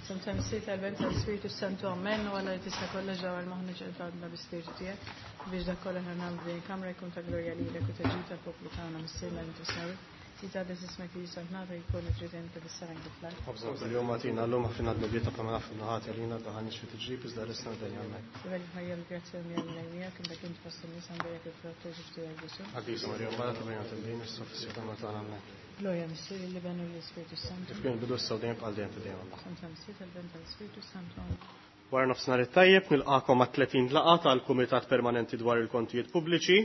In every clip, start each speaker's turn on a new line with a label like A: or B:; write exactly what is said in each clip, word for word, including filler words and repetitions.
A: F'isem tal-Missier, tal-Iben, tal-Ispirtu Santu, Amen. U Alla li tista' kollox dawwar moħħna ġewwa qalbna bl-Ispirtu tiegħek biex dak kollha aħna nagħmlu f'din il-kamra jkun ta' glorja lilek u ta' ġid tal-poplu tagħna. Missierna li inti fis-smewwiet, jitqaddes ismek, tiġi saltnatek, jkun trid inti fis-sema kif fl-art.
B: Ħobżna kuljum agħtina llum, aħfrilna dnubietna bħalma naħfru ħati għalina, tdaħħalniex fi tiġrib, iżda ħlisna mill-deni. Amen.
A: Sibel Marija bil-grazzja u Mulej miegħek, imbierka int fost in-nisa, mberek il-frott tal-ġuf tiegħek Ġesù.
B: Qaddisa Marija Omm Alla, itlob għalina midinbin, issa u fis-siegħa tal-mewt tagħna. Amen.
A: Glorja Missier, l-Iben u l-Ispirtu Santu.
B: Kif kien bidu issa u dejjem bħal dejjem ta' dejjem.
A: F'isem tal-Missier, tal-Iben, tal-Ispirtu Santu. Amen.
B: Wara nofsinhar it-tajjeb nilqakom għat-tletin laqgħa tal-Kumitat Permanenti dwar il-Kontijiet Pubbliċi.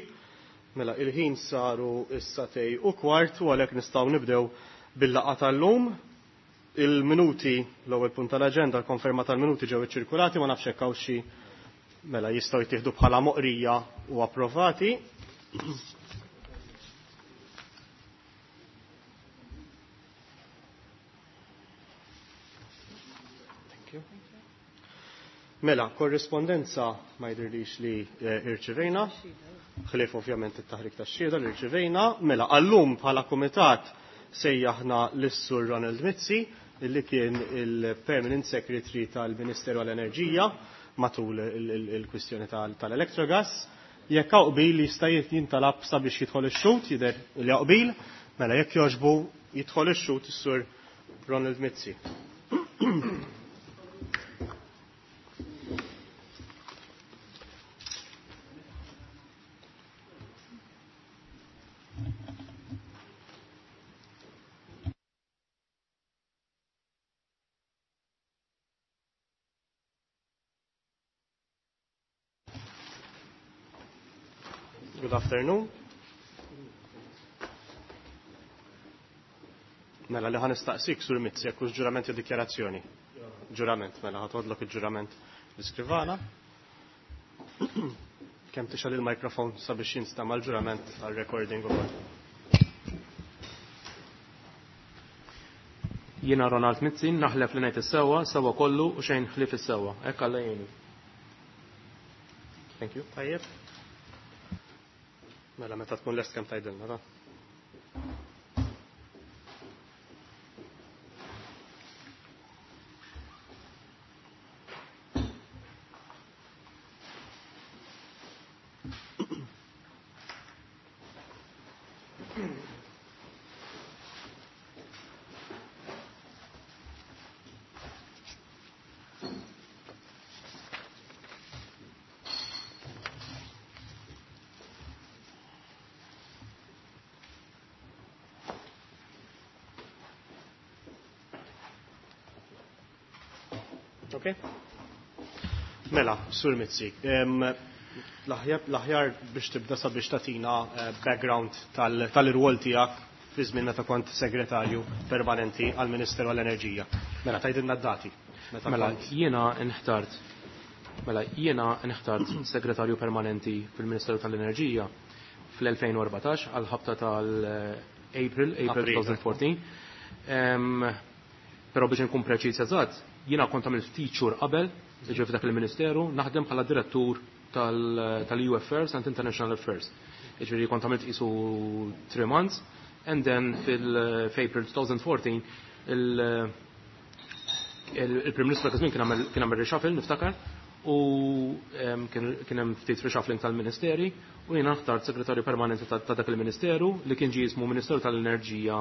B: Mela il-ħin saru s-sagħtejn u kwart u għalhekk nistgħu nibdew bil-laqgħa tal-lum. Il-minuti, l-ewwel punt tal-aġenda, l-konferma tal-minuti ġew iċċirkulati, ma nafx hekk hawn xi mela jistgħu jittieħdu bħala moqrija u approvati. Thank you. Mela, korrispondenza ma jidhirlix li eh, irċivejna, ħlief ovvjament it-taħrik tax-xhieda li rċivejna. Mela, għallum bħala kumitat sejjaħna lis-Sur Ronald Mizzi, illi kien il-Permanent Secretary tal-Ministeru għall-Enerġija matul il-kwistjoni tal-Electrogas. Jekk hawn qbil jista' jintalab sabiex jidħol ix-xhud, jidher li hawn qbil, mela jekk jogħġbu jidħol ix-xhud is-Sur Ronald Mizzi. Good afternoon. Mela li ħa nistaqsik Sur Mizzi, jekk hux ġurament jew dikjarazzjoni. Ġurament, mela ħa toħodlok il-ġurament l-iskrivana. Kemm tixgħel il-mikrofon sabiex jinstama' l-ġurament għal-recording ukoll.
C: Jiena Ronald Mizzi, naħlef li ngħid is-sewwa, sewwa kollu u xejn ħlief is-sewwa. Hekk Alla jgħinni.
B: Thank you. Tajjeb. Mela meta tkun lest kemm tgħidilna da. Ok? Mela, Sur Mizzi, l-aħjar biex tibda sabiex tagħtina eh, background tal-irwol tiegħek fi żmien meta kont segretarju permanenti għall-Ministeru għall-Enerġija. Mela, tgħidilna d-dati.
C: Mela, jiena nħtart Mela, jiena nħtart segretarju permanenti fil-Ministeru tal-Enerġija fl-elfejn u erbatax għal ħabta tal-April, April elfejn u erbatax. Però biex nkun preċiż eżatt, jiena kont għamilt ftit xhur qabel, ġifieri f'dak il-Ministeru, naħdem bħala direttur tal-E U Affairs and International Affairs. Ġifieri kont għamilt qisu three months, and then fil-April twenty fourteen il-Prim Ministru dak iż-żmien kien għamel, kien għamel reshuffle, niftakar, u, em, kien, kien hemm ftit reshuffling tal-Ministeri, u jiena ħtart segretarju permanenti ta', ta' dak il-Ministeru li kien ġie jismu Ministeru tal-Enerġija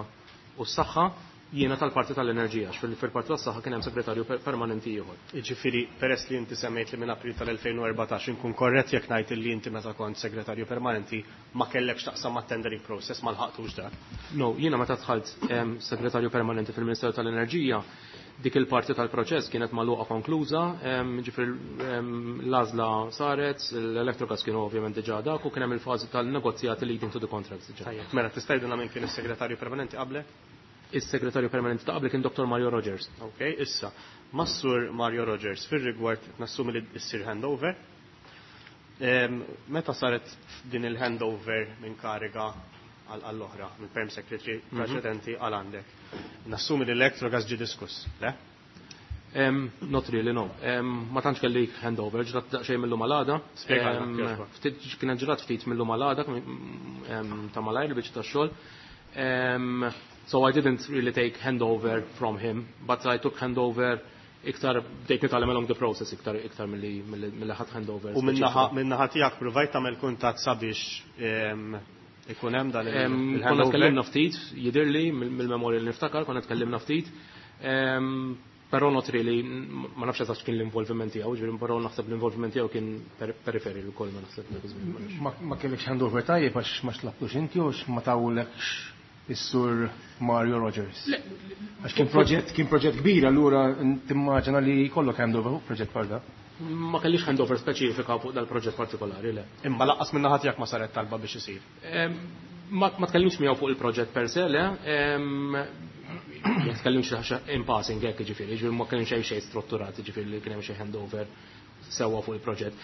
C: u s-Saħħa, jiena tal-parti tal-enerġija, għax fil-, fil-parti tas-saħħa kien hemm segretarju per-, permanenti ieħor.
B: Jiġifieri, peress li inti semmejt li minn April tal-elfejn u erbatax inkun korrett jekk ngħid li inti meta kont segretarju permanenti ma kellekx taqsam mat-tendering process, ma lħaqtux dak.
C: No, jiena meta dħalt, em, segretarju permanenti fil-Ministeru tal-Enerġija, dik il-parti tal-proċess kienet magħluqa konkluża, em, ġifieri, em, l-għażla saret, l-Electrogas kienu ovvjament diġà dak u kien hemm il-fażi tal-negozjati leading to the contracts diġà.
B: Tajjeb, mela tista' tgħidilna min kien is-segretarju permanenti qablek?
C: Is-segretarju permanenti ta' qabli kien Doktor Mario Rogers.
B: Ok, issa, mas-Sur Mario Rogers fir-rigward nassumi li ssir handover. Em, meta saret din il-handover minn kariga għall-oħra, minn perm secretary
C: Mhm.
B: preċedenti għal għandek? Nassumi li l-Electrogas ġie diskuss, le?
C: Em, not really, no. Em, ma tantx kelli handover, ġrat daqsxejn mill-lum għal għada.
B: Spjegalna,
C: Em,
B: kif jogħġbok.
C: ftit, kienet ġrat ftit mill-lum għal għada, em, ta' malajr il-biċċa tax-xogħol. Em, so I didn't really take handover from him, but I took handover Iktar bdejt nitgħallem along the process iktar iktar milli milli ħadt handover.
B: U min-naħa min-naħa tiegħek provajt tagħmel kuntatt sabiex ikun hemm dan
C: il-handover? Konna tkellimna ftit, jidhirli mill-memorja li niftakar, konna tkellimna ftit. Però not really, ma nafx eżatt kien l-involviment tiegħu, ġifieri però naħseb l-involviment tiegħu kien periferi wkoll, ma naħseb.
D: Ma kellekx handover tajjeb għax ma xlabtux inti u ma tawlekx is-sur Mario Rogers? Għax kien proġett kien proġett kbir, allura timmaġina li jkollok handover fuq proġett bħal da.
C: Ma kellix handover speċifika fuq dal-proġett partikolari, le.
B: Imma lanqas min-naħa tiegħek ma saret talba biex isir?
C: Ma tkellimx miegħu fuq il-proġett per se, le. Jekk tkellimx in passing hekk, ġifieri, ġifieri ma kienx xejn xejn strutturat, ġifieri li kien hemm xi handover sewwa fuq il-proġett.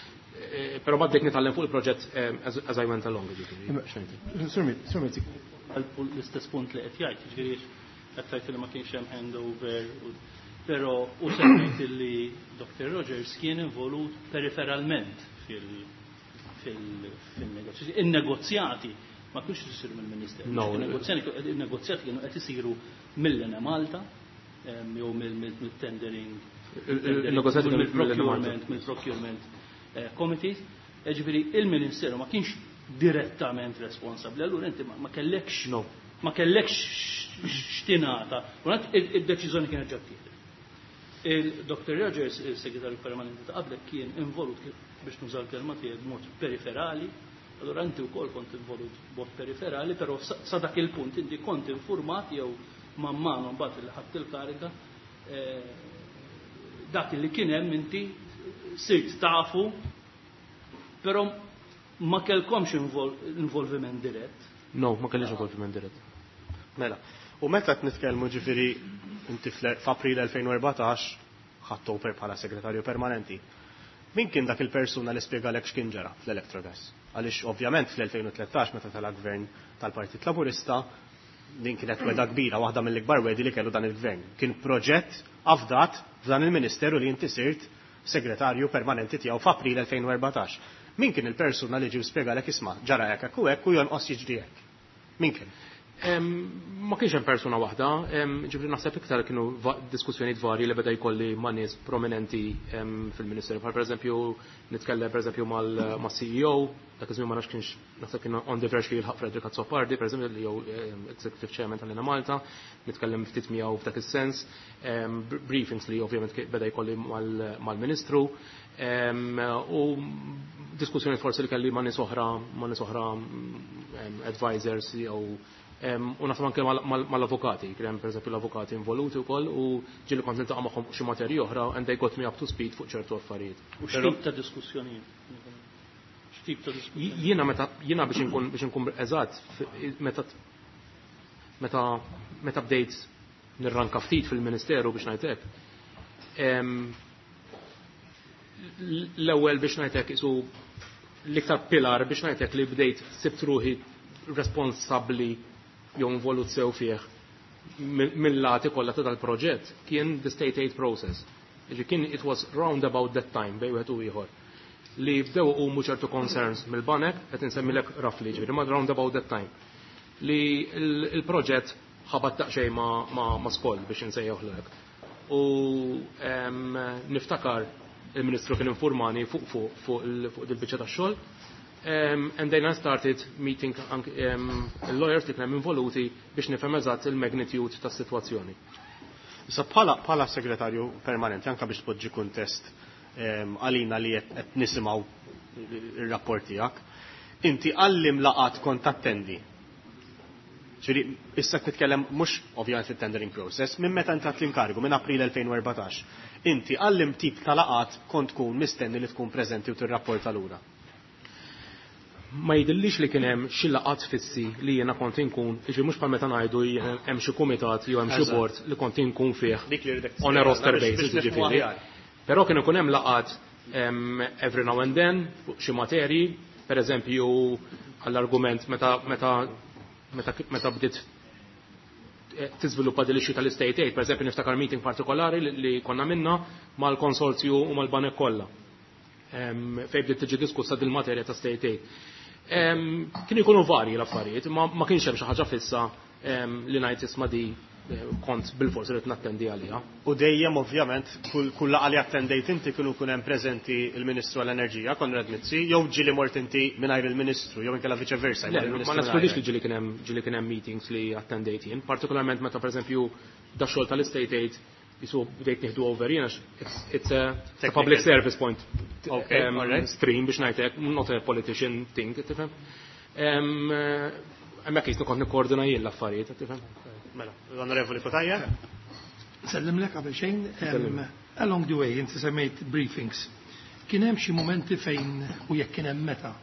C: Però ma bdejt nitgħallem fuq il-proġett as I went along, ġifieri.
D: Sur Mizzi.
E: L-istess punt li qed jgħid, ġifieri qed tgħid li ma kienx hemm handover, però u semmejt li Doctor Rogers kien involut periferalment fil-negozjati. In-negozjati ma kienx isiru mill-Ministeru. Il-negozjati kienu qed isiru mill-Enemalta jew mill-tendering, mill-procurement, mill-procurement committees. Ġifieri il-Ministeru ma kienx direttament responsabbli, allura inti ma kellekx ma kellekx x'tingħata. Id-deċiżjoni kienet ġa ttieħdet. Il-Doctor Rogers, il-segretarju permanenti ta' qablek, kien involut, biex nuża l-kelma tiegħek, b'mod periferali. Allura inti wkoll kont involut b'mod periferali, però sa dak il-punt inti kont informat jew man mano mbagħad li ħadt il-kariga, dak li kien hemm inti sirt tafu, però ma kellkomx involviment dirett.
C: No, ma kellix involviment dirett.
B: Mela, u meta qed nitkellmu, ġifieri inti f'April elfejn u erbatax ħadt over bħala segretarju permanenti. Min kien dak il-persuna li spjegalek x'kien ġara fl-Electrogas? Għaliex ovvjament fl-elfejn u tlettax, meta tela gvern tal-Partit Laburista, din kienet wegħda kbira, waħda mill-ikbar wegħdi li kellu dan il-gvern. Kien proġett afdat f'dan il-Ministeru li inti sirt segretarju permanenti tiegħu f'April elfejn u erbatax. Min kien il-persuna li ġie spjegalek, "Isma', ġara hekk u hekk u jonqos jiġri hekk"? Min kien?
C: Ma kienx hemm persuna waħda, ġifieri naħseb iktar kienu diskussjonijiet varji li beda jkolli ma' nies prominenti fil-Ministeru. Bħal pereżempju nitkellem pereżempju mal-C E O, dak iż-żmien ma nafx kienx, naħseb kien on the verge li jilħaq Frederick Azzopardi, pereżempju, li jew Executive Chairman tal-Enemalta, nitkellem ftit miegħu f'dak is-sens, briefings li ovvjament beda jkolli mal-Ministru, u diskussjoni forsi li kelli ma' nies oħra, ma' nies oħra, advisors jew u naħseb anke mal-avukati, kien hemm pereżempju l-avukati involuti wkoll u ġieli kont niltaqa' magħhom xi materji oħra and they got me up to speed fuq ċertu affarijiet.
E: U x'tip ta' diskussjonijiet? X'tip ta' diskussjonijiet?
C: Jiena meta jiena biex inkun biex inkun eżatt, meta meta meta bdejt nirranka ftit fil-Ministeru, biex ngħidlek, l-ewwel, biex ngħidlek, isu l-iktar pilar, biex ngħidlek, li bdejt sibt ruħi responsabbli jew involut sew fih mill-lati kollha ta' dal-proġett kien the state aid process. Ġi kien it was round about that time bejn wieħed u ieħor li bdew iqumu ċertu concerns mill-banek, qed insemmilek roughly, ġifieri ma round about that time, li il-proġett ħabat daqsxejn ma' skoll, biex insejjaħlek. U niftakar il-Ministru kien informani fuq fuq fuq il-biċċa tax-xogħol. Um, and then I started meeting um, il-lawyers li kien involuti biex nifhem eżatt il-magnitude tas-sitwazzjoni.
B: Issa bħala bħala segretarju permanenti, anka biex tpoġġi kuntest għalina li qed nisimgħu ir-rapport tiegħek, inti għal liema laqgħat kont attendi? Ġifieri, issa nitkellem mhux ovvjament fit-tendering process, minn meta intrat l-inkarigu, minn April elfejn u erbatax. Inti għal liema tip ta' laqgħat kont tkun mistenni li tkun preżenti u tirrapporta lura?
C: Ma jidhirlix li kien hemm xi laqgħat fissi li jiena kont inkun, jiġri mhux bħal meta ngħidu hemm xi kumitat jew hemm xi board li kont inkun fih on a roster basis, ġifieri. Però kien ikun hemm laqgħat every now and then fuq xi materji, per eżempju għall-argument meta meta meta meta bdiet eh, tiżviluppa din l-issue tal-state aid, per eżempju niftakar meeting partikolari li konna minna mal-konsorzju u mal-banek kollha, fejn bdiet tiġi diskussa dil-materja ta' state aid. Kienu jkunu varji l-affarijiet, ma kienx hemm xi ħaġa fissa li ngħid, "Isma' di kont bil-fors irrid nattendi għaliha.
B: U dejjem ovvjament kull laqgħa li attendejt inti kienu kun hemm preżenti il-Ministru għall-Enerġija Konrad Mizzi, jew ġieli mort inti mingħajr il-Ministru, jew inkella viċe versa.
C: Ma neskludix li ġieli kien hemm ġieli kien hemm meetings li attendejt jien, partikolarment meta pereżempju da xogħol tal-Estate Aid jisu bdejt nieħdu over jien it's a, it's a public service point
B: okay, um, right.
C: stream biex ngħidlek, not a politician thing, tifhem. Hemmhekk jisnu kont nikkoordina jien l-affarijiet, tifhem.
B: Mela, l-Onorevoli Cutajar.
F: Sellimlek qabel xejn, along the way, inti semmejt briefings. Kien hemm xi momenti fejn u jekk kien hemm meta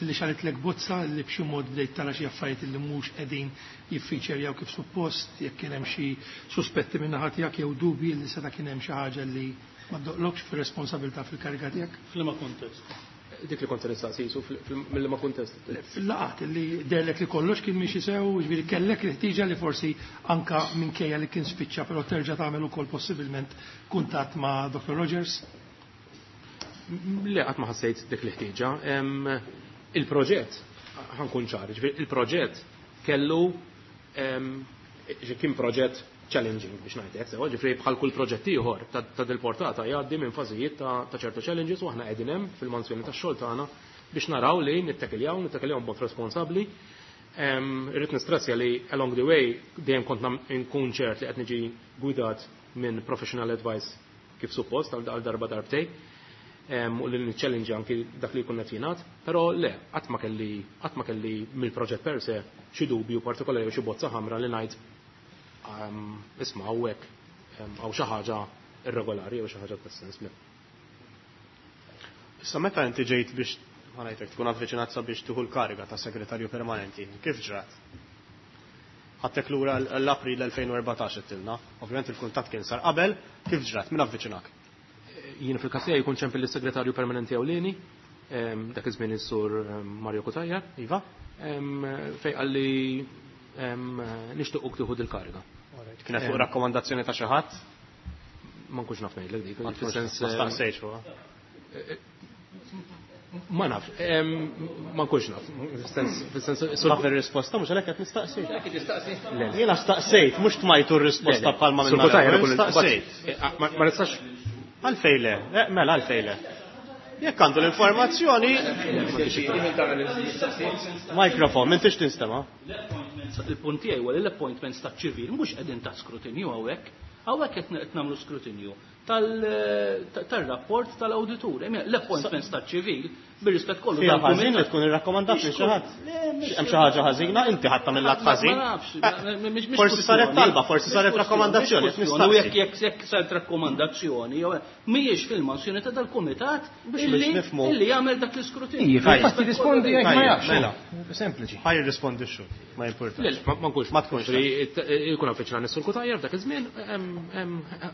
F: li xalitlek bozza li b'xi mod bdejt tara xi affarijiet li mhux qegħdin jiffiċerjaw kif suppost, jekk kien hemm xi suspetti minn naħa tiegħek jew dubji li seta' kien hemm xi ħaġa li ma ddoqlokx fir-responsabilità fil-kariga tiegħek?
E: F'liema kuntest?
C: Dik li kont se nistaqsi jisu mill-liema kuntest.
F: Fil-laqgħat li derlek li kollox kien miexi sew, jiġifieri kellek l-ħtieġa li forsi anka minkejja li kien spiċċa però terġa' tagħmel ukoll possibilment kuntatt ma' Doctor Rogers?
C: Le, qatt ma ħassejt dik l-ħtieġa. Il-proġett, ħankun ċar, jiġifieri il-proġett kellu kien proġett challenging biex ngħidlek, sewa ġifieri bħal kull proġett ieħor ta' dil-portata jgħaddi minn fażijiet ta' ċertu challenges u aħna qegħdin hemm fil-mansjoni tax-xogħol tagħna biex naraw li nittakiljaw, nittakiljaw b'mod responsabbli. Irrid nistressja li along the way dejjem kont nkun ċert li qed niġi gwidat minn professional advice kif suppost għal darba darbtej u li niċċellinġi anki dak li jkun qed jingħad, però le, qatt ma kelli qatt ma kelli mill-proġett per se xi dubju partikolari jew xi bozza ħamra li ngħid isma' hawnhekk hawn xi ħaġa irregolari jew xi ħaġa tas-sens le.
B: Issa meta inti ġejt biex ma ngħidlek tkun avviċinat sabiex tieħu l-kariga ta' segretarju permanenti, kif ġrat? Ħadtek lura l-April elfejn u erbatax qedtilna, ovvjament il-kuntatt kien sar qabel, kif ġrat? Min avviċinak?
C: Jien fil-każ tiegħi jkun ċempel lis-segretarju permanenti ewlieni, dak iż-żmien is-sur Mario Cutajar,
B: Iva,
C: fejn qalli nixtiequk tieħu dil-kariga.
B: Kienet fuq rakkomandazzjoni ta' xi ħadd?
C: Ma nkunx naf ngħidlek dik,
B: Ma tkunx
C: fis-sens,
B: ma staqsejtx fuqha.
C: Ma nafx, ma nkunx naf. Fis-sens, fis-sens,
B: Taf ir-risposta mhux għalhekk qed nistaqsi.
C: Le, le.
B: Jiena staqsejt, mhux tmajtu r-risposta bħalma
C: Sur
B: minna
C: Cutajar
B: l-ewwel,
C: ikun il-
B: staqsejt.
C: Ma, ma nistax.
B: Għalfejn le, eh, mela għalfejn le. Jekk għandu l-informazzjoni. Mikrofon, m'intix tinstema'.
E: Il-punt tiegħi huwa li l-appointments ta' ċivil mhux qegħdin ta' skrutinju hawnhekk. Hawnhekk qed nagħmlu skrutinju tal-rapport tal-awditur. L-appointments ta' ċivil bir-rispett kollu
B: Fija
E: tal-kumitat.
B: ħażin li tkun irrakkomandat lil xi ħadd. Hemm xi ħaġa ħażina, inti ħadd tagħmel lat ħażin.
E: Ma nafx, mhix
B: Forsi saret
E: kwestjoni.
B: talba, forsi saret
E: Mhix
B: rakkomandazzjoni,
E: kwestjoni.
B: nistaqsi.
E: U jekk jekk jekk saret rakkomandazzjoni, jew mhijiex fil-mansjoni ta' dal-kumitat
B: Biex
E: illi
B: nifhmu.
E: illi jagħmel dak l-iskrutinju.
D: Ija, fil-fatt jirrispondi jekk ma
B: Tajjeb,
D: jafx.
B: mela.
D: Sempliċi.
B: Ħaj jirrispondi x-xhur, ma jimpurtax.
C: Le, ma nkunx.
B: Ma tkunx.
C: Jkun avviċina Sur Cutajar f'dak iż-żmien,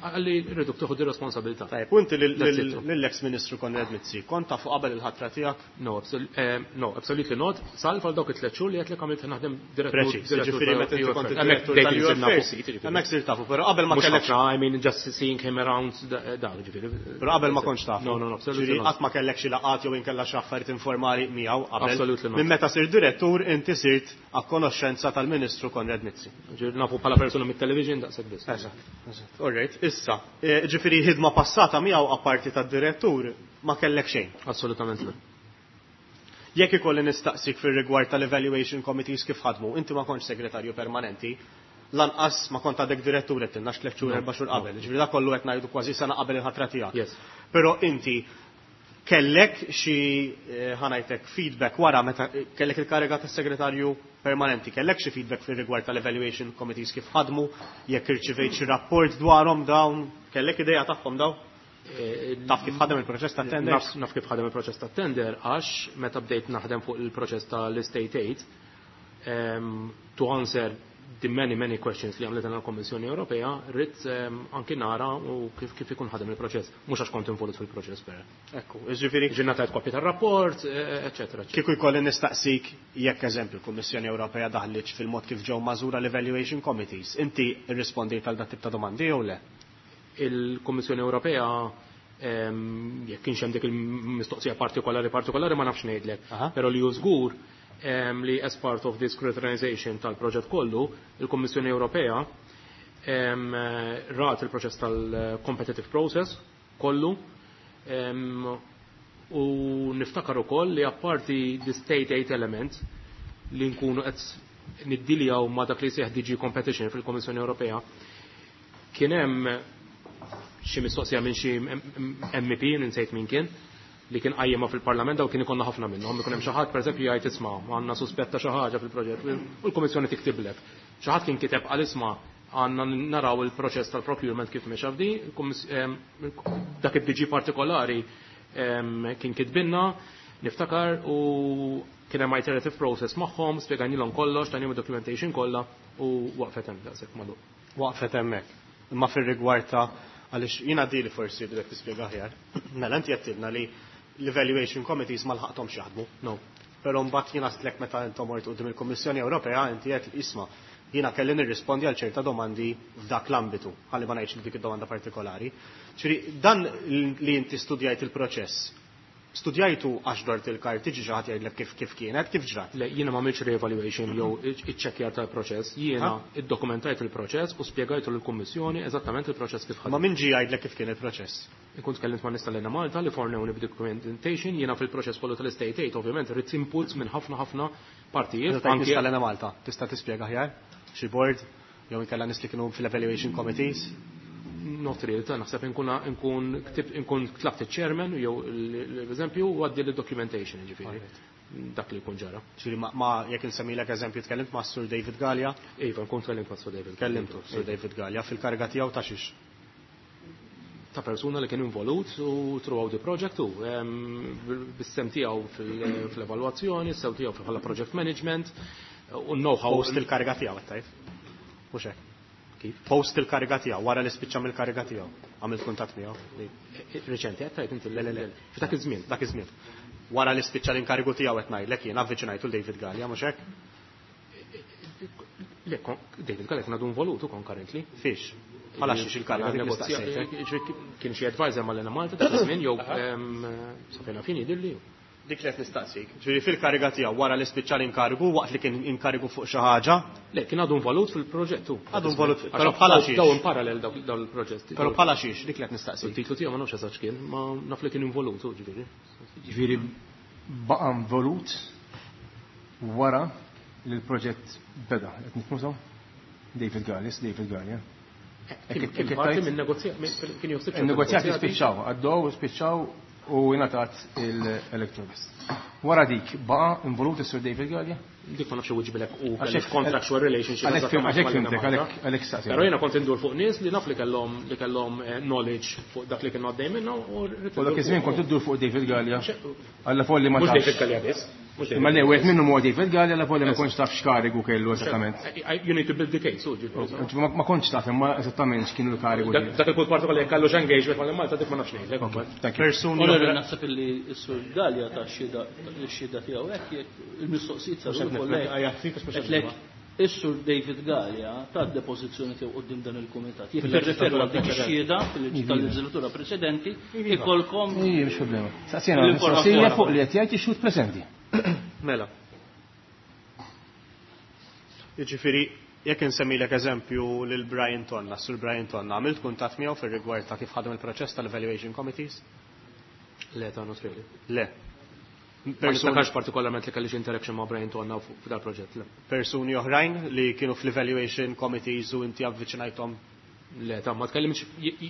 C: għalli rriduk tieħu dir-responsabilità.
B: Tajjeb, u inti lil-
C: That's
B: lil-
C: it.
B: lill-ex Ministru Konrad Mizzi, kont tafu qabel il-ħatra tiegħek?
C: No, absol-, eh, no, absolutely not. Salv għal dawk it-tliet xhur li qed li għamilt naħdem direttur.
B: Preċiż,
C: direttur
B: ġifieri meta inti
C: tal-U F R.
B: kont
C: Hemmhekk
B: id-direttur
C: bdejt
B: tal-U F R,
C: insir nafu ftit, ġifieri.
B: hemmhekk sirt tafu, però qabel ma
C: Mhux
B: kellek
C: ħafna, I mean, just seeing him around da-, dak, ġifieri.
B: Però qabel ma kontx tafu.
C: No, no, no, absolutely
B: Ġifieri
C: not.
B: qatt ma kellek xi laqgħat jew inkella xi affarijiet informali miegħu qabel.
C: Absolutely not.
B: Minn meta sirt direttur inti sirt a konoxxenza tal-Ministru Konrad Mizzi.
C: Ġifieri nafu bħala persuna mit-television daqshekk biss.
B: Eżatt, eżatt. All right, issa, eh, ġifieri ħidma passata miegħu apparti tad-direttur ma kellek xejn.
C: Assolutament le.
B: Jekk ikolli nistaqsik fir-rigward tal-evaluation committees kif ħadmu, inti ma kontx segretarju permanenti, lanqas ma kont għadek direttur qed tilna tliet xhur,
C: No,
B: erba' xhur
C: no.
B: qabel. Ġifieri dak kollu qed ngħidu kważi sena qabel il-ħatra tiegħek.
C: Yes.
B: Però inti kellek xi, eh, ħanajtek feedback wara meta kellek il-kariga tas-segretarju permanenti, kellek xi feedback fir-rigward tal-evaluation committees kif ħadmu, jekk irċivejt xi rapport dwarhom dawn, kellek idea tagħhom dawn?
C: Eh,
B: Taf kif ħadem il-proċess ta' tender?
C: Naf, naf kif ħadem il-proċess ta' tender, għax meta bdejt naħdem fuq il-proċess tal-Estate Aid, um, to answer the many, many questions li għamlet l-Kommissjoni Ewropea, rrid, um, anki nara u kif, kif ikun ħadem il-proċess. Mhux għax kont involut fil-proċess per.
B: Ekku, jiġifieri
C: Ġinna tajt kopja tar-rapport, eh, eċetera, eċetera.
B: Kieku jkolli nistaqsik jekk eżempju l-Kummissjoni Ewropea daħlitx fil-mod kif ġew mażura l-Evaluation Committees, inti rrispondejt għal dat tip ta' domandi jew le?
C: Il-Kummissjoni Ewropea, ehm, jekk kienx hemm dik il-mistoqsija partikolari partikolari ma nafx ngħidlek.
B: Aha.
C: Però li hu żgur, ehm, li as part of this scrutinization tal-proġett kollu, il-Kummissjoni Ewropea, Rat il-proċess tal-competitive process kollu u niftakar ukoll li apparti the state aid element li nkunu qed niddiljaw ma' dak li jsejjaħ D G Competition fil-Kommissjoni Ewropea, kien hemm xi mistoqsija minn xi M P, ninsejt min kien, li kien qajjimha fil-Parlament daw kien ikollna ħafna minnhom, ikun hemm xi ħadd pereżempju jgħid isma' għandna suspetta xi ħaġa fil-proġett u l-Kummissjoni tiktiblek. Xi ħadd kien kiteb qal isma' għandna naraw il-proċess tal-procurement kif mexa f'di, dak id-D G partikolari kien kitbinna, niftakar, u kien hemm iterative process magħhom, spjegajnilhom kollox, tajnihom documentation kollha u waqfet hemm daqshekk magħluq.
B: Waqfet hemmhekk. Imma fir-rigward ta' għaliex jiena di li forsi bdek tispjega aħjar. Mela inti qed tgħidilna li l-evaluation committees ma lħaqthomx jaħdmu.
C: No.
B: Però mbagħad jiena stlek meta intom mort quddiem il-Kummissjoni Ewropea inti qed isma' jiena kelli nirrispondi għal ċerta domandi f'dak l-ambitu, ħalli ma ngħidx li dik id-domanda partikolari. Ġifieri dan li inti studjajt il-proċess, studjajtu għax dort il-karti ġi xi ħadd jgħidlek kif, kif kienet, kif ġrat?
C: Le, jiena ma għamiltx re-evaluation jew iċċekkjar tal-proċess, jiena
B: Ha?
C: iddokumentajt il-proċess u spjegajtu lill-Kummissjoni eżattament il-proċess kif ħadem.
B: Ma min ġi jgħidlek kif kien il-proċess?
C: Inkun tkellimt ma' nies tal-Enemalta li fornewni b'documentation, jiena fil-proċess kollu tal-Estate Aid, ovvjament rrid inputs minn ħafna ħafna partijiet.
B: Meta tajt
C: Anke
B: nies tal-Enemalta, tista' tispjega aħjar? Xi board jew inkella nies li kienu fil-evaluation committees?
C: Not really, ta' naħseb inkun, inkun ktib, inkun tlabt il-chairman jew l-eżempju u għaddi l-documentation, ġifieri.
B: Alright.
C: Dak li jkun ġara.
B: Ġifieri ma, ma jekk insemmilek eżempju tkellimt ma' Sur David Galea?
C: Iva, nkun tkellimt ma' Sur David Galea.
B: Kellimtu Sur David Galea fil-kariga tiegħu ta' xiex?
C: Ta' persuna li kien involut u throughout the project u, em, bis-sem tiegħu fil-, fil-evalwazzjoni, sew tiegħu bħala project management u know-how.
B: Post il-kariga tiegħu qed tgħid. Mhux hekk.
C: Kif?
B: Post il-kariga tiegħu, wara li spiċċa mill-kariga tiegħu. Għamilt kuntatt miegħu.
C: Reċenti qed tgħid inti?
B: Le, le, le.
C: F'dak iż-żmien.
B: Dak iż-żmien. Wara li spiċċa l-inkarigu tiegħu qed ngħidlek jien avviċinajtu l David Galea, mhux hekk?
C: Le, kon-, David Galea kien għadu involut ukoll currently.
B: Fiex? Bħala xiex il-kariga dik
C: Negozja-
B: nistaqsejtek.
C: Kien xi advisor mal-Enemalta dak iż-żmien jew, em, sa fejn fin jidhirli.
B: Dik li qed nistaqsik. Ġifieri fil-kariga tiegħu wara li spiċċa l-inkarigu waqt li kien inkarigu fuq xi ħaġa?
C: Le, kien għadu involut fil-proġett hu.
B: Għadu involut,
C: Għax
B: però bħala
C: daw-
B: xiex.
C: Daw in parallel daw, daw il-proġett.
B: Però bħala xiex, dik li qed nistaqsik.
C: Il-titlu tiegħu ma nafx eżatt x'kien, ma naf li kien involut hu, ġifieri.
D: Ġifieri baqa' involut wara li l-proġett beda. Qed nifhmu sew? David Galea, David Galea.
C: Kien kien parti minn negozjat, minn-, kien joħsib xi
D: Il-negozjati
C: negozjati.
D: spiċċaw, għaddew spiċċaw u ingħatat il-Electrogas. Wara dik baqa' involut is-Sur David Galea?
C: Dik ma nafx iwiġbilek u
D: Għax
C: kellix
D: hekk-
C: contractual relationship
D: għalhekk
C: eżattament
D: għalhekk
C: mal-Enemalta.
D: fimtek, għalhekk, għalhekk staqsejt.
C: Però jiena kont indur fuq nies li naf li kellhom, li kellhom, eh, knowledge fuq dak li kienu għaddej minnu u rrid
D: U dak
C: indur
D: iż-żmien
C: fuq.
D: kont iddur fuq David Galea.
C: Xe-
D: Alla folli ma
C: Mhux
D: tafx.
C: David Galea biss. Mhux David
D: Imma le,
C: Galea.
D: wieħed minnhom huwa David Galea, alla folli ma
C: Yes.
D: kontx taf x'karigu kellu eżattament.
C: I, I, you need to build the case, u ġifieri.
D: Ma, ma kontx taf imma eżattament x'kienu l-karigu
C: Dak
D: tiegħu.
C: dak il-punt partikolari jekk kellu engagement mal-Malta dik ma nafx ngħidlek.
D: Thank you.
B: Persuni
E: Onorevoli,
B: oħra-
E: naħseb illi s-Sur Galea ta' xhieda, x-xhieda tiegħu hekk jekk il-mistoqsijiet saru
B: Mhux qed
E: wkoll
B: nifhem,
E: hekk.
B: għajja, fik għax mhux qed
E: Qed lek,
B: nifhem.
E: is-Sur David Galea ta' depożizzjoni tiegħu quddiem dan il-kumitat. Jekk tirreferu għal dik ix-xhieda tal-leġislatura preċedenti, ikolkom
D: Ija, mhux problema. Saqsina,
E: L-informazzjoni.
D: mistoqsija fuq li qed jgħid ix-xhud preżenti.
B: Mela. Jiġifieri, jekk insemmilek eżempju lil Brian Tonna, Sur Brian Tonna, għamilt kuntatt miegħu fir-rigward ta' kif ħadem il-proċess tal-evaluation committees?
C: Le, ta' not really.
B: Le.
C: Ma
B: Persuni
C: niftakarx partikolarment li kellix interaction ma' Brian Tonna fuq dal proġett, le.
B: Persuni oħrajn li kienu fl-evaluation committees u inti avviċinajthom?
C: Le, ta' ma tkellimx,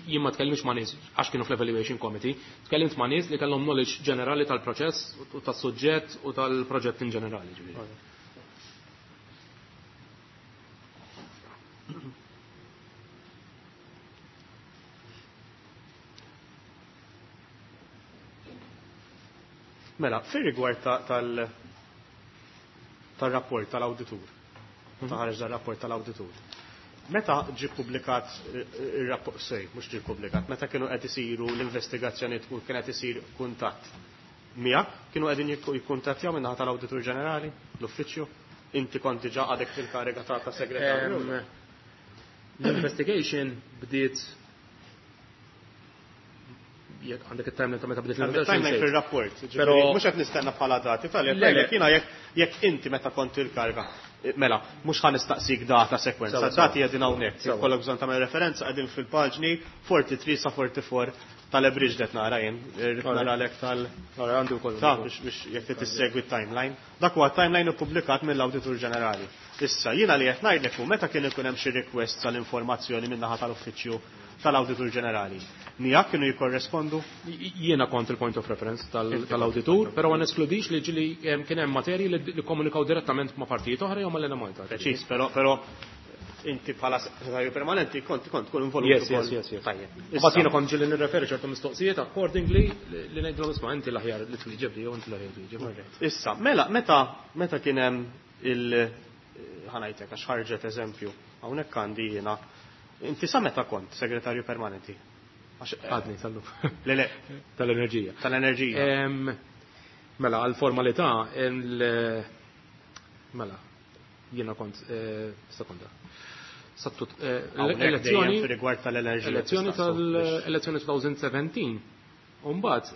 C: jien ma tkellimx ma' nies għax kienu fl-evaluation committee, tkellimt ma' nies li kellhom knowledge ġenerali tal-proċess u tas-suġġett u tal-proġett in ġenerali, ġifieri.
B: Mela, fir-rigward ta-, tal-, tal-rapport tal-awditur, ta' ħareġ dal-rapport tal-awditur. Meta ġie ppubblikat ir-rapport, sej, mhux ġie ppubblikat, meta kienu qed isiru l-investigazzjonijiet u kien qed isir kuntatt miegħek, kienu qegħdin jikku-, jikkuntattjaw min-naħa tal-Awditur Ġenerali, l-uffiċċju? Inti kont diġà għadek fil-kariga ta' ta' segretarju?
C: Em, L-investigation bdiet jekk għandek it-timeline ta' meta bdiet
B: Għandek
C: l-investigation.
B: timeline fir-rapport, ġifieri
C: Però
B: mhux qed nistenna bħala dati, tal
C: Le, le.
B: jekk jiena jekk, jekk inti meta kont il-kariga. Mela, mhux ħa nistaqsik data sekwenza, dati qegħdin hawnhekk, kollok bżonn tagħmel referenza qegħdin fil-paġni forty-three sa forty-four tal-Abridged qed nara jien, irrid naralek tal
C: għandu wkoll.
B: Ta' biex jekk trid tissegwi t-timeline. Dak huwa timeline ippubblikat mill-Awditur Ġenerali. Issa jiena li qed ngħidlek hu meta kien ikun hemm xi request tal-informazzjoni min-naħa tal-Uffiċċju tal-Awditur Ġenerali. Miegħek kienu jikkorrespondu?
C: Jiena kont il-point of reference tal-awditur, però ma neskludix li ġili kien hemm materji li komunikaw direttament ma' partijiet oħra jew mal-Enemalta.
B: Preċiż, però però inti bħala segretarju permanenti kont kont tkun involut.
C: Yes, yes, yes, yes.
B: Tajjeb.
C: Imbagħad jiena kont ġieli nirreferi ċertu mistoqsijiet accordingly li ngħidlhom isma' inti l-aħjar li twieġeb li jew inti l-aħjar twieġeb.
B: Issa, mela meta meta kien hemm il ħanajtek għax ħarġet eżempju, hawnhekk għandi jiena. Inti sa meta kont segretarju permanenti?
C: Għadni tal-lum.
B: Le, le.
C: Tal-enerġija.
B: Tal-enerġija.
C: Mela, għal-formalità, mela, jiena kont, sekonda. Sattut,
B: elezzjoni. Rigward tal-enerġija.
C: Elezzjoni tal-elezzjoni twenty seventeen. Umbagħad,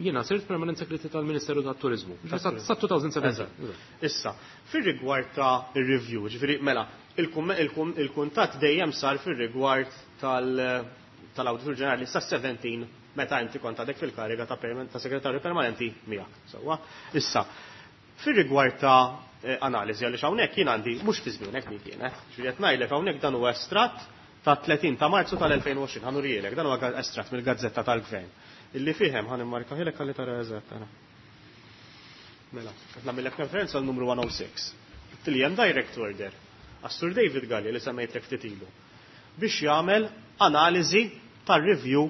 C: jiena sirt permanent secretary tal-Ministeru tat-Turizmu. Sa twenty seventeen.
B: Issa, fir-rigward ta' review, ġifieri mela, il-kuntatt dejjem sar fir-rigward tal-Awditur Ġenerali sa seventeen meta inti kont għadek fil-kariga ta' ta' segretarju permanenti miegħek. Sewwa. Issa, fir-rigward ta' analiżi għaliex hawnhekk jien għandi mhux fi żmienek min kienet. Ġifieri qed ngħidlek hawnhekk dan huwa estratt ta' tletin ta' Marzu tal-elfejn u għoxrin, ħanurielek, dan huwa estratt mill-Gazzetta tal-Gvern. Illi fihem ħan immarkaħilek ħalli tara eżatt ara. Mela, qed nagħmellek referenza għal numru one oh six. Li hemm direct order għas-Sur David Galli li semmejtlek ftit ilu biex jagħmel analiżi tar-review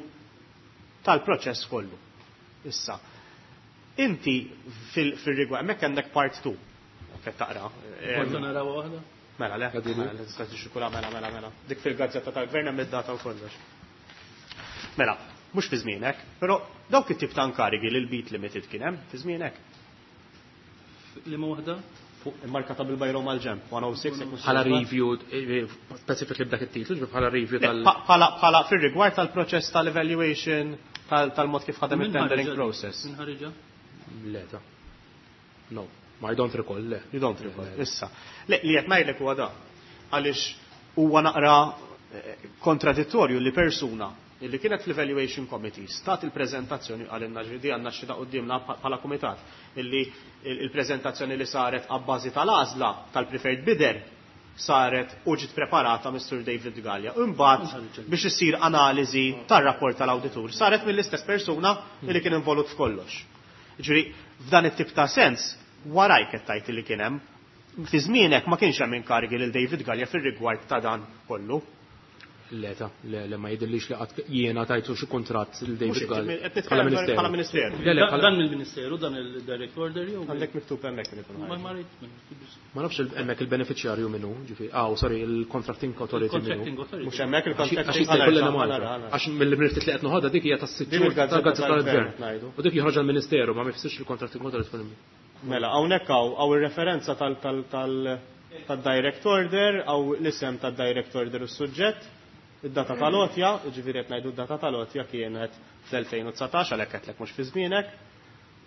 B: tal-proċess kollu. Issa, inti fil-rigward hemmhekk għandek part two. Qed taqra.
E: Kont naraw waħda?
B: Mela, le, tista' tixxikula mela, mela, mela. Dik fil-Gazzetta tal-Gvern hemm id-data u kollox. Mela, mhux fi żmienek, però dawk it-tip ta' inkarigi li l-Beat Limited kien hemm fi żmienek.
E: Liema waħda?
B: Fuq immarkata bil-bajro mal-ġemp, one oh six.
C: Bħala review, specifically b'dak it-titlu, bħala review tal-
B: Bħala fir-rigward tal-proċess tal-evaluation, tal-mod kif ħadem it-tendering process.
E: Min ħariġa?
C: Le, ta' no, I don't recall, le.
B: You don't recall, issa. Le, li qed ngħidlek huwa da. Għaliex huwa naqra kontradittorju li persuna illi kienet fl-Evaluation Committee stat il-prezentazzjoni għalinna ġvidi għanna xida qoddimna bħala komitat illi il-prezentazzjoni li saret għabbażi tal-għażla tal-preferred bidder saret u ġiet preparata Mister David Gallia. Imbagħad biex issir analiżi tar-rapport tal-awditur saret mill-istess persuna illi kien involut f'kollox. Ġifieri f'dan it-tip ta' sens warajk qed tgħid li kien hemm fi żmienek ma kienx hemm inkarigi lil David Gallia fir-rigward ta' dan kollu.
C: Le, ta' le, le, ma jidhirlix li qatt jiena tajtu xi kuntratt lil David Gallia.
B: Bħala ministeru.
C: Le, le,
E: Dan mill-ministeru, dan il-direct order jew?
B: Għandek miktub hemmhekk li jkun
E: Ma
B: ħareġ.
C: Ma nafx hemmhekk il-beneficjarju minnu, ġifieri, ah, sorry, il-contracting authority minnu.
E: Il-contracting authority.
B: Mhux hemmhekk il-contracting
C: Għax jista' jkollna Malta. Għax mill-mriftit li qed noħodha dik hija tas-sitt
B: Din il-gazzetta
C: tal-gazzetta
B: tal-gvern
C: tal-gvern.
B: ngħidu.
C: U dik joħroġ għall-ministeru, ma jfissirx il-contracting authority tkun hemm.
B: Mela, hawnhekk hawn hawn ir-referenza tal tal tal tad-direct order, hawn l-isem tad-direct order u s-suġġett, id-data tal-għotja, ġifieri qed ngħidu d-data tal-għotja kienet fl-elfejn u dsatax, għalhekk qedlek mhux fi żmienek.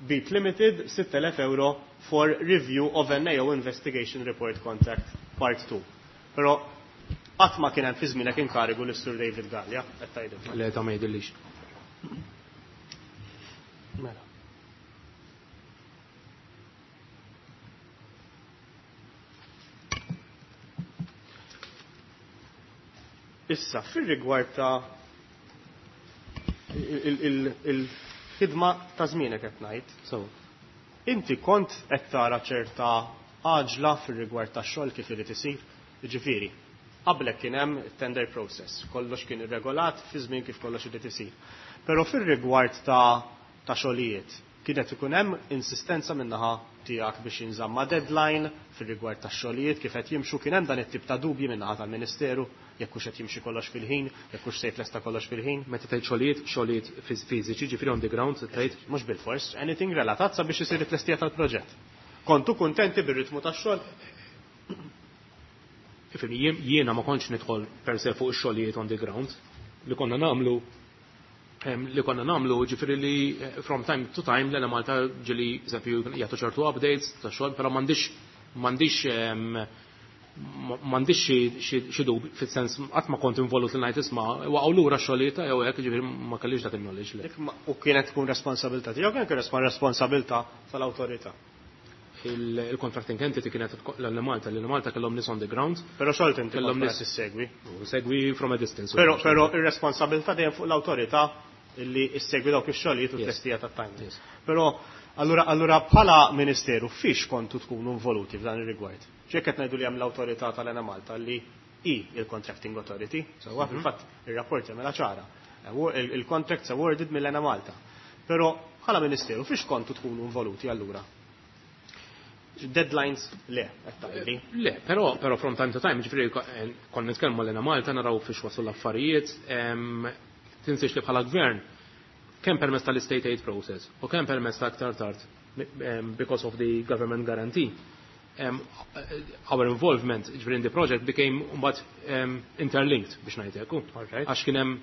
B: Beat Limited, sitt elef euro for review of N A O investigation report contract part two. Però qatt ma kien hemm fi żmienek inkarigu lis Sur David Gallia, qed tgħidilna.
C: Le, ta' ma jidhirlix.
B: Mela. Issa, fir-rigward ta' il-ħidma ta' żmienek qed ngħid.
C: So.
B: Inti kont qed tara ċerta għaġla fir-rigward tax-xogħol kif irid isir, jiġifieri, qablek kien hemm tender process, kollox kien irregolat fi żmien kif kollox irid isir. Però fir-rigward ta' ta' xogħlijiet, kienet ikun hemm insistenza min-naħa tiegħek biex jinżamma deadline fir-rigward tax-xogħlijiet kif qed jimxu, kien hemm dan it-tip ta' dubji min-naħa tal-Ministeru jekk hux qed jimxi kollox fil-ħin, jekk hux se jitlesta kollox fil-ħin.
C: Meta tgħid xogħlijiet, xogħlijiet fiżiċi, ġifieri on the ground, tgħid
B: mhux bil-fors, anything relatat sabiex isir it-tlestija tal-proġett. Kontu kuntenti bir-ritmu tax-xogħol?
C: Ifhem, jien, jiena ma kontx nidħol per se fuq ix-xogħlijiet on the ground li konna nagħmlu, em, li konna nagħmlu, ġifieri li, eh, from time to time l-Ena Malta ġieli, eżempju, jagħtu ċertu updates ta' xogħol, però m'għandix, m'għandix, em, M'għandix xi dubju fis-sens qatt ma kont involut li ngħid isma' waqgħu lura x-xogħlijiet jew hekk, ġifieri ma kellix dak il-knowledge.
B: U kienet tkun responsabilità tiegħek, kien responsabilità tal-awtorità.
C: Il-contracting entity kienet l-Malta, l-Malta kellhom nies on the ground.
B: Però xogħol inti kellhom nies issegwi.
C: Segwi from a distance.
B: Però però ir-responsabilità dejjem fuq l-awtorità li issegwi dawk ix-xogħlijiet u t-testija tat-timing. Però allura allura bħala Ministeru fiex kontu tkunu involuti f'dan ir-rigward? Ġieli qed ngħidu li hemm l-awtorità tal-Enemalta li hi il-contracting authority, sewwa fil-fatt ir-rapport jagħmilha ċara. Il-contracts awarded mill-Enemalta. Però bħala Ministeru fiex kontu tkunu involuti allura? Deadlines le, qed tgħidli.
C: Le, però però from time to time, ġifieri konna nitkellmu l-Enemalta naraw fiex waslu l-affarijiet, tinsiex li bħala gvern kemm permezz tal-state aid process u kemm permezz ta' aktar tard because of the government guarantee. Um, our involvement ġifieri in the project became mbagħad um, interlinked biex ngħid hekk. Għax kien hemm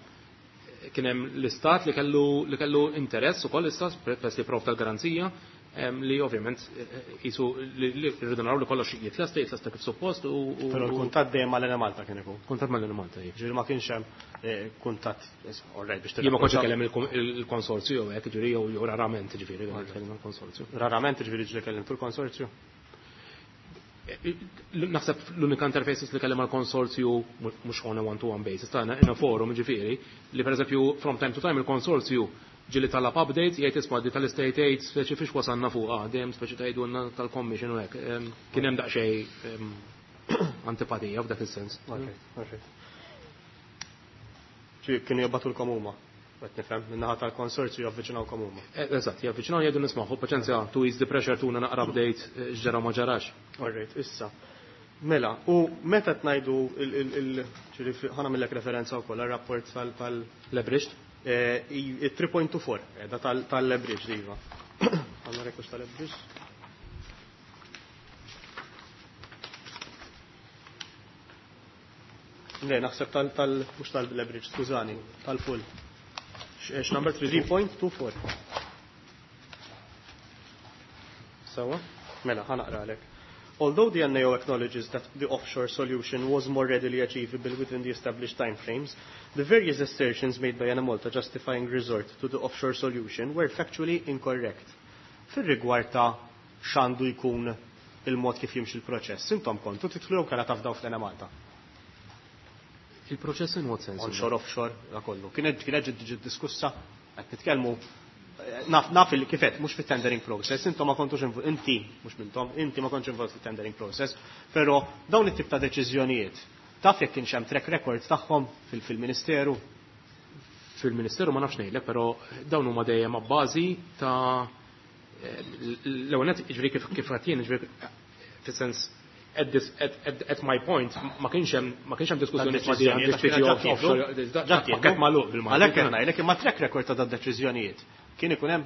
C: kien hemm l-istat li kellu li kellu interess ukoll l-istat peress li provda l-garanzija li ovvjament jisu li rridu naraw li kollox jitlesta, jitlesta kif suppost u.
B: Però l-kuntatt dejjem mal-Enemalta kien ikun.
C: Kuntatt mal-Enemalta,
B: Ġifieri ma kienx hemm kuntatt, all right, biex
C: Jien ma kontx ikellem il-konsorzju jew hekk, ġifieri jew rarament ġifieri kellem il-konsorzju.
B: Rarament ġifieri ġieli kellimtu l-konsorzju?
C: Naħseb l-unika interfaces li kellem għal-konsorzju mhux on a one-to-one basis, ta' in a forum ġifieri, li pereżempju from time to time il-konsorzju ġieli talab updates, jgħid isma' di tal-state aid speċi fiex wasalna fuq, ah, dejjem speċi tgħidulna tal-commission u hekk. Kien hemm daqsxejn antipatija f'dak is-sens.
B: Kienu jibagħtulkom huma, qed nifhem, min-naħa tal-konsorzju javviċinawkom huma.
C: Eżatt, javviċinaw jgħidu nisma' paċenzja to ease the pressure tuna naqra update x'ġara ma ġarax.
B: All right, issa. Mela, u meta tnajdu il ħa nagħmillek referenza wkoll għar-rapport tal
C: Leveraged?
B: three point two four, da tal-leverage iva. Għanna rekux tal-leverage. Le, naħseb tal, tal, mux tal-leverage, skużani, tal-full.
C: X number
B: three point two four.
C: Sawa?
B: Mela, ħa naqralek. Although the N A O acknowledges that the offshore solution was more readily achievable within the established timeframes, the various assertions made by Enemalta justifying resort to the offshore solution were factually incorrect. Fir-rigward ta' x'għandu jkun il-mod kif jimxi l-proċess, intom kontu titlu jew kellha tafdaw fl-Enemalta?
C: Il-proċess in what sense?
B: Onshore, offshore, da kollu. Kienet kienet ġiet diskussa, qed nitkellmu naf, naf il kifet, mhux fit-tendering process, intom ma kontux invo-, inti, mhux mintom, inti ma kontx involut fit-tendering process, però dawn it-tip ta' deċiżjonijiet, taf jekk kienx hemm track record tagħhom fil-, fil-Ministeru?
C: Fil-Ministeru ma nafx ngħidlek, però dawn huma dejjem abbażi ta' l-ewwel nett, jiġifieri kif, kif qed jien, jiġifieri fis-sens at this, at, at, at my point, ma kienx hemm, ma kienx hemm diskussjoni
B: Ta' deċiżjonijiet,
C: ma' di
B: għax
C: off,
B: kienet
C: offshore,
B: ġattieħdu.
C: da-,
B: Ġattieħdu.
C: pakket magħluq bil-Malti.
B: Għalhekk qed ngħidlek, imma track record ta' deċiżjonijiet kien ikun hemm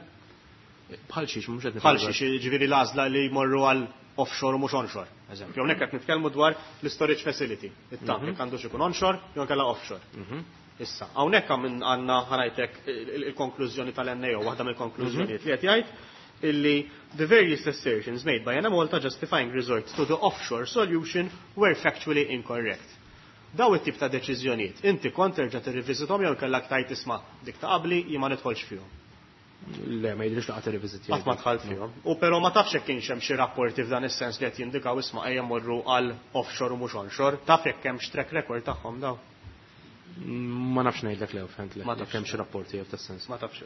C: bħal xiex, mhux qed
B: Bħal
C: nifhem.
B: xiex, jiġifieri l-għażla li jmorru għal offshore u mhux onshore. Eżempju, hawnhekk qed nitkellmu dwar l-storage facility. It-tank
C: Mhm.
B: jekk għandux ikun onshore jew inkella offshore.
C: Mhm.
B: Issa, hawnhekk għam-, għandna ħanajtek il-konklużjoni tal-N A O, waħda mill-konklużjonijiet li qed jgħid illi the various assertions made by Enemalta justifying resort to the offshore solution were factually incorrect. Daw it-tip ta' deċiżjonijiet, inti kont terġa' tirriviżithom jew kellek tajt isma' dik ta' qabli jien ma nidħolx fihom.
C: Le, ma jidhirx laqgħa tirriviżit.
B: Qatt ma dħalt fihom. U però ma tafx jekk kienx hemm xi rapporti f'dan is-sens li qed jindikaw isma' ejja mmorru għal offshore u mhux onshore, taf jekk hemm track record tagħhom daw.
C: Ma nafx ngħidlek le, fent le,
B: Ma
C: jekk
B: tafx.
C: hemm xi rapporti jew tas-sens.
B: Ma tafx.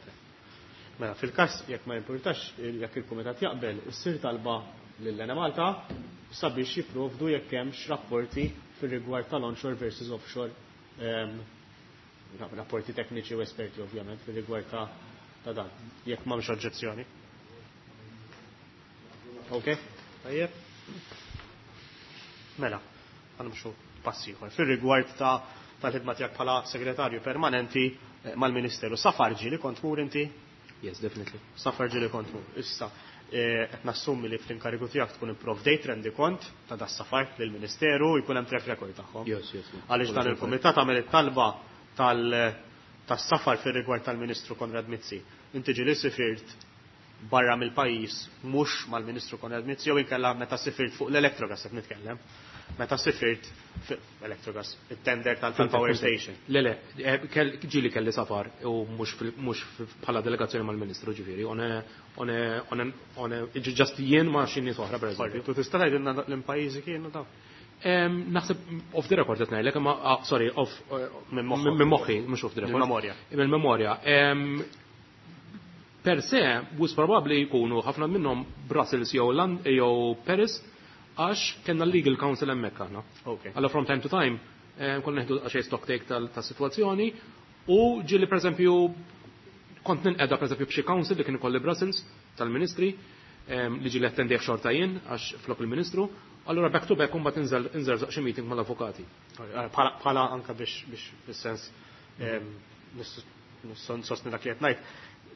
B: Mela, fil-każ jekk ma jimpurtax, jekk il-kumitat jaqbel, issir talba lil Enemalta sabiex jipprovdu jekk hemmx rapporti fir-rigward tal-onshore versus offshore, ehm, rapporti tekniċi u esperti ovvjament fir-rigward ta', ta' dan, jekk m'hemmx oġġezzjoni. Ok? Tajjeb? Mela, ħanimxu pass ieħor. Fir-rigward ta' tal-ħidma tiegħek bħala segretarju permanenti, eh, mal-Ministeru. Safar ġieli kont mur inti?
C: Yes, definitely.
B: Safar ġieli kont mur. Issa, eh, qed nassumi li fl-inkarigu tiegħek tkun ipprovdejt rendikont ta' das safar lill-Ministeru jkun hemm track record tagħhom.
C: Yes, yes, yes.
B: Għaliex dan il-kumitat għamel it-talba tal-, tas-safar fir-rigward tal-Ministru Konrad Mizzi. Inti ġieli sifirt barra mill-pajjiż mhux mal-Ministru Konrad Mizzi jew inkella meta sifirt fuq l-Electrogas qed nitkellem. Meta sifirt Electrogas, it-tender tal-power station.
C: Le, le, ġieli kelli safar u mhux bħala delegazzjoni mal-Ministru ġifieri, on on just jien ma' xi nies oħra pereżempju.
B: Tu tista' tgħidilna l-pajjiżi kienu dawn?
C: Naħseb off the record qed ngħidlek, imma sorry, off minn moħħi, mhux off the record.
B: Mill-memorja.
C: Mill-memorja. Per se, wisq probabbli jkunu ħafna minnhom Brussels jew jew Paris, għax kellna legal counsel hemmhekk aħna. Allora from time to time konna neħdu xejn stock take tas-sitwazzjoni u ġieli pereżempju kont ninqeda pereżempju b'xi council li kien ikolli Brussels tal-Ministri li ġieli attendejh xorta jien għax flok il-Ministru. Allora back to back imbagħad inżel inżerżaq xi meeting mal-avukati.
B: Bħala anka biex biex fis-sens nsostni dak li qed ngħid.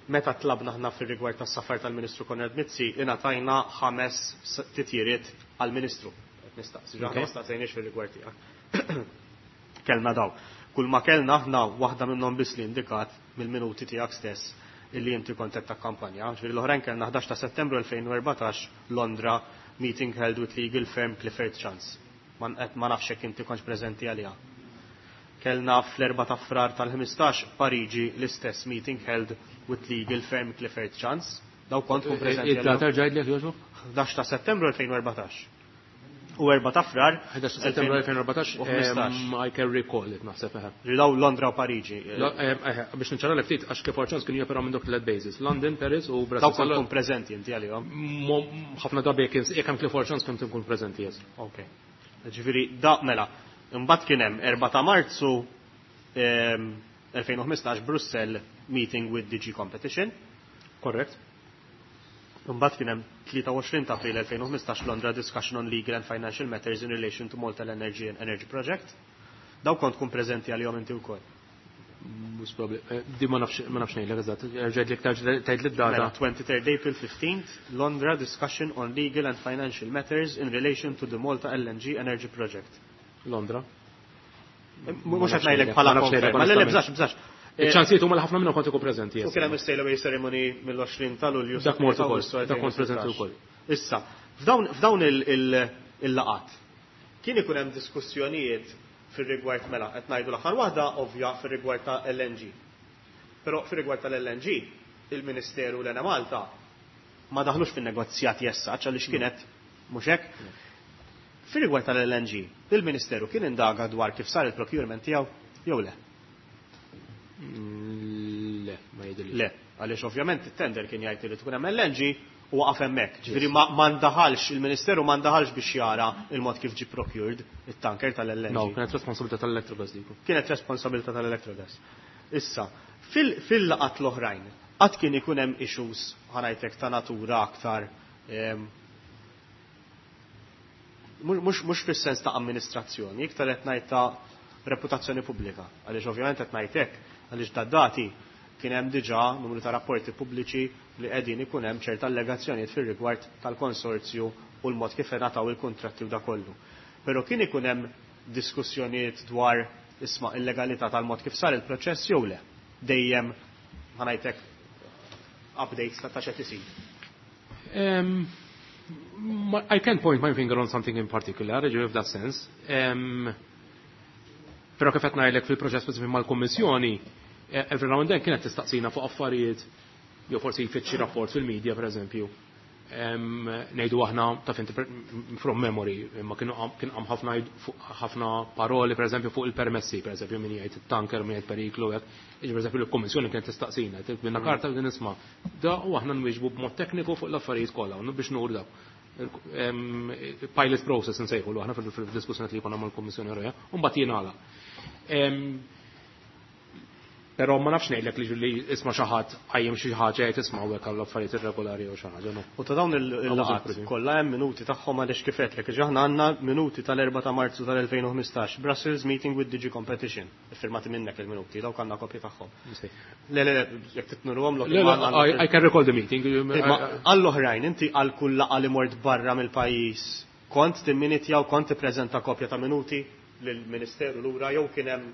B: Meta tlabna aħna fir-rigward tas-safar tal-Ministru Konrad Mizzi, ingħatajna ħames titjiriet għall-Ministru. Qed nistaqsi, aħna ma staqsejniex fir-rigward tiegħek. Kellna daw. Kull ma kellna aħna waħda minnhom biss li indikat mill-minuti tiegħek stess illi inti kont qed takkampanja. Ġifieri l-oħrajn kellna ħdax ta' Settembru elfejn u erbatax Londra meeting held with legal firm Clifford Chance. Ma nafx jekk inti kontx preżenti għaliha. Kellna fl-erba ta' Frar tal-ħmistax Pariġi l-istess meeting held with legal firm Clifford Chance. Daw kont tkun preżenti.
C: Id-data rġajdlek jogħġbok?
B: ħdax ta' Settembru elfejn u erbatax. U erba ta' Frar
C: ħdax ta' Settembru elfejn u erbatax, I can recall it naħseb eħe.
B: Daw Londra u Pariġi.
C: Biex niċċara ftit għax Clifford Chance kienu joperaw minn dawk tliet bases, London, Paris u Brussels.
B: Daw kont tkun preżenti inti għalihom.
C: Ħafna drabi jekk hemm Clifford Chance kont tkun preżenti, yes.
B: Ok. Ġifieri da mela, imbagħad kien hemm erba ta' Marzu elfejn u ħmistax Brussell meeting with D G Competition.
C: Correct.
B: Imbagħad kien hemm tlieta u għoxrin ta' April elfejn u ħmistax Londra discussion on legal and financial matters in relation to Malta Energy and Energy Project. Daw kont tkun preżenti għalihom inti wkoll.
C: Mhux probabbli. Di ma nafx, ma nafx ngħidlek eżatt. Erġgħidlek tgħid li d-data.
B: Mela, twenty-third April fifteenth, Londra discussion on legal and financial matters in relation to the Malta L N G Energy Project.
C: Londra.
B: Mhux qed ngħidlek bħala konferma. Le, le, bżax, bżax.
C: Il-ċansijiet huma li ħafna minnhom kont ikun preżenti,
B: U kien hemm is-sail away ceremony mill-għoxrin ta' Lulju.
C: Dak mort ukoll, dak kont preżenti wkoll.
B: Issa, f'dawn, f'dawn il-laqat kien ikun hemm diskussjonijiet fir-rigward mela qed ngħidu l-aħħar waħda ovvja fir-rigward ta' L N G. Però fir-rigward tal-L N G, il-Ministeru l-Ena Malta ma daħlux fin-negozjati essaċ għaliex kienet mhux hekk. Fir-rigward tal-L N G, il-Ministeru kien indaga dwar kif sar il-procurement tiegħu jew le?
C: Le, ma jidhirlix.
B: Le, għaliex ovvjament it-tender kien jgħid li tkun hemm L N G u waqaf hemmhekk. Ġifieri ma, ma ndaħalx, il-Ministeru ma ndaħalx biex jara il-mod kif ġie procured it-tanker tal-L N G.
C: No, kienet responsabilità tal-Electrogas diku.
B: Kienet responsabilità tal-Electrogas. Issa, fil-, fil-laqat l-oħrajn, qatt kien ikun hemm issues ħanajtek ta' natura aktar, ehm, mhux, mhux fis-sens ta' amministrazzjoni, iktar qed ngħid ta' reputazzjoni pubblika. Għaliex ovvjament qed ngħid hekk, għaliex da dati kien hemm diġà numru ta' rapporti pubbliċi li qegħdin ikun hemm ċerta allegazzjonijiet fir-rigward tal-konsorzju u l-mod kif ingħataw il-kuntratti u da kollu. Però kien ikun hemm diskussjonijiet dwar isma' il-legalità tal-mod kif sar il-proċess jew le. Dejjem ħanajtek updates ta' x'qed isir.
C: Em, I can't point my finger on something in particular, if that sense. Em, Però kif qed ngħidlek fil-proċess speċifiku mal-Kummissjoni, eh, every now and then kienet tistaqsina fuq affarijiet, jew forsi jfittxi rapport fil-medja pereżempju. Em, ngħidu aħna taf inti from memory, imma kienu qam, kien qam ħafna jgħid fuq ħafna paroli pereżempju fuq il-permessi, pereżempju min jgħid it-tanker, min jgħid periklu, hekk. Jiġi pereżempju l-Kummissjoni kienet tistaqsina, tgħid karta din isma' da u aħna nwieġbu b'mod tekniku fuq l-affarijiet kollha, u biex nuru dak. Em, pilot process nsejħu aħna fil-diskussjoni li jkollna mal-Kummissjoni Ewropea, u mbagħad jingħalaq. Em, Però ma nafx ngħidlek li li isma' xi ħadd qajjem xi ħaġa jgħid isma' hawnhekk għall affarijiet irregolari jew xi ħaġa, no.
B: U ta' dawn il-,
C: Għaw
B: il-laqgħat
C: żewġ
B: kollha hemm minuti tagħhom għaliex kif qedlek, ġi aħna għandna minuti tal-erba' ta' Marzu tal-elfejn u ħmistax, Brussels meeting with D G Competition. Iffirmati minnek il-minuti, dawk għandna kopji tagħhom.
C: Nisej.
B: Le, le, le, jekk titnurhom lok
C: Le, le,
B: imma għandna
C: I, I can recall the meeting.
B: Imma għall-oħrajn, inti għal kull laqgħa li mort barra mill-pajjiż, kont timminitja u kont tippreżenta kopja ta' minuti? lill-Ministeru lura jew kien hemm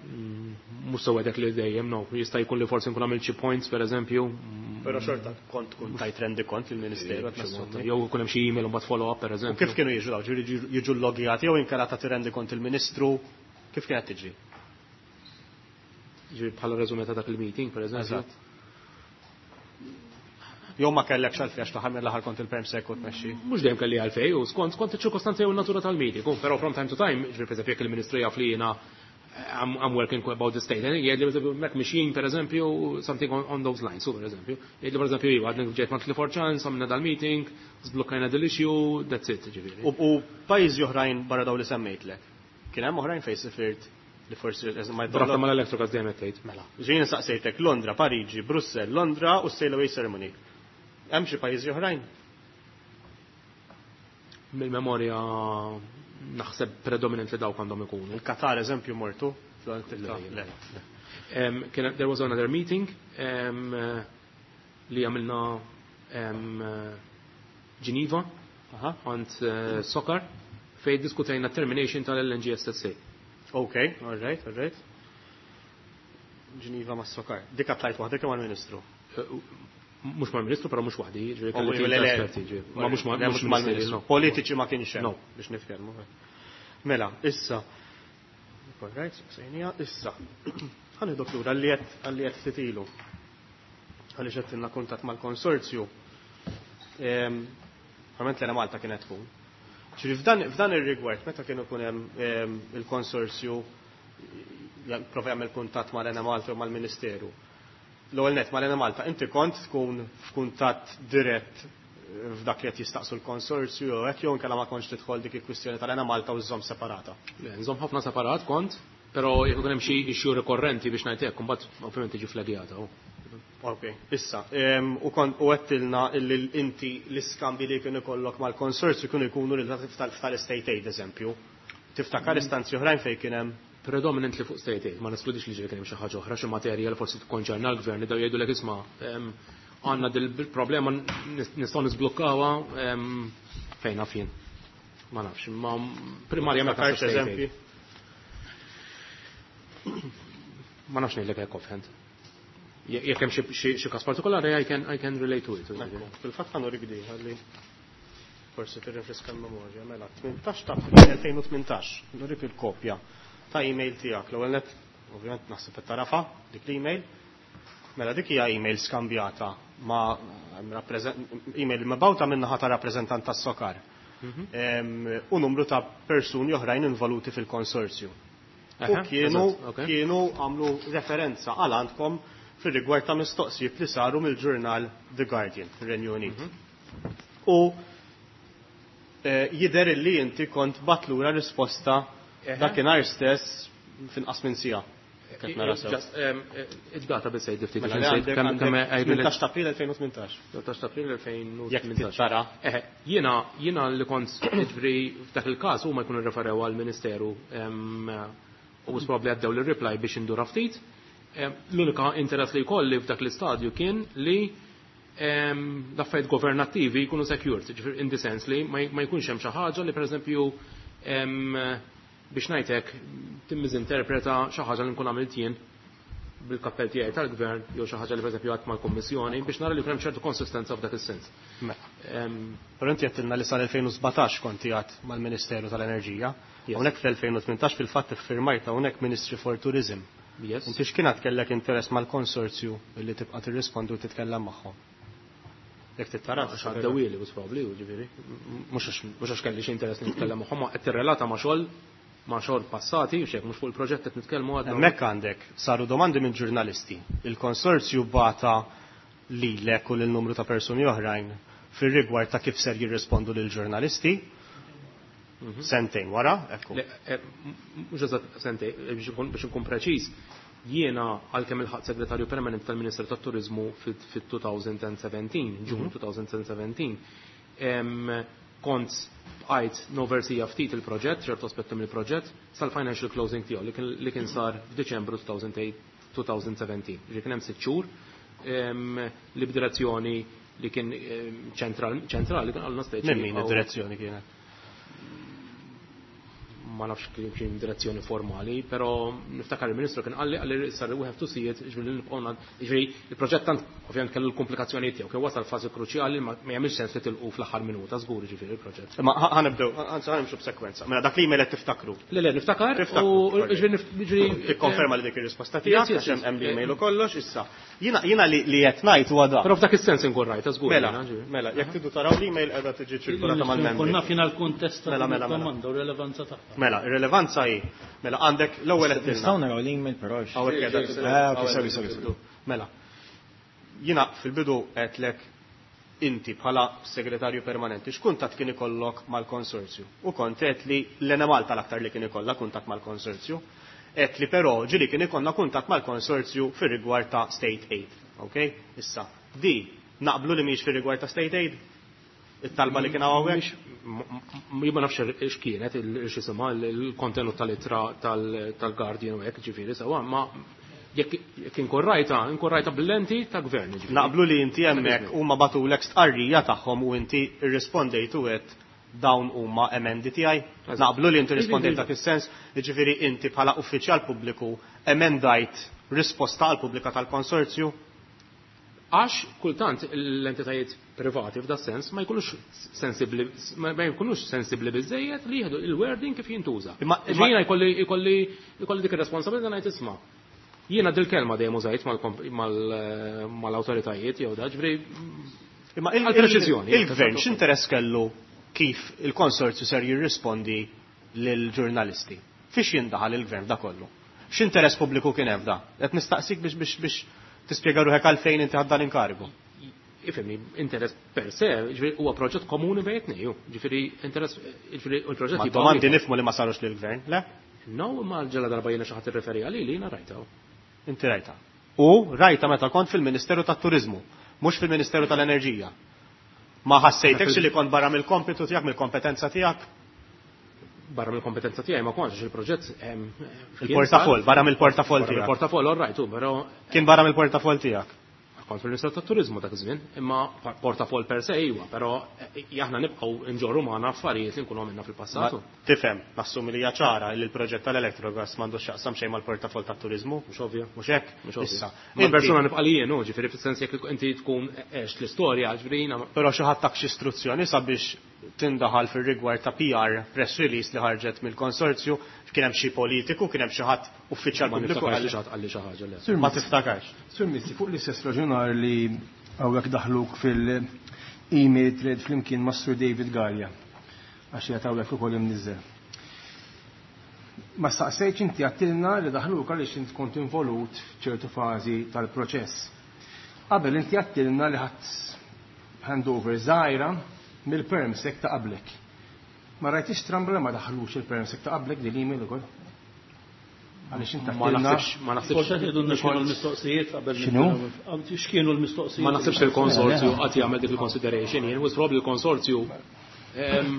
C: Mhux sewwa dak li dejjem, no. Jista' jkun li forsi nkun għamilt xi points pereżempju.
B: Però xorta kont tkun tajt rendikont lill-Ministeru qed nassumi.
C: Jew ikun hemm xi email u mbagħad follow up pereżempju.
B: U kif kienu jiġu dawn? Ġifieri jiġu llogjati jew inkella tagħti rendikont il-Ministru, kif kienet tiġri?
C: Ġifieri bħala reżume ta' dak il-meeting pereżempju.
B: Eżatt. Jew ma kellekx għalfejn għax taħar mill-aħħar kont il-perm sek u tmexxi.
C: Mhux dejjem kelli għalfejn, u skont skont iċ-ċirkostanzi jew in-natura tal-meeting, però from time to time, ġifieri pereżempju jekk il-Ministru jaf li jiena I'm, I'm working about the state. Jgħidli per mek mixjin per eżempju, something on, on those lines, so per eżempju. Jgħidli per eżempju, iva, għadni ġejt ma' Clifford Chance, għamilna dal-meeting, zblokkajna dal-issue, that's it, ġifieri.
B: U, u pajjiżi oħrajn barra daw li semmejtlek? Kien hemm oħrajn fejn sifirt li forsi ma
C: B'rabta mal-Electrogas dejjem qed tgħid.
B: Mela. Ġejjin saqsejtek Londra, Pariġi, Brussell, Londra u Sail Away Ceremony. Hemm xi pajjiżi oħrajn?
C: Mill-memorja naħseb predominantly dawk għandhom ikunu.
B: Il-Qatar eżempju mortu?
C: Le, le. Um, there was another meeting um, li għamilna um, Geneva għand uh, SOCAR fej diskutejna termination tal-L N G S S A.
B: Ok, all right, all right. Geneva ma' SOCAR. Dik tlajt waħdek jew mal-Ministru?
C: Mhux mal-Ministru, però mhux waħdi, ġifieri
B: Oh,
C: kelli
B: le, le.
C: esperti, ġifieri. Ma mhux ma-
B: Le,
C: mhux
B: mhux mal-Ministru.
C: No.
B: Politiċi ma kienx hemm
C: No.
B: biex nitkellmu. Mela, issa. All right, sejnija, issa. Ħa nieħdok lura għalli qed għalli qed ftit ilu. Għaliex qed ilna kuntatt mal-konsorzju. Ehm, Ovvjament l Malta kienet tkun. Ġifieri f'dan f'dan ir-rigward meta kienu jkun hemm ehm, il-konsorzju prova jagħmel kuntatt mal-Enemalta u mal-Ministeru. L-ewwel net mal-Enemalta, inti kont tkun f'kuntatt dirett f'dak li qed jistaqsu l-konsorzju jew hekk jew inkella ma kontx tidħol dik il-kwistjoni tal-Enemalta u żżomm separata?
C: Le, nżomm ħafna separat kont, però jekk ikun hemm xi issue rikorrenti biex ngħid hekk, imbagħad ovvjament tiġi flagjata. oh.
B: Ok, issa, em, u kont u għedtilna illi inti l-iskambi li kienu ikollok mal-konsorzju kienu jkunu relatati tal-state aid, eżempju. Tiftakar istanzi oħrajn fejn kien hemm?
C: Predominantly fuq state aid, ma neskludix li ġieli kien hemm xi ħaġa oħra, xi materja li forsi tikkonċerna l-gvern li daw jgħidulek isma' em, għandna dil-problema nistgħu nisblukkawha em, fejn naf jien. Ma nafx, ma primarjament
B: Tiftakarx
C: naħseb state
B: eżempji?
C: aid. Ma nafx ngħidlek hekk offhand. Je- Jekk hemm xi- xi xi każ partikolari I can I can relate to it.
B: Ekku, fil-fatt ħa nurik di, ħalli forsi tirrifriska l-memorja. Mela, tmintax ta' April elfejn u tmintax, nurik il-kopja ta' email tiegħek. L-ewwel net, ovvjament naħseb qed tarafa dik l-email. Mela dik hija email skambjata ma' email mibgħuta min-naħa ta' rappreżentant tas-SOCAR. Em, U numru ta' persuni oħrajn involuti fil-konsorzju. U
C: Aha,
B: kienu
C: eżatt, ok.
B: kienu għamlu referenza għal għandkom fil-rigward ta' mistoqsijiet li saru mill-ġurnal The Guardian fir-Renju Unit. U eh, jidher li inti kont bgħatt lura risposta
C: Eħe.
B: dakinhar stess finqas minn siegħa. Kif nara sew.
C: Just, um, id-data biss għid ftit
B: Mela,
C: biex
B: le,
C: insejt
B: għandek-
C: kemm kemm
B: għandek
C: I relate-
B: tmintax ta' April elfejn u tmintax.
C: tmintax ta' April
B: Jekk
C: elfejn u tmintax.
B: tara.
C: Eħe, jiena jiena li kont ġifieri f'dak il-każ huma jkunu referew għall-Ministeru em, u probabbli għaddew l-reply biex indura ftit. Em, L-unika interess li jkolli f'dak l-istadju kien li em, l-affarijiet governattivi jkunu secured, ġifieri in the sense li ma ma jkunx hemm xi ħaġa li pereżempju em, biex ngħidlek timmiżinterpreta xi ħaġa li nkun għamilt jien bil-kappell tiegħi tal-gvern jew xi ħaġa li pereżempju għadt mal-Kummissjoni biex nara li jkun hemm ċertu konsistenza f'dak is-sens.
B: Mela.
C: Em,
B: Però inti għedtilna li sal-elfejn u sbatax konti għad mal-Ministeru tal-Enerġija.
C: Yes.
B: Hawnhekk fl-elfejn u tmintax fil-fatt iffirmajt hawnhekk Ministry for Tourism.
C: Yes.
B: Inti x'kien kellek interess mal-konsorzju li tibqa' tirrispondu u titkellem magħhom? Jekk tittara.
C: Għax għaddewili, was probably, u ġifieri. Mhux għax mhux għax kelli xi interess li nitkellem magħhom, ma qed tirrelata ma' xogħol ma' xogħol passati, u xek mhux fuq il-proġett qed nitkellmu għadna.
B: Hemmhekk għandek saru domandi minn ġurnalisti. Il-konsorzju bagħat lilek u lil numru ta' persuni oħrajn fir-rigward ta' kif ser jirrispondu lil ġurnalisti. Sentejn wara, ekku.
C: Le, eh, mhux eżatt sentejn, eh, biex nkun biex nkun preċiż, jiena għalkemm ilħaqt segretarju permanent tal-Ministru tat-Turizmu fit-elfejn u sbatax, Ġun elfejn u sbatax, em, kont bqajt noversija ftit il-proġett, ċertu aspetti mill-proġett, sal-financial closing tiegħu li kien- li kien sar f'Diċembru elfejn u sbatax. Ġi kien hemm sitt xhur em, li b'direzzjoni li kien em, ċentral- ċentrali kien għalna speċi.
B: Minn min id-direzzjoni kienet?
C: ma nafx kien direzzjoni formali, però niftakar il-Ministru kien qalli qalli issa we have to see it, ġifieri nibqgħu ġifieri il-proġett tant ovvjament kellu l-komplikazzjonijiet tiegħu, kien wasal fażi kruċjali ma jagħmilx sens li tilqu fl-aħħar minuta żgur ġifieri il-proġett.
B: Ma ħa nibdew, anzi ħa nimxu b'sekwenza. Mela dak l-email qed tiftakru.
C: Le le niftakar u ġifieri
B: tikkonferma li dik ir-risposta tiegħek għax hemm l-email u kollox issa. Jiena jiena li qed ngħid huwa da.
C: Però f'dak is-sens inkun rajta żgur.
B: Mela, mela, jekk tridu taraw l-email qiegħda tiġi ċirkolata mal-membri.
E: Konna fina l-kuntest tad-domanda u r-relevanza tagħha.
B: Mela, ir-relevanza hi. Mela għandek l-ewwel qed
G: Nistgħu naraw l-email però.
B: Ah, okay, sorry, sorry, sorry. Mela. Jiena fil-bidu qedlek inti bħala segretarju permanenti x'kuntatt kien ikollok mal-konsorzju? U kont qed li l-Enemalta l-aktar li kien ikollha kuntatt mal-konsorzju. Qed li però ġieli kien ikollna kuntatt mal-konsorzju fir-rigward ta' state aid. Okay? Issa, di naqblu li mhix fir-rigward ta' state aid? It-talba li kien hawnhekk?
C: Ma nafx x'kienet x'isimha il-kontenut tal-ittra tal-Guardian u hekk ġifieri sewwa, ma jekk inkun rajta, inkun rajta bil-lenti ta' gvern.
B: Naqblu li inti hemmhekk huma bagħtulek stqarrija tagħhom u inti rrispondejt u għedt dawn huma emendi tiegħi. Naqblu li inti rispondejt dak is-sens, jiġifieri inti bħala uffiċjal pubbliku emendajt risposta għal pubblika tal-konsorzju.
C: Għax kultant l-entitajiet privati f'da sens ma jkunux sensibli, ma jkunux sensibli biżejjed li jieħdu il-wording kif jintuża. Jiena jkolli jkolli jkolli dik ir-responsabilità ngħid isma'. Jiena dil-kelma dejjem użajt mal-awtoritajiet jew da ġifieri.
B: Imma il-gvern x'interess kellu kif il-konsorzju ser jirrispondi lill-ġurnalisti? Fiex jindaħal il-gvern da kollu? X'interess pubbliku kien hemm da? Qed nistaqsik biex biex biex tispjega ruħek għalfejn inti ħadt dan inkarigu.
C: Ifhimni, interess per se, ġifieri huwa proġett komuni bejn it-tnejn, ġifieri interess, ġifieri l-proġett
B: Ma domandi nifhmu li ma sarux lill-gvern, le?
C: No, ma ġela darba jiena xi ħadd irreferi għalili jiena rajta.
B: Inti rajta. U rajta meta kont fil-Ministeru tat-Turiżmu, mhux fil-Ministeru tal-Enerġija. Ma ħassejtekx li kont barra mill-kompitu tiegħek, mill-kompetenza tiegħek?
C: Barra mill-kompetenza tiegħi ma kontx il-proġett
B: Il-portafoll, barra mill-portafoll tiegħek.
C: Il-portafoll, all right, però
B: kien barra mill-portafoll tiegħek.
C: Kont fil-Ministeru tat-Turiżmu dak iż-żmien, imma portafoll per se iwa, però aħna nibqgħu nġorru magħna affarijiet li nkunu għamilna fil-passatu.
B: Tifhem, nassumi li hija ċara li l-proġett tal-Electrogas m'għandux x'jaqsam xejn mal-portafoll tat-turiżmu.
C: Mhux ovvja.
B: Mhux hekk? Issa.
C: Ma persuna nibqa' li jien, ġifieri fis-sens jekk inti tkun għext l-istorja, ġifieri jiena.
B: Però xi ħadd tak xi istruzzjoni sabiex tindaħal fir-rigward ta' P R press release li ħarġet mill-konsorzju, kien hemm xi politiku, kien hemm xi ħadd uffiċjal
C: Ma
B: pubbliku
C: niftakarx
B: għal
C: li xi ħadd qalli xi ħaġa, le.
D: Sur
B: Ma
D: Mizzi.
B: tiftakarx.
D: Sur Mizzi, fuq l-istess raġunar li hawnhekk daħluk fil-email thread flimkien ma' Sur David Galea, għax qiegħed hawnhekk ukoll imniżżel. Ma staqsejtx inti għattilna li daħluk għaliex int kont involut f'ċertu fażi tal-proċess. Qabel inti għattilna li ħadd handover żgħira mill-permsec ta' qablek. Ma rajtix strambla ma daħlux il-permsec ta' qablek din l-email ukoll? Għaliex inti
C: Ma
D: għattilna
C: naħsibx, ma naħsibx.
E: Forse tgħidulna x'kienu l-mistoqsijiet qabel
D: X'inhu?
E: nibdew. X'kienu l-mistoqsijiet?
C: Ma naħsibx il-konsorzju qatt jagħmel dik il-consideration, jien was probably il-konsorzju, ehm,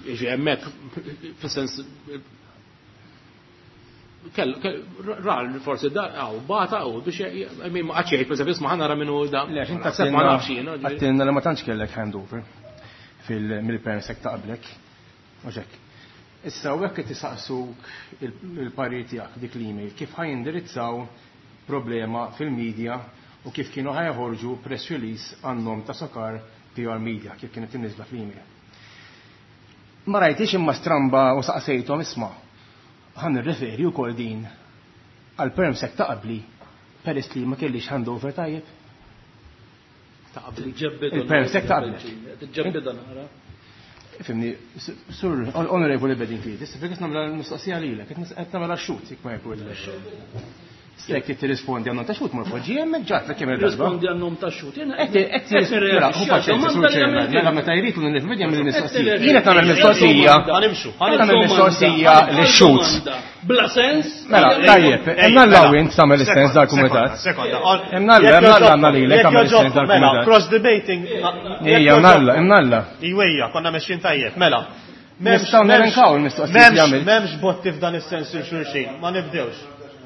C: jiġi hemmhekk fis-sens kell, kell, rar forsi da, għaw, bata, għaw, biex, I mean, ma qatx jgħid, per eżempju, isma' ħa nara minnu da.
D: Le, għax inti
C: Naħseb ma
D: għattilna
C: nafx jiena, ġifieri.
D: għattilna li ma tantx kellek handover fil-, mill-permsec ta' qablek. Mhux hekk. Issa hawnhekk qed isaqsuk il-parir tiegħek dik l-email kif ħajindirizzaw problema fil-media u kif kienu ħajħorġu press release għan-nom ta' Socar P R Media kif kienet imniżla fl-email. Ma rajtix imma stramba u saqsejthom isma' ħan nirreferi wkoll din għal permsec ta' qabli peress li ma kellix handover tajjeb.
C: Ta' qabli.
E: Tiġġebbidha
D: Il-permsec ta' qabli.
E: Tiġġebbidha nara.
D: Fimni, sur, onorevoli Bedingfield, issa fejn qed nagħmel l-mistoqsija lilek, qed nis-, qed nagħmel xut jekk ma jkun. Stek qed tirrispondi għan-nom ta' xut morfoġi hemmhekk ġatlek kemm il-darba.
E: Rispondi għan-nom ta' xut. Jiena
D: Qed qed mela, hu paċenzja, sur Chairman, mela meta jrid u nifhem jagħmel il-mistoqsija. Jien qed nagħmel mistoqsija.
B: Ħa nimxu, ħa
D: Qed nagħmel mistoqsija lix-xut.
E: Bla sens.
D: Mela, tajjeb, hemm Alla u int tagħmel is-sens dal-kumitat.
B: Sekonda,
D: Hemm Alla, hemm Alla għandna lilek tagħmel is-sens
B: Mela,
D: dal-kumitat.
B: cross debating.
D: Ejja, hemm Alla, hemm Alla.
B: Iwejja, konna mexjin tajjeb, mela.
D: Nistgħu nelenkaw il-mistoqsijiet li għamilt.
B: M'hemmx botti f'dan is-sens il xulxin, ma nibdewx.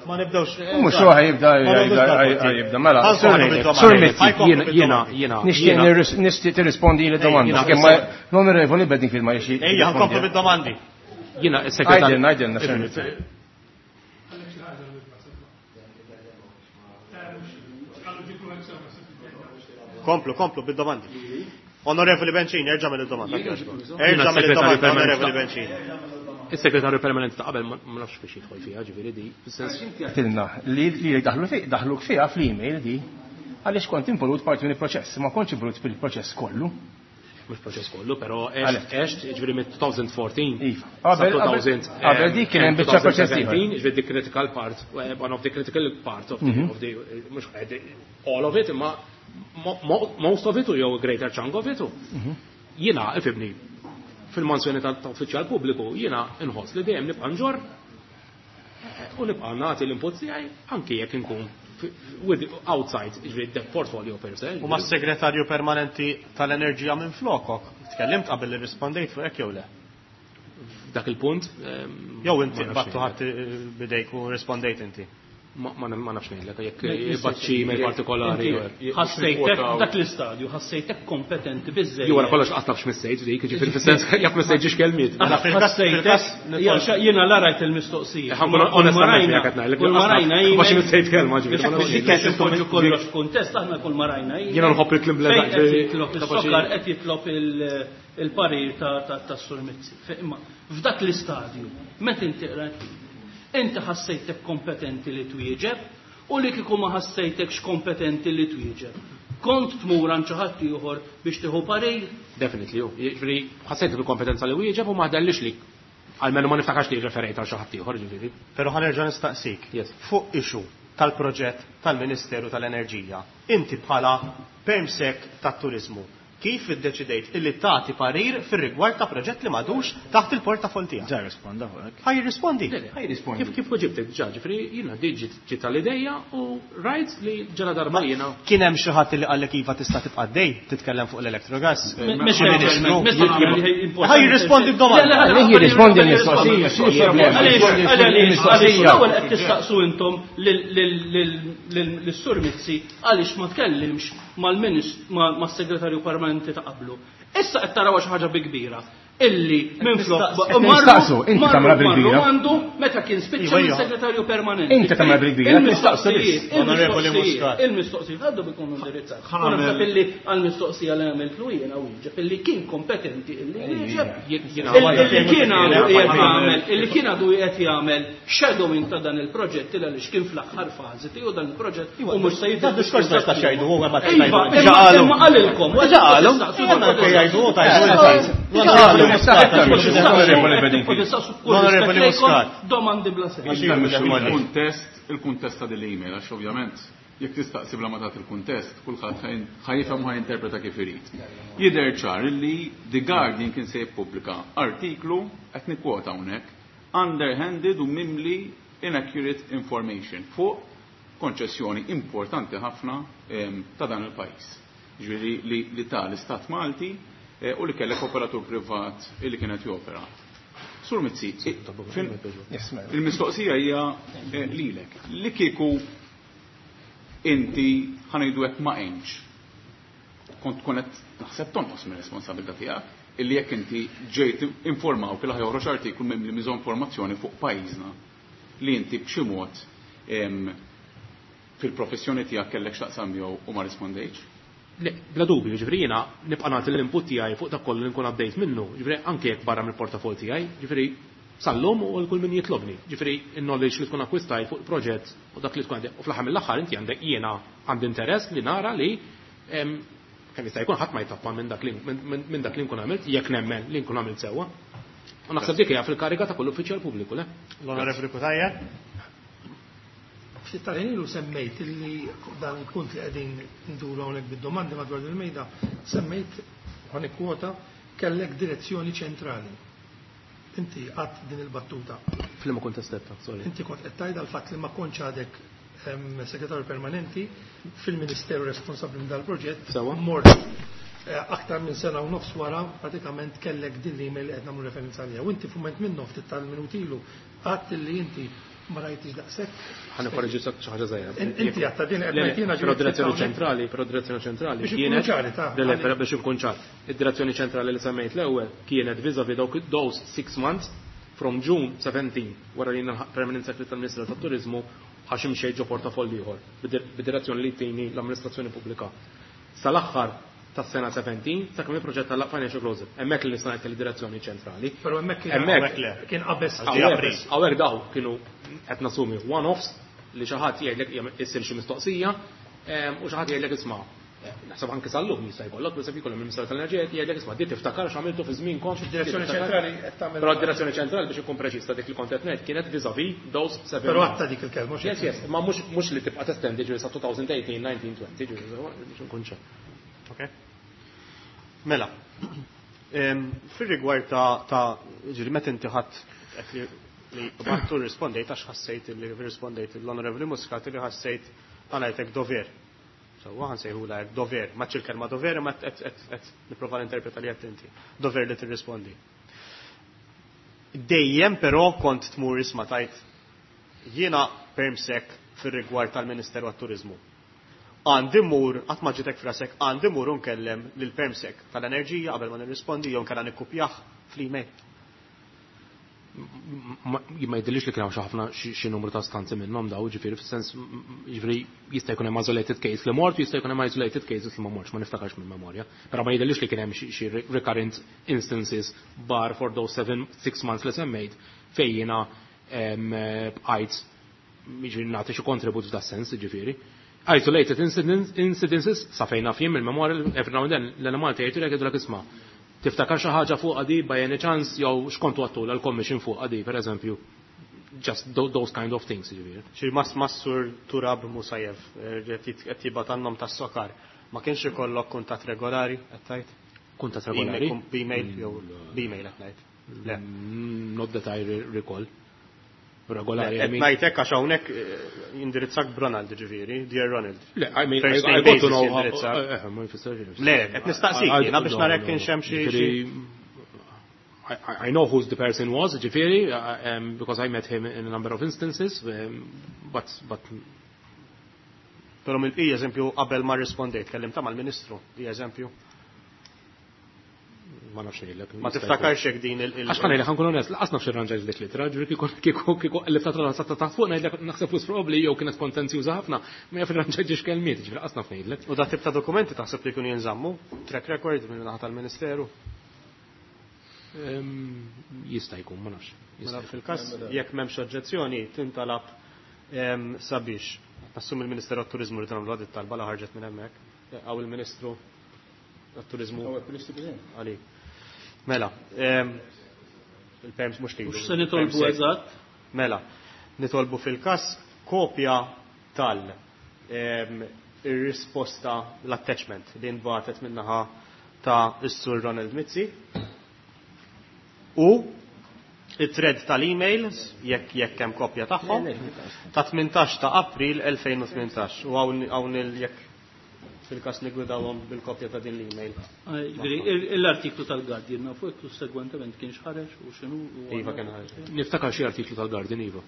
B: Ma nibdewx.
D: Mhux huwa jibda, jibda, jibda, mela. Sur Mizzi,
C: Jiena, jiena, jiena.
D: Nixtieq nirris-, nixtieq tirrispondi li domanda.
C: Jiena,
D: Kemm ma l-onorevoli Bedingfield ma jixtieq.
B: Ejja, nkomplu bid-domandi.
C: Jiena is-segretarju.
D: Għidilna, għidilna,
B: Komplu, komplu, bid-domandi. Onorevoli Bencini, erġa' mill-domanda. Erġa' mill-domanda, Onorevoli Bencini.
C: Is-segretarju permanenti ta' qabel ma nafx biex jidħol fiha, ġifieri di.
D: Inti għedtilna li li daħluk fiha fl-email di għaliex kont involut parti minn il-proċess, ma kontx involut fil-proċess kollu.
C: Mhux proċess kollu, però għext, ġifieri mit-twenty fourteen.
D: Iva. Qabel dik kien hemm biċċa proċess ieħor.
C: Ġifieri the critical part, one of the critical part of the mhux all of it, imma most of it u jew greater chunk of it. Jiena ifibni fil-mansjoni ta' uffiċjal pubbliku jiena inħoss li dejjem nibqa' nġorr u nibqa' nagħti l-input tiegħi anke jekk inkun with outside ġifieri the portfolio per se.
B: U mas-segretarju permanenti tal-enerġija minn flokok, tkellimt qabel li rispondejt fuq hekk jew le?
C: Dak il-punt.
B: Jew inti battu ħadd bidejk u rispondejt inti.
C: Ma nafx ngħidlek jekk jibgħat xi email partikolari.
E: Ħassejtek dak l-istadju, ħassejtek kompetenti biżżejjed.
C: Jew wara kollox qatt nafx missejt dik, ġifieri fis-sens jekk missejt ġiex kelmiet.
E: Ħassejtek jiena la rajt il-mistoqsija.
C: Onestament jekk qed ngħidlek. Ma xi missejt kelma ġifieri.
E: Kif kollox f'kuntest aħna kull ma rajna.
C: Jiena nħobb il-klim bla
E: jitlob is-sokar qed jitlob il-parir ta' Sur Mizzi. Imma f'dak l-istadju meta inti qrajt inti ħassejtek kompetenti li twieġeb u li kieku ma ħassejtekx kompetenti li twieġeb. Kont tmur għand xi ħadd ieħor biex tieħu parir?
C: Definitely, ġifieri ħassejtek il-kompetenza li wieġeb u ma ħdellix li almenu ma niftakarx li referejt għal xi ħadd ieħor ġifieri.
B: Però ħa nerġa' nistaqsik. Fuq issue tal-proġett tal-Ministeru tal-Enerġija, inti bħala permsek tat-turiżmu, kif iddeċidejt illi tagħti parir fir-rigward ta' proġett li m'għadux taħt il-portafol tiegħek?
G: Ġa risponda fuq hekk.
B: Ħaj jirrispondi.
D: Ħaj jirrispondi.
C: Kif kif weġibtek ġa, ġifieri jiena di ġiet tal-idejja u rajt li ġala darba jiena.
B: Kien hemm xi ħadd li qallek iva tista' tibqa' dej titkellem fuq l-electrogas? Ħaj jirrispondi b'domanda.
D: Ħaj jirrispondi l-mistoqsija, x'inhu l-problema?
E: Għaliex l-ewwel qed tistaqsu intom lis-Sur Mizzi għaliex ma tkellimx mal-segretarju permanenti ta' qablu. Issa qed taraw xi ħaġa bi kbira illi minflok
D: nistaqsu, inti tagħmilha bil-kbira.
E: Għandu meta kien spiċċa mis-segretarju permanenti.
D: Inti tagħmilha bil-kbira, nistaqsu biss.
B: Onorevoli Muscat.
E: Il-mistoqsijiet għandu bikun indirizzat. U naħseb illi għall-mistoqsija li għamiltlu jiena wieġeb illi kien kompetenti illi wieġeb. Illi kien għadu qiegħed jagħmel, illi kien għadu qiegħed jagħmel shadowing ta' dan il-proġett il għaliex kien fl-aħħar fażi tiegħu dan il-proġett u mhux se
B: jidher. Diskors ma jistax jgħidu huwa ma
E: tgħidu. Imma qalilkom.
B: Ġa qalu. Jgħidu tajdu. Onorevoli Muscat.
E: Domandi bla sens.
H: Il-kuntest, il-kuntest ta' dil-email, għax ovvjament jekk tistaqsi bla ma tagħti il-kuntest, kulħadd ħajfhem u ħajinterpreta kif irid. Jidher ċar li The Guardian kien se jippubblika artiklu qed nikkwota hawnhekk underhanded u mimli inaccurate information fuq konċessjoni importanti ħafna ta' dan il-pajjiż. Ġifieri li ta' l-Istat Malti u li kellek operatur privat li kienet jopera. Sur Mizzi, il-mistoqsija hija lilek. Li kieku inti ħanejdu hekk ma għenx, kont tkun qed naħseb tonqos mir-responsabilità tiegħek illi jekk inti ġejt informaw kif ħajoħroġ artiklu mimli miżinformazzjoni fuq pajjiżna li inti b'xi mod fil-professjoni tiegħek kellek x'taqsam jew u ma rispondejtx.
C: Le, bla dubju, ġifieri jiena nibqa' nagħti l-input tiegħi fuq dak kollu li nkun għaddejt minnu, ġifieri anke jekk barra mill-portafol tiegħi, ġifieri sal-lum u kull min jitlobni. Ġifieri n-knowledge li tkun akkwistajt fuq il-proġett u dak li tkun għandek. U fl-aħħar mill-aħħar inti għandek jiena għandi interess li nara li kemm jista' jkun ħadd ma jtappa minn dak li minn dak li nkun għamilt, jekk nemmen li nkun għamilt sewwa. U naħseb dik hija fil-kariga ta' kull uffiċjal pubbliku, le?
B: L-Onorevoli Cutajar.
F: Ftit tal-ħin ilu semmejt illi dan il-punt li qegħdin nduru hawnhekk bid-domandi madwar il-mejda, semmejt ħa nikkwota kellek direzzjoni ċentrali. Inti qatt din il-battuta.
C: Fl-imma kont stetta, sorry.
F: Inti kont qed tgħid għall-fatt li ma kontx għadek segretarju permanenti fil-Ministeru responsabbli minn dal-proġett. Mort aktar minn sena u nofs wara pratikament kellek din l-email li qed nagħmlu referenza għaliha. U inti f'mument minnhom ftit tal-minuti ilu qatt li inti ma rajtix daqshekk.
C: Ħa nikkorreġi xi ħaġa żgħira.
F: Inti għadta din qed ngħid
C: Però direzzjoni ċentrali, però direzzjoni ċentrali
F: kienet
C: le biex inkun ċar. Id-direzzjoni ċentrali li semmejt l-ewwel kienet vis-à-vis dawk those six months From June seventeen, wara li jiena permanent secretary tal-Ministeru tat-Turizmu, għax imxejt ġo portafoll ieħor bid-direzzjoni li tini l-amministrazzjoni pubblika. Sal-aħħar tas-sena seventeen, sakemm il-proġett tal financial closure. Hemmhekk li nista' ngħid li direzzjoni ċentrali.
F: Però hemmhekk kien
C: Hemmhekk le.
F: Kien qabeż.
C: Hawnhekk hawnhekk daw kienu qed nassumi one-offs li xi ħadd jgħidlek issir xi mistoqsija, ehm, u xi ħadd jgħidlek isma'. Naħseb anke sal-lum jista' jkollok, per esempio, jkollhom il-Ministeru tal-Enerġija jgħidlek isma' di tiftakar x'għamiltu fi żmienkom.
F: Id-direzzjoni ċentrali qed tagħmel.
C: Però d-direzzjoni ċentrali, biex ikun preċiż ta' dik li kont qed ngħid, kienet vis-à-vis those seven.
F: Però għatta dik il-kelma, mhux
C: Yes, yes, ma mhux mhux li tibqa' testendi ġifieri sa twenty eighteen, nineteen, twenty, ġifieri biex nkun ċar.
B: Okay. Mela, em, fir-rigward ta' ta' ġifieri meta inti ħadd qed li li battu rispondejt għax ħassejt li rispondejt l-Onorevoli Muscat li ħassejt għalajtek dover. Sewwa, ħa nsejħulha hekk dover, ma il-kelma dover ma qed qed qed nipprova ninterpreta li qed inti. Dover li tirrispondi. Dejjem però kont tmur isma' tajt jiena permsec fir-rigward tal-Ministeru għat-Turizmu. Għandi mur, qatt ma ġitek frasek, għandi mur unkellem lil permsec tal-enerġija qabel ma nirrispondi jew nkella nikkupjah fl-email.
C: Ma ma jidhirlix li kien hawn xi ħafna xi xi numru ta' stanzi minnhom daw, ġifieri fis-sens ġifieri jista' jkun hemm isolated case li mort, jista' jkun hemm isolated cases li ma mortx, ma niftakarx minn memorja. Però ma jidhirlix li kien hemm xi xi recurrent instances bar for those seven, six months li semmejt fejn jiena em, bqajt jiġifieri nagħti xi kontribut f'da sens, ġifieri. Isolated incidents, incidences sa fejn naf jien mill-memorja, every now and then l-Enemalta jgħidu jgħidulek isma'. Tiftakar xi ħaġa fuq għadi by any chance jew x'kontu għattu l-commission fuq għadi, per eżempju. Just tho- those kind of things, ġifieri.
B: Xi mas mas-Sur Turab Musajev, eh, qed qed jibgħat għan-nom tas-SOCAR. Ma kienx ikollok kuntatt regolari, qed tgħid?
C: Kuntatt regolari?
B: B'email jew b'email qed ngħid. Le.
C: Mm, Not that I re- recall. Regolari, I
B: Qed
C: mean.
B: ngħidlek għax hawnhekk eh, jindirizzak b'Ronald ġifieri, Dear Ronald.
C: Le, I mean, I,
B: First
C: I
B: name
C: got to
B: basis
C: know.
B: jindirizzak.
C: eh, eh, ma jfissirx.
B: Le, qed nistaqsik jiena biex narek kienx hemm xi-
C: Ġifieri, I, I- I know who the person was, ġifieri, uh, um, because I met him in a number of instances, um, but, but
B: Però mill-bqija eżempju qabel ma rispondejt, kellimta mal-Ministru, di eżempju.
C: Ma nafx ngħidlek.
B: Ma tiftakarx hekk din il- il-
C: Għax ħa ngħidlek, ħa nkun onest, lanqas nafx irranġajt dik l-ittra, ġifieri kieku kieku kieku li ta' sa ta' fuq ngħidlek naħseb flus probabbli jew kienet kontenzjuża ħafna, ma jaf irranġajt ġiex kelmiet, ġifieri lanqas naf ngħidlek.
B: U da tip ta' dokumenti taħseb li jkunu jinżammu? Track record minn naħa tal-Ministeru?
C: Ehm, Jista' jkun, ma nafx.
B: Mela fil-każ jekk m'hemmx oġġezzjoni tintalab em, sabiex nassum il-Ministeru għat-Turizmu li tagħmlu għad talba la ħarġet minn hemmhekk. Għaw il-Ministru għat-Turizmu għalik. Mela, em, il-perms mhux lilu.
E: Mhux se nitolbu
B: il-perms
E: eżatt.
B: Mela, nitolbu fil-każ kopja tal em, ir-risposta l-attachment li nbatet minnaħa ta' is-Sur Ronald Mizzi u it-thread tal-emails jekk jekk hemm kopja tagħhom ta' tmintax ta' April elfejn u tmintax u hawn hawn il jekk fil-każ nigwidawhom bil-kopja ta' din l-email.
E: Ġifieri, l-artiklu tal-Guardian nafu jekk sussegwentement kienx ħareġ u x'inhu. u
B: Iva, kien ħareġ.
C: Niftakar xi artiklu tal-Guardian, iva.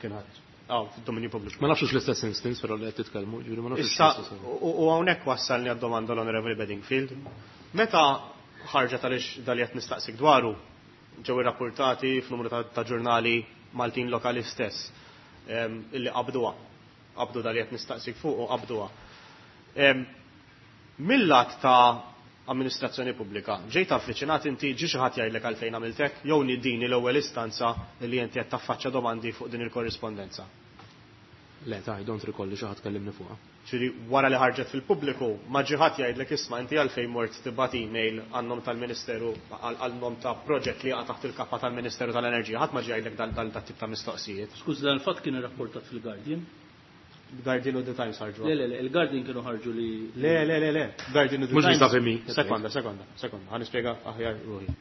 B: Kien ħareġ. Aw, fid-dominju pubbliku.
C: Ma nafx l-istess instance però li qed titkellmu, ġifieri ma nafx
B: Issa,
C: l-istess.
B: u u hawnhekk wassalni għad-domanda l-Onorevoli Bedingfield. Meta ħarġet għaliex dal qed nistaqsik dwaru, ġew irrapportati f'numru ta' ta' ġurnali Maltin lokali stess em, illi qabduha. Qabdu dal qed nistaqsik fuq u qabduha. Em, Mill-lat ta' amministrazzjoni pubblika, ġejt avviċinat inti, ġi xi ħadd jgħidlek għalfejn għamiltek, jew din l-ewwel istanza li inti qed taffaċċja domandi fuq din il-korrispondenza?
C: Le, ta' I don't recall li xi ħadd kellimni fuqha.
B: Ġifieri wara li ħarġet fil-pubbliku, ma ġi ħadd jgħidlek isma' inti għalfejn mort tibgħat email għan-nom tal-Ministeru għal-nom ta' proġett li jaqa' taħt il-kappa tal-Ministeru tal-Enerġija, ħadd ma ġi jgħidlek dal dal tip ta' mistoqsijiet?
E: Skuż, dan il-fatt kien irrapportat fil-Guardian.
B: Guardian u The Times ħarġu.
E: Le, le, le, il-Guardian kienu ħarġu li.
B: Le, le, le, le. Guardian u The
C: Mhux
B: Times.
C: vis-à-vis me.
B: Sekonda, sekonda, sekonda. Ħa nispjega aħjar ruħi.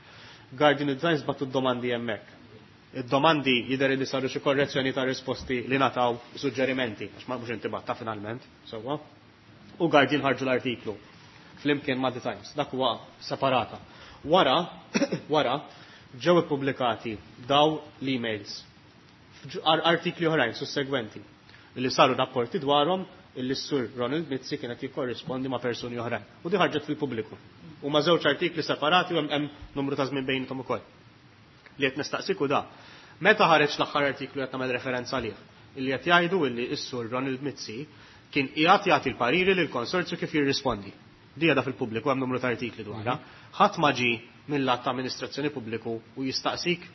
B: Guardian u The Times bagħtu d-domandi hemmhekk. Id-domandi jidher li saru xi korrezzjoni ta' risposti li nataw suġġerimenti, għax ma mhux inti batta finalment, sewwa. U Guardian ħarġu l-artiklu flimkien ma' The Times, dak huwa separata. Wara, wara ġew ippubblikati daw l-emails f'ġ- artikli oħrajn sussegwenti li saru rapporti dwarhom illi s-Sur Ronald Mizzi kienet jikkorrispondi ma' persuni oħrajn. U di ħarġet fil-pubbliku. U ma' żewġ artikli separati u hemm hemm numru ta' żmien bejnithom ukoll. Li qed nistaqsiku da. Meta ħareġ l-aħħar artiklu qed nagħmel referenza għalih, illi qed jgħidu illi s-sur Ronald Mizzi kien qiegħed jagħti l-pariri lill-konsorzju kif jirrispondi. Di għadha fil-pubbliku hemm numru ta' artikli dwarha. Ħadd ma ġie mill-att ta' amministrazzjoni pubbliku u jistaqsik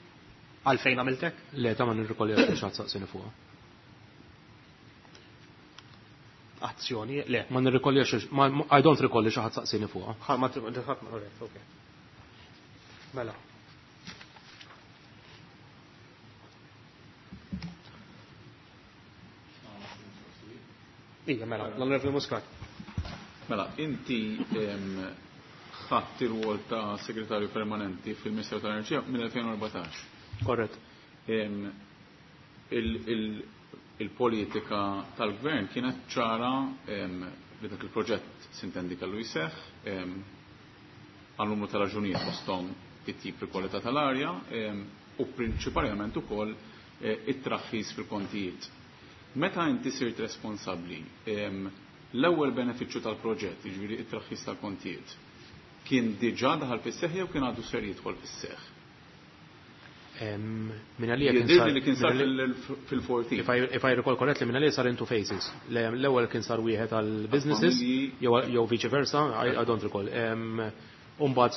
B: għalfejn għamiltek?
C: Le, ta' ma nirrikolli għax xi ħadd saqsini fuqha.
B: Azzjoni, le.
C: Ma nirrikolli għax I don't recall li xi ħadd saqsini fuqha.
B: Ma ħadd ma okay. Mela. Ija, mela, l-Onorevoli Muscat.
H: Mela, inti ħadt ir-rwol ta' segretarju permanenti fil-Ministeru tal-Enerġija mill-elfejn u erbatax.
C: Korrett.
H: Il-politika tal-gvern kienet ċara li dak il-proġett sintendi kellu jseħħ għal numru ta' raġunijiet fosthom it-tip fil-kwalità tal-arja u prinċipalment ukoll it-traħħis fil-kontijiet. Meta inti sirt responsabbli, l-ewwel benefiċċju tal-proġett, jiġifieri it-traħħis tal-kontijiet, kien diġà daħal fis-seħħ jew kien għadu ser jidħol fis-seħħ?
C: Min għalija kien
H: sar li kien sar fil-fourteen.
C: If I, if I recall correctly, min għalija sar in two phases. L-ewwel kien sar wieħed għal businesses jew vice versa, I, I don't recall. Umbagħad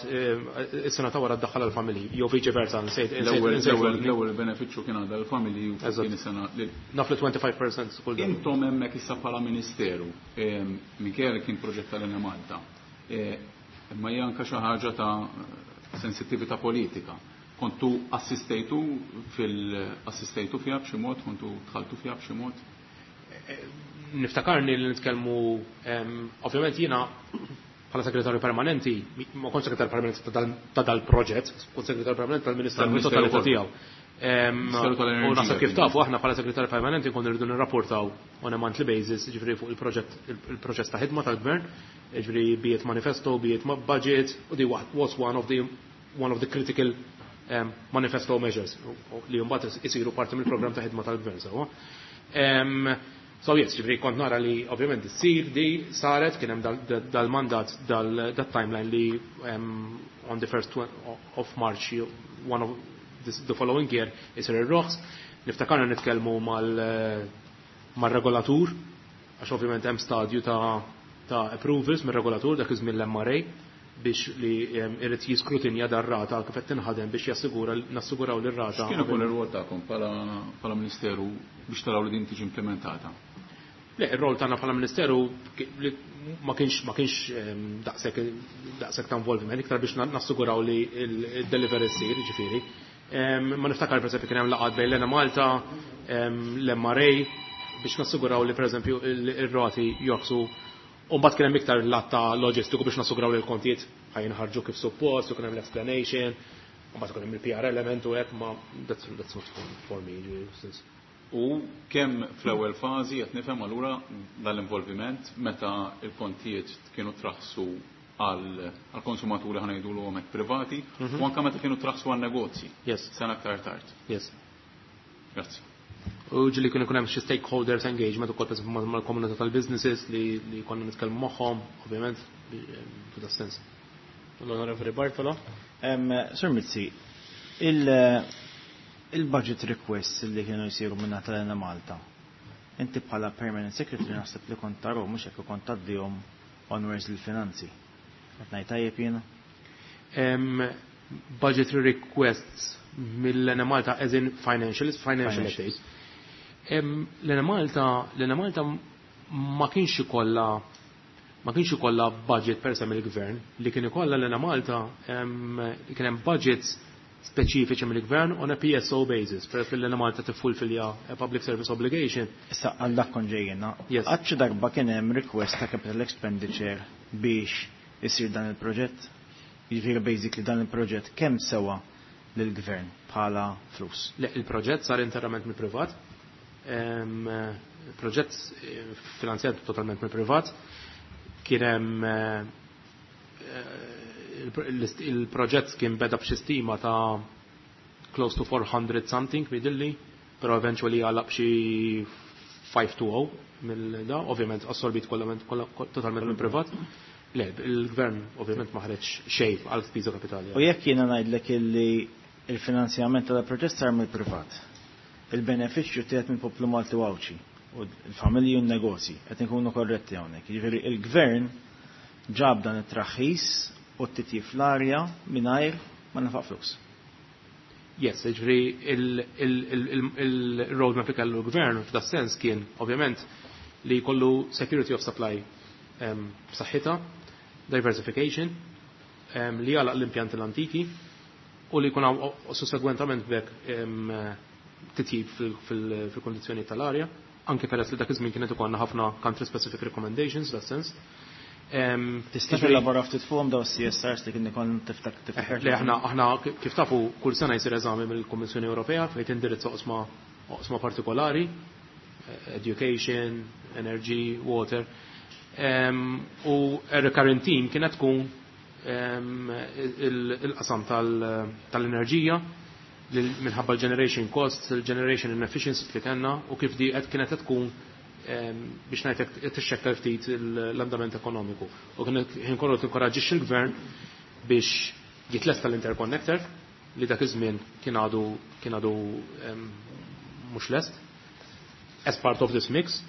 C: is-sena ta' wara ddaħħal għall-familji, jew vice versa, nsejt.
H: L-ewwel benefiċċju kien għadha l-familji u kien is-sena.
C: Naf li twenty-five percent kull darba.
H: Intom hemmhekk issa bħala ministeru, minkejja li kien proġett tal-Enemalta, imma hija anke xi ħaġa ta' sensittività politika. Kontu assistejtu fil-assistejtu fiha b'xi mod, kontu dħaltu fiha b'xi mod?
C: Niftakarni li nitkellmu, ovvjament jiena bħala segretarju permanenti, ma kontx segretarju permanenti ta' dal-proġett, kont segretarju permanenti tal-Ministeru totalità tiegħu. U naħseb kif tafu aħna bħala segretarju permanenti konna rridu nirrapportaw on a monthly basis, jiġifieri fuq il-proġett, il-proċess ta' ħidma tal-gvern, jiġifieri biet manifesto, biet budget, u di was one of the one of the critical um, manifesto measures li mbagħad isiru parti mill-programm ta' ħidma tal-gvern sewwa. Um, so yes, ġifieri kont nara li ovvjament issir di saret kien hemm dal-mandat dal-timeline li um, on the first of March one of this, the following year isir ir-roħs. Niftakarna nitkellmu mal mar-regolatur għax ovvjament hemm stadju ta' ta' approvals mir-regolatur dak iż-żmien l-M R A biex li irid jiskrutinja dar-rata kif qed tinħadem biex jassigura nassiguraw li r-rata.
H: X'kien ukoll ir-rwol tagħkom bħala Ministeru biex taraw li din tiġi implementata?
C: Le, ir-rol tagħna bħala Ministeru ma kienx ma kienx daqshekk daqshekk ta' involviment, iktar biex nassiguraw li l-delivery ssir, jiġifieri. Ma niftakar pereżempju kien hemm laqgħat bejn l-Enemalta, l-M R A biex nassiguraw li pereżempju ir-rati joqsu. U mbagħad kien hemm iktar lat ta' loġistiku biex nassiguraw li l-kontijiet ħajinħarġu kif suppost, u kien hemm l-explanation, u mbagħad kien hemm il-P R element u hekk, ma that's, that's not for, for me, ġifieri, since.
H: U kemm fl-ewwel fażi qed nifhem allura dal-involviment meta l-kontijiet kienu traħsu għal konsumaturi ħa ngħidulhom hekk privati,
C: Mhm.
H: u anke meta kienu traħsu għal negozji.
C: Yes.
H: Sena aktar tard.
C: Yes.
H: Grazzi.
C: U ġili kien ikun hemm xi stakeholders engagement ukoll pereżempju mal-komunità tal-businesses li, li konna nitkellmu magħhom, ovvjament, f'da sens.
B: L-Onorevoli Bartolo.
G: Em, Sir Mizzi, il-, il-budget requests li kienu jsiru minn tal-Enemalta, inti bħala permanent secretary naħseb li kont tarahom, mhux hekk kont tgħaddihom onwards lill-finanzi. Qed ngħid tajjeb jiena?
C: Em, budgetary requests mill-Enemalta as in financial, financial
G: Financial.
C: updates. Em, L-Enemalta, l-Enemalta ma kienx ikollha ma kienx ikollha budget per se mill-gvern, li kien ikollha l-Enemalta, em, kien hemm budgets speċifiċi mill-gvern on a P S O basis, per li l-Enemalta tiffulfilja a public service obligation.
G: Issa għal dak kont ġejjina.
C: Yes.
G: Qatt xi darba kien hemm request ta' capital expenditure biex isir dan il-proġett? Jiġifieri basically dan il-proġett kemm sewa lill-gvern bħala flus?
C: Le, il-proġett sar interament mill-privat. Em, il-proġett, eh, finanzjat totalment mill-privat. Kien hemm, eh, il-, il-proġett kien beda b'xi stima ta' close to four hundred something midilli, però eventually għalaq b'xi five to oh mill-da, ovvjament assorbit kollament, kolla, totalment mill-privat. Le, il-gvern ovvjament ma ħareġ xejn għal spiża kapitali.
G: U jekk jiena ngħidlek illi Il-finanzjament tal-proġett sar mill-privat. Il-benefiċċju tieħed mill-poplu Malti u Għawdxi u l-familji u n-negozji qed inkunu korretti hawnhekk. Jiġifieri il-gvern ġab dan it-traħħis u t-titjib fl-arja mingħajr ma nafaq flus.
C: Yes, ġifieri il-roadmap li kellu l-gvern f'da sens kien ovvjament li jkollu security of supply b'saħħitha, diversification, li jagħlaq l-impjanti l-antiki u li jkun sussegwentament b'hekk titjib fil-kondizzjoni tal-arja, anke peress li dak iż-żmien kienet ikollna ħafna country specific recommendations that sens.
G: Tista' tilabora ftit fuqhom daw C S Rs li kien ikun tiftak
C: tiftakar? Le, aħna aħna kif tafu kull sena jsir eżami mill-Kummissjoni Ewropea fejn tindirizza oqsma oqsma partikolari, education, energy, water. U recurrent theme kienet tkun il-qasam tal-enerġija minħabba l-generation costs, il-generation inefficiencies li kellna u kif di qed kienet tkun biex ngħidlek tixxekkel ftit l-andament ekonomiku. U kien kollu tinkoraġġix il-gvern biex jitlesta l-interconnector li dak iż-żmien kien għadu kien għadu mhux lest as part of this mix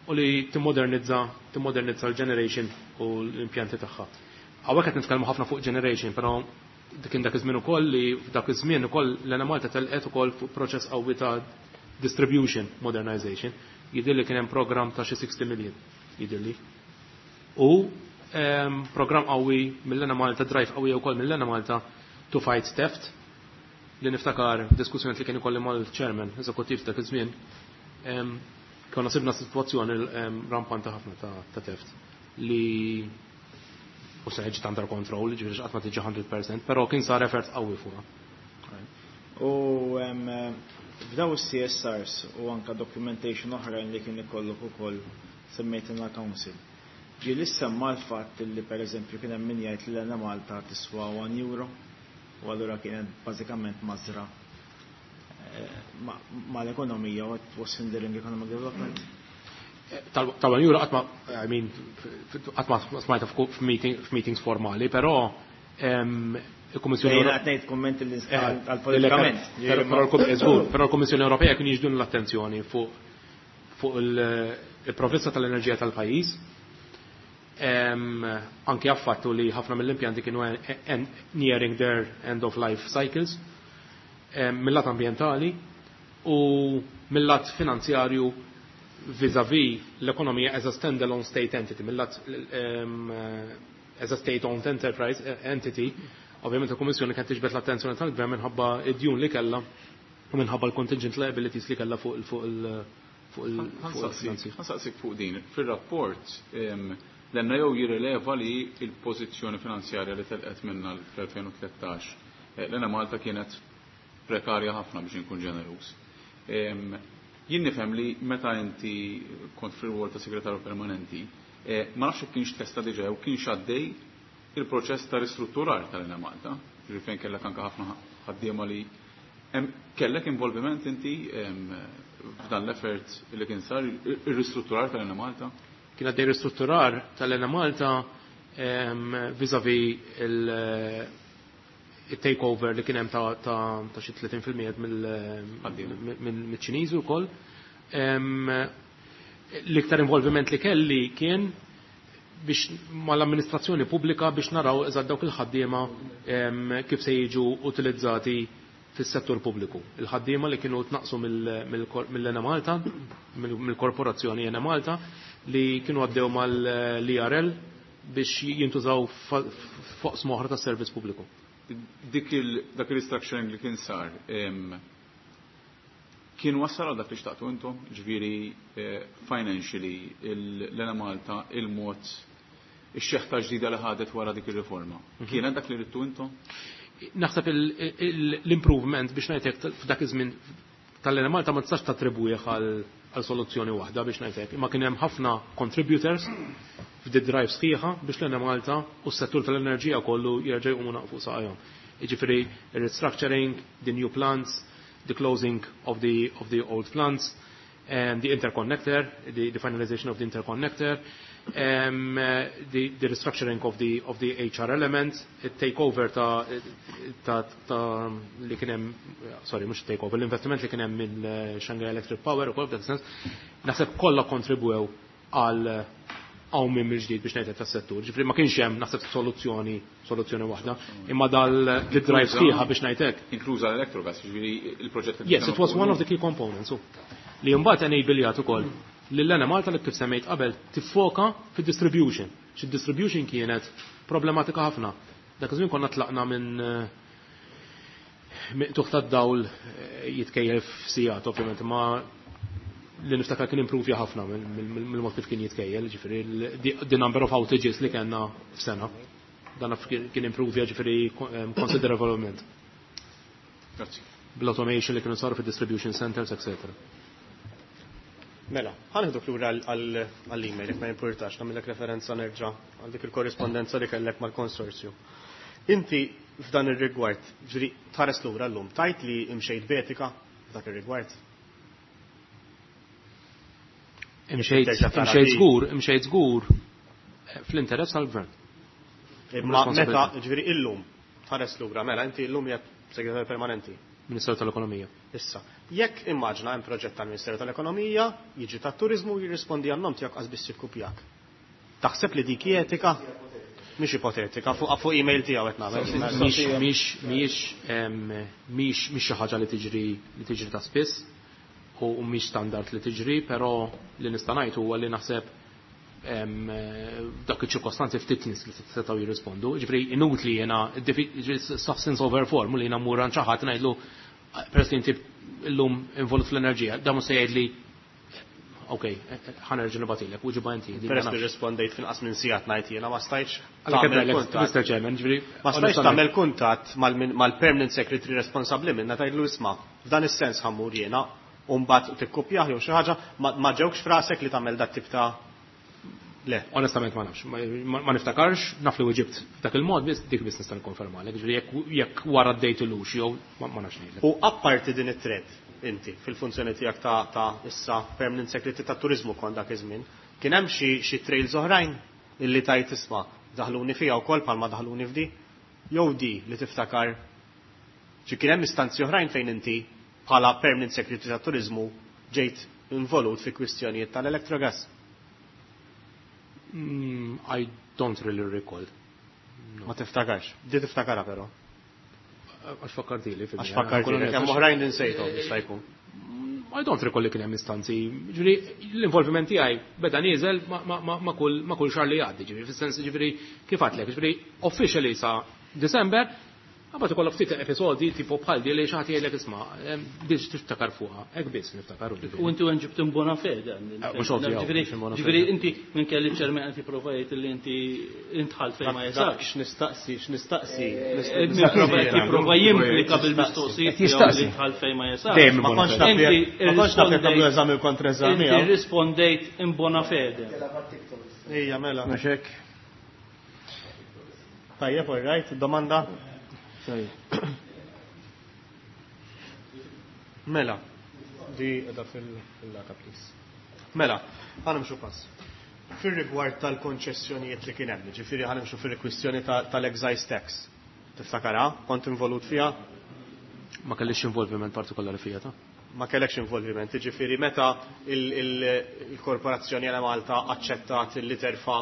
C: u li timmodernizza timmodernizza l-generation u l-impjanti tagħha. Hawnhekk qed nitkellmu ħafna fuq generation, però kien dak iż-żmien ukoll li f'dak iż-żmien ukoll l-Enemalta telqet ukoll fuq proċess qawwi ta' distribution modernization. Jidhirli kien hemm program ta' xi sixty million, jidhirli. U program qawwi mill-Enemalta, drive qawwi wkoll mill-Enemalta to fight theft, li niftakar diskussjoni li kien ikolli mal-chairman eżekuttiv dak iż-żmien, konna sibna sitwazzjoni rampanta ħafna ta' theft li u se ġiet under control, ġifieri qatt ma tiġi mija fil-mija, però kien sar effort qawwi fuqha.
G: U f'daw is-C S Rs u anka documentation oħrajn li kien ikollok ukoll semmejt council. Ġie li semma l-fatt li per eżempju kien hemm min jgħid li l-Enemalta tiswa one euro u allura kienet bażikament mażra mal-ekonomija u was hindering economic development?
C: Tal-one euro qatt ma, I mean, qatt ma smajta f'meetings formali, però
G: il-Kummissjoni Ewropea. Ngħid kummenti li għal-politikament.
C: Però l-Kummissjoni Ewropea kien jiġbdu l-attenzjoni fuq fuq il-provvista tal-enerġija tal-pajjiż. Anke għall-fattu li ħafna mill-impjanti kienu nearing their end of life cycles, mill-lat ambientali u mill-lat finanzjarju vis-a-vis l-ekonomija as a standalone state entity, mill-lat as a state-owned enterprise entity. Ovvjament il-Kummissjoni kienet tiġbed l-attenzjoni tal-Gvern minħabba id-djun li kellha u minħabba l-contingent liabilities li kellha fuq fuq il fuq
H: il Ħa nsaqsik fuq din. Fil-rapport l-N A O jirrileva li il-pożizzjoni finanzjarja li telqet minna fl-elfejn u tlettax l-Enemalta kienet prekarja ħafna, biex inkun ġeneruż. Jien nifhem li meta inti kont fil-rwol ta' segretarju permanenti, ma nafx kienx tlesta diġà u kienx għaddej il-proċess ta' ristrutturar tal-Enemalta, ġifieri fejn kellek anke ħafna ħaddiema li kellek involviment inti f'dan l-effort li kien sar ir-ristrutturar tal-Enemalta?
C: Kien għaddej ristrutturar tal-Enemalta vis-a-vis il-takeover li kien hemm ta' xi tletin fil-mija mill-Ċiniżi wkoll. L-iktar involviment li kelli kien biex mal-amministrazzjoni pubblika biex naraw eżatt dawk il-ħaddiema kif se jiġu utilizzati fis-settur pubbliku. Il-ħaddiema li kienu tnaqsu mill-Enemalta, mill-korporazzjoni Enemalta, li kienu għaddew mal-E R L biex jintużaw fuq oħra tas servizz pubbliku.
H: Dik dak il-restructuring li kien sar, kien wassal għal dak li xtaqtu intom, ġifieri financially l-Enemalta, il-mod ix-xeħta ġdida li ħadet wara dik ir-riforma? Kienet dak li ridtu intom?
C: Naħseb l-improvement, biex ngħidlek, f'dak iż-żmien tal-Enemalta ma tistax tattribwih għal soluzzjoni waħda, biex ngħidlek. Imma kien hemm ħafna contributors f'di drive sħiħa biex l-Enemalta u s-settur tal-enerġija kollu jerġa' jqumu fuq saqajhom. Jiġifieri restructuring, the new plants, the closing of the of the old plants, and the interconnector, the, the finalization of the interconnector, Um, the, the restructuring of the, of the H R element, il-takeover ta', ta, ta li kien hemm, sorry, mhux takeover, l-investiment li kien hemm minn Shanghai Electric Power u kol f'dak sens, naħseb kollha kontribwew għal hawn minn mill-ġdid biex ngħid tas-settur. Ġifieri ma kienx hemm naħseb soluzzjoni soluzzjoni waħda, imma dal-drive sħiħa biex ngħid hekk.
H: Inkluża l-Electrogas, ġifieri il-proġett.
C: Yes, it was one of the key components. Li mbagħad enabljat ukoll l-Enemalta li kif semmejt qabel tiffoka fid-distribution. Xi distribution kienet problematika ħafna. Dak iż-żmien konna tlaqna minn miqtuħ tad-dawl jitkejjel f'sigħat ovvjament, ma li niftakar kien improvja ħafna mill-mod kif kien jitkejjel, ġifieri the number of outages li kellna f'sena. Dan kien improvja ġifieri considerablement.
H: Grazzi.
C: Bl-automation li kienu saru fid-distribution centers, et cetera.
B: Mela, ħanieħduk lura għall-email, jekk ma jimpurtax, nagħmilek referenza nerġa' għal dik il-korrispondenza li kellek mal-konsorzju. Inti f'dan ir-rigward, ġifieri tħares lura llum, tajt li imxejt b'etika f'dak ir-rigward?
C: Imxejt,
B: Terġa' tara
C: imxejt
B: di.
C: żgur, imxejt żgur fl-interess tal-gvern.
B: Imma
C: Responsabilità.
B: meta, ġifieri illum tħares lura, mela inti illum hija segretarju permanenti.
C: Ministeru tal-Ekonomija.
B: Issa, jekk immaġna hemm proġett tal-Ministeru tal-Ekonomija, jiġi tat-turiżmu jirrispondi għan-nom tiegħek qas biss jikkupjak. Taħseb li dik hi etika? Mhix ipotetika, fuq, fuq email tiegħu qed nagħmel.
C: Mhix, mhix, mhix, em, mhix, mhix xi ħaġa li tiġri, li tiġri ta' spiss u mhix standard li tiġri, però li nista' ngħid huwa li naħseb, em, dak iċ-ċirkostanzi ftit nies li setgħu jirrispondu. Ġifieri inutli jiena, ġifieri substance over form li jiena mmur għand xi ħadd ngħidlu peress li inti llum involut fl-enerġija, dan mhux se jgħidli ok, ħanerġa' nibatilek, u ġiba inti, din
B: Peress
C: ma
B: li
C: nafx.
B: rispondejt finqas minn sigħat ngħid jiena ma stajtx
C: Għalhekk
B: tagħmel
C: ngħidlek,
B: kuntatt.
C: Mister Chairman, ġifieri,
B: Ma stajtx
C: onestament.
B: tagħmel kuntatt mal-min-, mal-permanent secretary responsabbli minna tgħidlu isma' f'dan is-sens ħammur jiena u mbagħad tikkupjah jew xi ħaġa, ma, ma ġewkx frasek li tagħmel dat tip ta' Le.
C: Onestament ma nafx, ma, ma, ma niftakarx, naf li weġibt f'dak il-mod biss, dik biss nista' nikkonfermalek, ġifieri jekk, jekk wara d-dejt ilux jew ma, ma nafx ngħidlek.
B: U apparti din it-thread inti fil-funzjoni tiegħek ta', ta' issa permanent secretary ta' turiżmu kont dak iż-żmien, kien hemm xi, xi trails oħrajn illi tajt isma' daħluni fiha wkoll bħalma daħluni f'di, jew di li tiftakar xi kien hemm istanzi oħrajn fejn inti bħala permanent secretary ta' turiżmu ġejt involut fi kwistjonijiet tal-Electrogas.
C: Mm, I don't really recall. No.
B: Ma tiftakarx. Di tiftakara però.
C: Għax fakkartili, fil-mija.
B: Għax fakkartili,
C: Kolonel,
B: hemm oħrajn li nsejthom jista' jkun.
C: I don't recall li kien hemm istanzi. Ġifieri l-involviment tiegħi beda nieżel ma, ma, ma, ma kull, ma kull xahar li jgħaddi, ġifieri fis-sens ġifieri kif għadlek, ġifieri officially sa December, qabad ikollok ftit episodi tipo bħal di li xi ħadd jgħidlek isma', em, biex tiftakar fuqha, hekk biss niftakar u ġifieri.
E: U inti ġibt in bona fede, għandi.
C: Eh, mhux ovvju,
E: Ġifieri,
C: mhux in bona
E: ġifieri
C: fede.
E: inti minn kelli ċermen qed jipprova jgħid li inti intħalt fejn ma
B: Dak
E: jesax.
B: x'nistaqsi, x'nistaqsi,
E: Eh,
B: nistaqsi.
E: Qed jipprova jimplika bil-mistoqsijiet
D: Qed jistaqsi.
E: li intħalt fejn ma jesax.
C: Dejjem
B: Ma
C: in bona
B: kontx
C: fede.
B: naf jekk-
E: Inti
B: ma kontx naf jekk nagħmlu
E: irrispondejt-
B: eżami u kontra-eżami,
E: Inti
B: hawn.
E: rispondejt in bona fede.
B: Ejja, mela.
D: Mhux hekk.
B: Tajjeb, all right, domanda? Mela, di edha fil-laka, please. Mela, ħanimxu pass. Fir-rigward tal-konċessjonijiet li kien hemm, ġifieri ħanimxu fir-kwistjoni ta-, tal-excise tax. Tiftakara? Kont involut fiha?
C: Ma kellix involviment partikolari fiha, ta'?
B: Ma kellekx involviment, ġifieri meta il-, il-, il-korporazzjoni għal Malta aċċettat li terfa'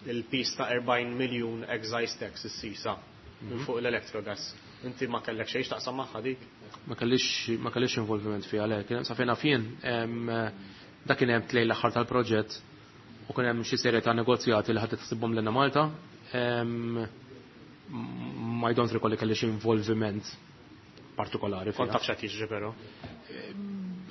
B: il-pis ta' erbgħin miljun excise tax is-sisa minn fuq l-Electrogas. Inti ma kellek xejn x'taqsam magħha dik?
C: Ma kellix, ma kellix involviment fiha, le, kien hemm sa fejn naf jien, em, dak kien hemm tlejn l-aħħar tal-proġett u kien hemm xi serje ta' negozjati li ħadd tħsibhom lilna Malta. Em, ma I don't recall li kellix involviment partikolari fiha.
B: Kont taf x'qed jiġri però.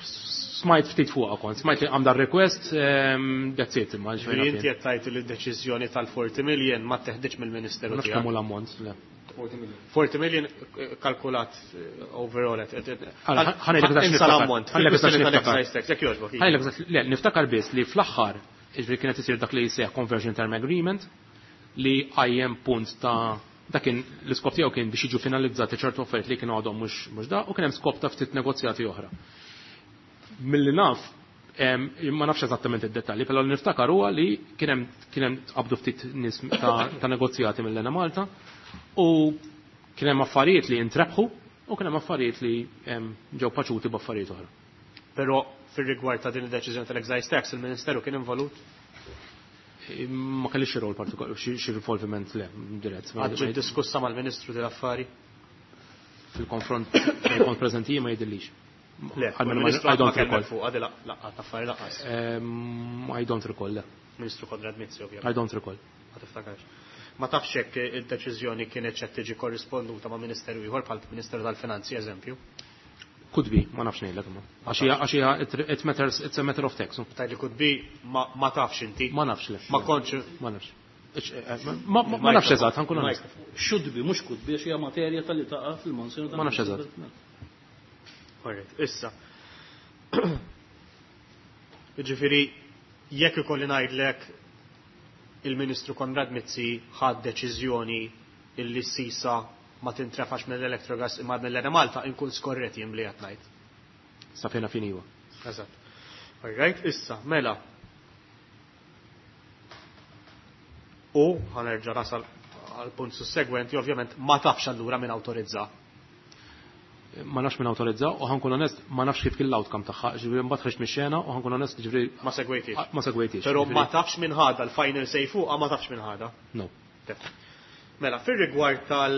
C: Smajt ftit fuqha kont, smajt li għamda request, em, that's it, imma ġifieri
B: Ġifieri inti qed tgħid li d-deċiżjoni tal-forty million ma teħdiġ mill-Ministeru
C: Ma nafx
B: tiegħek.
C: kemm hu l-ammont, le.
B: forty million, eh, kalkulat, eh, overall, et, et, et,
C: Għala, ħa ngħidlek eżatt
B: insa
C: niftakar.
B: l-ammont.
C: Ħa ngħidlek eżatt
B: Fil-kwistjoni
C: niftakar.
B: tal-excise tax, jekk jogħġbok, iva.
C: Ħa ngħidlek eżatt, le, niftakar biss li fl-aħħar, jiġifieri kienet isir dak li jsejjaħ conversion term agreement li qajjem punt ta' dak kien l-iskop tiegħu kien biex jiġu finalizzati ċertu affarijiet li kienu għadhom mhux, mhux da, u kien hemm skop ta' ftit negozjati oħra. Milli naf, Ma nafx eżattament id-dettalji, però li niftakar huwa li kien hemm kien hemm qabdu ftit nies ta' negozjati mill-Enemalta u kien hemm affarijiet li intrebħu u kien hemm affarijiet li ġew paċuti b'affarijiet oħra.
B: Però fir-rigward ta' din id-deċiżjoni tal-excise tax, il-Ministeru kien involut?
C: Ma kellix xi rol partikolari, xi involviment le, dirett.
B: Qatt ġiet diskussa mal-Ministru dil-affari?
C: Fil-konfront fejn kont preżenti ma jidhirlix.
B: Le, il-Ministru I don't recall. Fuq għadi laqgħat affari lanqas.
C: I don't recall, le.
B: Ministru Konrad Mizzi, ovvjament.
C: I don't recall.
B: Ma tiftakarx. Ma tafx jekk il-deċiżjoni kienet qed tiġi korrisponduta ma' ministeru ieħor bħal Ministeru tal-Finanzi, eżempju.
C: Could be, ma nafx ngħidlek imma. Għax hija it matters, it's a matter of tax.
B: Tgħidli could be, ma tafx inti.
C: Ma nafx le.
B: Ma kontx.
C: Ma nafx. Ma nafx eżatt, ħa nkun onest.
E: Should be, mhux could be, għax hija materja tal-li taqa' fil-mansjoni.
C: Ma nafx eżatt.
B: Alright, issa. Jiġifieri jekk ikolli ngħidlek il-Ministru Konrad Mizzi ħad deċiżjoni illi s-sisa ma tintrefax mill-Electrogas imma mill-Enemalta, inkun skorret jien li qed ngħid.
C: Sa fejna fin iwa.
B: Eżatt. Alright, issa, mela. U ħa nerġa' nasal għal punt sussegwenti, ovvjament ma tafx allura min awtorizza.
C: Ma nafx min awtorizza u ħa nkun onest ma nafx kif kien l-outcome tagħha, ġifieri mbagħad ħriġt mix-xena u ħa nkun onest ġifieri
B: Ma segwejtix.
C: Ma segwejtix.
B: Però ma tafx min ħadha l-final say fuqha, ma tafx min ħadha.
C: No.
B: Mela, fir-rigward tal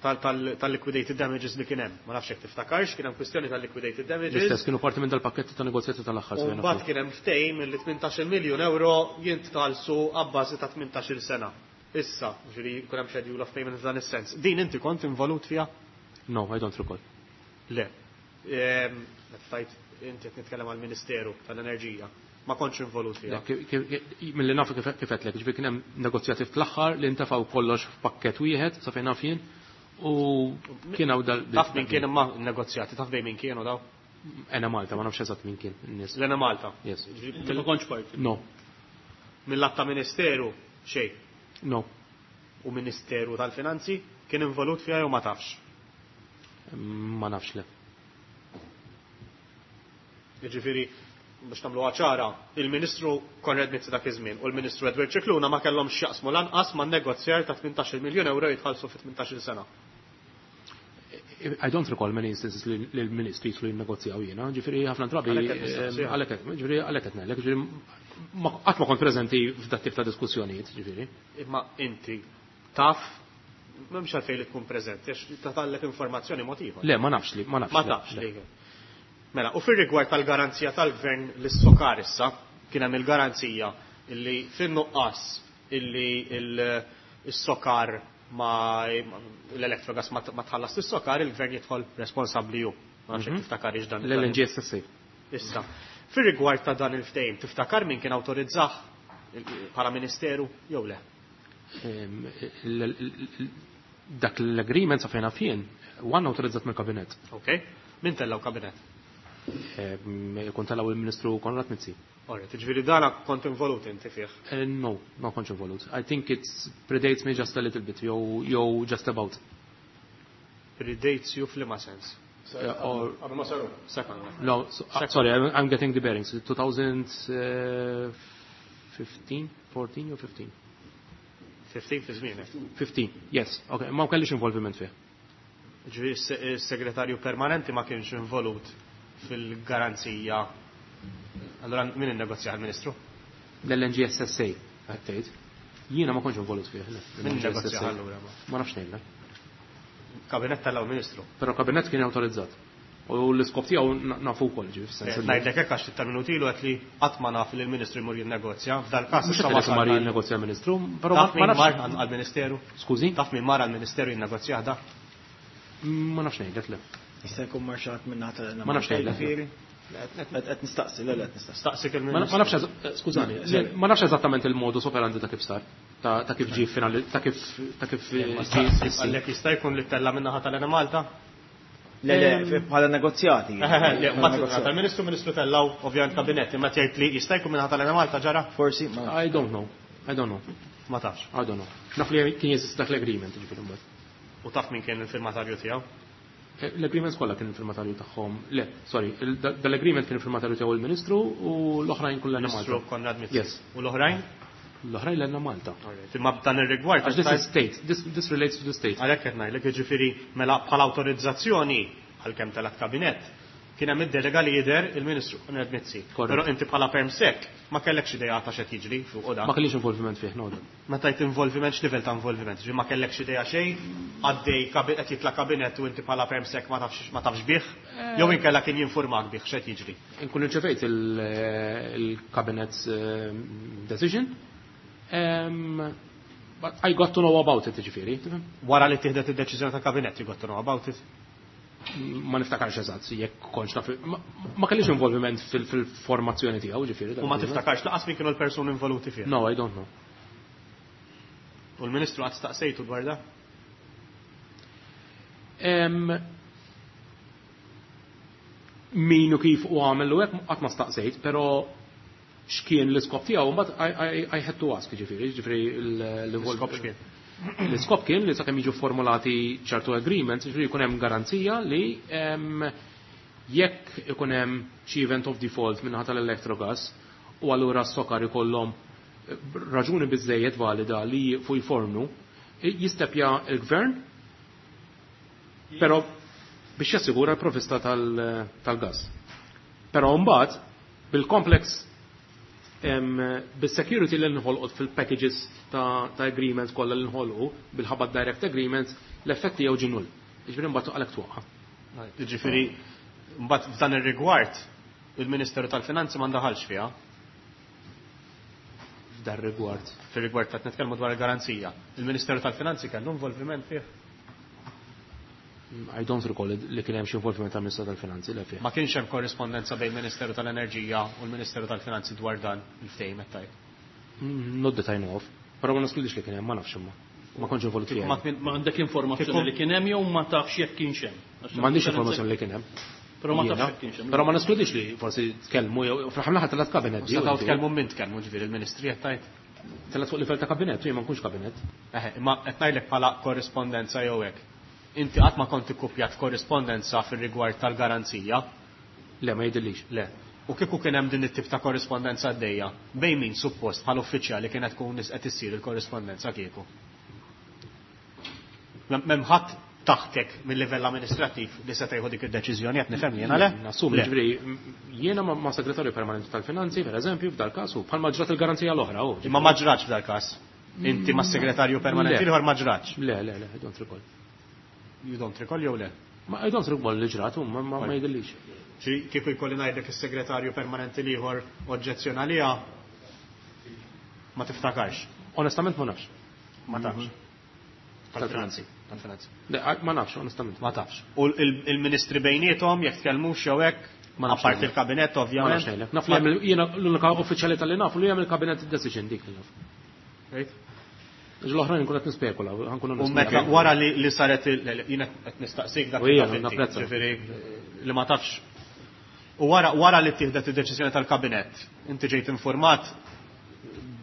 B: tal-liquidated damages li kien hemm, ma nafx jekk tiftakarx, kien hemm kwistjoni tal-liquidated damages.
C: L-istess kienu parti minn dal-pakketti ta' negozjati tal-aħħar.
B: U mbagħad kien hemm ftehim li tmintax-il miljun euro jintħallsu abbażi ta' tmintax-il sena. Issa, ġifieri jkun hemm schedule of payment f'dan is-sens. Din inti kont involut fiha?
C: No, I don't recall.
B: Le. Meta inti qed nitkellem għall-Ministeru tal-Enerġija, ma kontx involut fiha.
C: Milli nafu kif qedlek, ġifieri kien hemm negozjati fl-aħħar li ntefgħu kollox f'pakkett wieħed sa fejn naf jien u kien hawn dal.
B: Taf min kien imma negozjati, taf bejn min kienu daw?
C: Enemalta, ma nafx eżatt min kien in-nies.
B: L-Enemalta?
C: Yes.
E: Ma kontx parti?
C: No.
B: Mill-att ta' Ministeru xejn?
C: No.
B: U Ministeru tal-Finanzi kien involut fiha jew ma tafx?
C: Ma nafx le.
B: Jiġifieri biex nagħmluha ċara, il-Ministru Konrad Mizzi dak iż-żmien u l-Ministru Edward Scicluna ma kellhomx x'jaqsmu lanqas man-negozjar ta' tmintax-il miljun euro jitħallsu fi tmintax-il sena.
C: I don't recall many instances li l-ministri jidħlu jinnegozjaw jiena, ġifieri ħafna drabi għalhekk ġifieri għalhekk qed ngħidlek, ġifieri qatt ma kont preżenti f'dat tip ta' diskussjonijiet, ġifieri.
B: Imma inti taf m'hemmx għalfejn li tkun preżenti għax tatallek informazzjoni mod ieħor.
C: Le, ma nafx li, ma nafx.
B: Ma tafx li. Mela, u fir-rigward tal-garanzija tal-gvern lis-Sokar issa, kien hemm il-garanzija illi fin-nuqqas illi il-Sokar ma l-Electrogas ma tħallas lis-Sokar, il-gvern jidħol responsabbli hu. Ma nafx jekk tiftakarix dan.
C: L-L N G S S A.
B: Issa, fir-rigward ta' dan il-ftehim, tiftakar min kien awtorizzah bħala ministeru jew le?
C: Dak l-agreement sa fejn jien, one awtorizzat mill-kabinet.
B: Ok, min tellaw kabinet?
C: Kont tellaw il-Ministru Konrad Mizzi.
B: Alright, ġifieri dana kont involut inti fih?
C: No, ma kontx involut. I think it's predates me just a little bit, jew, jew just about.
B: Predates you f'liema sens?
C: Or
D: Qabel ma saru.
B: Second.
C: No, so, uh, sorry, I'm, I'm getting the bearings. two thousand fifteen, fourteen or fifteen?
B: fifteen fi żmienek.
C: fifteen, yes. Okay, ma kellix involviment fih.
B: Ġifieri s-segretarju permanenti ma kienx involut fil-garanzija. Allora min innegozja għall-Ministru?
C: L-L N G S S A, qed tgħid. Jiena ma kontx involut fih, le.
B: Min
C: L N G S S A.
B: innegozja allura?
C: Ma nafx ngħidlek.
B: Kabinet tal Ministru.
C: Però kabinet kien awtorizzat. U l-iskop tiegħu na-, nafu wkoll, ġifieri, fis-sens
B: Eh,
C: li
B: Ngħidlek hekk għax ftit tal-minuti ilu qed li qatt ma naf li l-Ministru jmur jinnegozja. F'dal-każ
C: Mhux
B: issa
C: qed
B: wasal
C: mar
B: għal-
C: jinnegozja l-Ministru, però
B: Taf
C: ma
B: min
C: nafx.
B: mar għall-Ministeru?
C: Skużi?
B: Taf min mar għall-Ministeru jinnegozja da?
C: Ma nafx ngħidlek le.
G: Jista' jkun mar xi ħadd minn naħa tal-
C: Ma nafx ngħidlek.
G: Ġifieri? Qed nistaqsi, le, le, qed nistaqsi.
B: Staqsik
C: Ma
B: il-Ministru.
C: ma nafx eż-, skużani, le, ma nafx eżattament il-modus operandi ta' kif sar, ta', ta' kif ġie finali, ta' kif, ta' kif
B: Eh, ma
C: ġie
B: staqsik,
C: issi.
B: għalhekk jista' jkun li tella minn naħa tal-Enemalta?
G: Le, le, bħala negozjati.
B: Eh, eh, le, mbagħad minn naħa tal-Ministru, Ministru tellaw ovvjament kabinet, imma tgħid li jista' jkun minn naħa tal-Enemalta ġara?
G: Forsi, ma nafx.
C: I don't know. I don't know.
B: Ma tafx.
C: I don't know. Naf li kien jeżist dak l-agreement, ġifieri mbagħad.
B: U taf min kien il-firmatarju tiegħu?
C: L-agreements kollha kien il-firmatarju tagħhom. Le, sorry, dal-agreement kien il-firmatarju tiegħu il-Ministru u l-oħrajn kollha Malta.
B: Ministru Konrad Mizzi.
C: Yes.
B: U l-oħrajn?
C: L-oħrajn l Malta.
B: Imma b'dan ir-rigward.
C: Għax this is state, this, this relates to the state.
B: Għalhekk qed ngħidlek, jiġifieri mela bħala awtorizzazzjoni għalkemm telgħet kabinett kien hemm id-delega li jidher il-Ministru Konrad Mizzi. Però inti bħala permsec ma kellekx idea ta' x'qed jiġri fuq
C: da. Ma kellix involviment fih, no.
B: Meta jt involviment, x'livell ta' involviment? Ġi ma kellekx idea xejn, għaddej qed jitla' kabinett u inti bħala permsec ma tafx ma tafx bih, jew inkella kien jinformak bih x'qed jiġri.
C: Inkun irċevejt il-cabinet decision. Um, but I got to know about it, ġifieri.
B: Wara li tieħdet id-deċiżjoni ta' kabinett, you got to know about it?
C: Ma niftakarx eżatt, jekk kontx naf, ma kellix involviment fil-formazzjoni tiegħu, ġifieri.
B: U ma tiftakarx laqas min kienu l-persuni involuti fih?
C: No, I don't know.
B: U l-Ministru qatt staqsejtu dwar da?
C: Um, min u kif u għamel u hekk qatt ma staqsejt, però x'kien l-iskop tiegħu mbagħad I, I, I had to ask, ġifieri, ġifieri
B: l-iskop x'kien.
C: L-iskop kien li sakemm jiġu formulati ċertu agreements, ġifieri jkun hemm garanzija li um, jekk ikun hemm xi event of default minnaħa tal-Electrogas u allura s-SOCAR ikollhom raġuni biżejjed valida li fuq jfornu, jistepja il-gvern, però biex jassigura l-provista tal-gas. Però mbagħad bil-complex bis-security li nħolqot fil-packages ta', ta agreements kollha li nħolqu bil-ħabba direct agreements, l-effetti jew ġinul. Jiġifieri mbagħad għalhekk twaqqa.
B: Jiġifieri mbagħad f'dan ir-rigward il-Ministeru tal-Finanzi ma ndaħalx fiha.
C: F'dan rigward.
B: Fir-rigward ta' nitkellmu dwar il-garanzija. Il-Ministeru tal-Finanzi kellu involviment fih?
C: I don't recall li kien hemm xi involviment tal-Ministeru tal-Finanzi le fih.
B: Ma kienx hemm korrispondenza bejn il-Ministeru tal-Enerġija u l-Ministeru tal-Finanzi dwar dan il-ftehim qed tgħid?
C: Not that I know of. Però ma neskludix li kien hemm, ma nafx imma. Ma kontx involut fih.
E: Ma għandek informazzjoni li kien hemm jew ma tafx jekk kienx hemm?
C: M'għandix informazzjoni li kien hemm.
E: Però ma tafx jekk kienx hemm.
C: Però ma neskludix li forsi tkellmu jew fl-aħħar mill-aħħar telgħet kabinett.
B: Setgħu tkellmu min tkellmu, ġifieri il-Ministri qed tgħid?
C: Telgħet fuq livell ta' kabinett, jien ma nkunx kabinett.
B: Eħe, imma qed ngħidlek bħala korrispondenza jew hekk. Inti qatt ma kont ikkupjat korrispondenza fir-rigward tal-garanzija?
C: Le, ma jidhirlix.
B: Le. U kieku kien hemm din it-tip ta' korrispondenza għaddejja, bejn min suppost bħal uffiċjali kienet tkun qed issir il-korrispondenza kieku? M'hemm ħadd taħtek mill-livell amministrattiv li se tieħu dik id-deċiżjoni, qed nifhem jiena, le?
C: Nassumi, ġifieri jiena ma' segretarju permanenti tal-finanzi, pereżempju, f'dal każ, u bħalma ġrat il-garanzija l-oħra.
B: Imma ma ġratx f'dal każ. Inti ma' segretarju permanenti l-ieħor ma ġratx.
C: Le, le, le, I don't recall.
B: You don't recall jew le?
C: Ma I don't recall li ġrat, ma ma jidhirlix.
B: Kieku jkolli ngħidlek is-segretarju permanenti l-ieħor oġġezzjona għaliha, ma tiftakarx.
C: Onestament ma nafx.
B: Ma tafx. Tal-finanzi. Tal-finanzi.
C: Le, ma nafx, onestament.
B: Ma tafx. U il-ministri bejniethom jekk tkellmux jew hekk,
C: Ma nafx.
B: apparti il-kabinett ovvjament.
C: Ma nafx ngħidlek. Naf li hemm jiena l-unika uffiċjali tal-li nafu li hemm il-kabinett decision dik li naf.
B: Right?
C: L-oħrajn nkun qed nispekula, ħankun
B: U meta wara li li saret jiena qed nistaqsik dak
C: li taf,
B: ġifieri li ma tafx. U wara wara li tieħdet id-deċiżjoni tal-kabinett, inti ġejt informat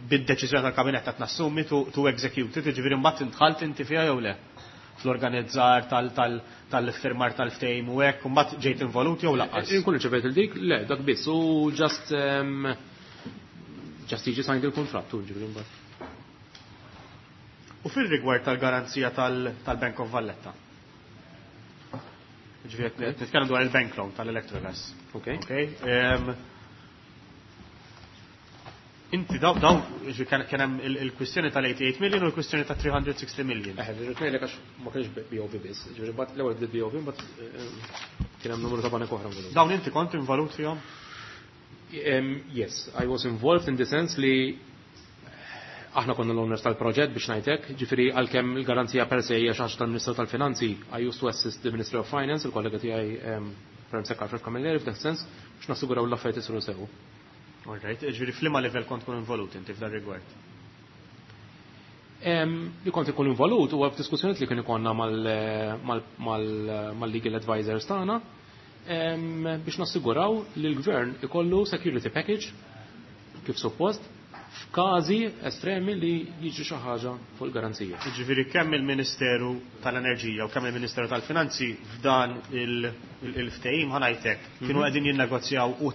B: bid-deċiżjoni tal-kabinett qed nassumi to, to execute it, ġifieri mbagħad intħalt inti fiha jew le? Fl-organizzar tal-firmar tal-ftehim u hekk, u mbagħad ġejt involut jew lanqas?
C: Inkun irċevejt il-dik, le, dak biss, u just um, just jiġi signed il-kontratt, ġifieri mbagħad.
B: U fil-rigward tal-garanzija tal-Bank of Valletta. Ġifieri nitkellem dwar il-bank loan tal-Electrogas.
C: Ok.
B: Ok. Inti daw daw kien hemm il-kwistjoni tal-eighty-eight million u l-kwistjoni ta' three hundred sixty million.
C: Eħe, ġifieri ngħidlek għax ma kienx B O V biss, ġifieri mbagħad l-ewwel bdiet B O V, mbagħad kien hemm numru ta' banek oħra involut.
B: Dawn inti kont involut fihom?
C: Yes, I was involved in the sense li aħna konna l-owners tal-proġett biex ngħidlek, ġifieri għalkemm il-garanzija per se hija xi ħaġa tal-Ministru tal-Finanzi, I used to assist the Ministry of Finance, il-kollega tiegħi Prem Sekar Alfred Camilleri f'dak sens biex nassiguraw l-affarijiet isiru sew.
B: All right, ġifieri f'liema livell kont tkun involut inti f'dan rigward?
C: Li kont ikun involut huwa f'diskussjonijiet li kien ikollna mal-legal advisors tagħna biex nassiguraw li l-gvern ikollu security package kif suppost F'każi estremi li jiġri xi ħaġa fuq il-garanzija.
B: Jiġifieri kemm il-Ministeru tal-Enerġija u kemm il-Ministeru tal-Finanzi f'dan il-ftehim, ħa ngħidlek, kienu mhm. qegħdin jinnegozjaw u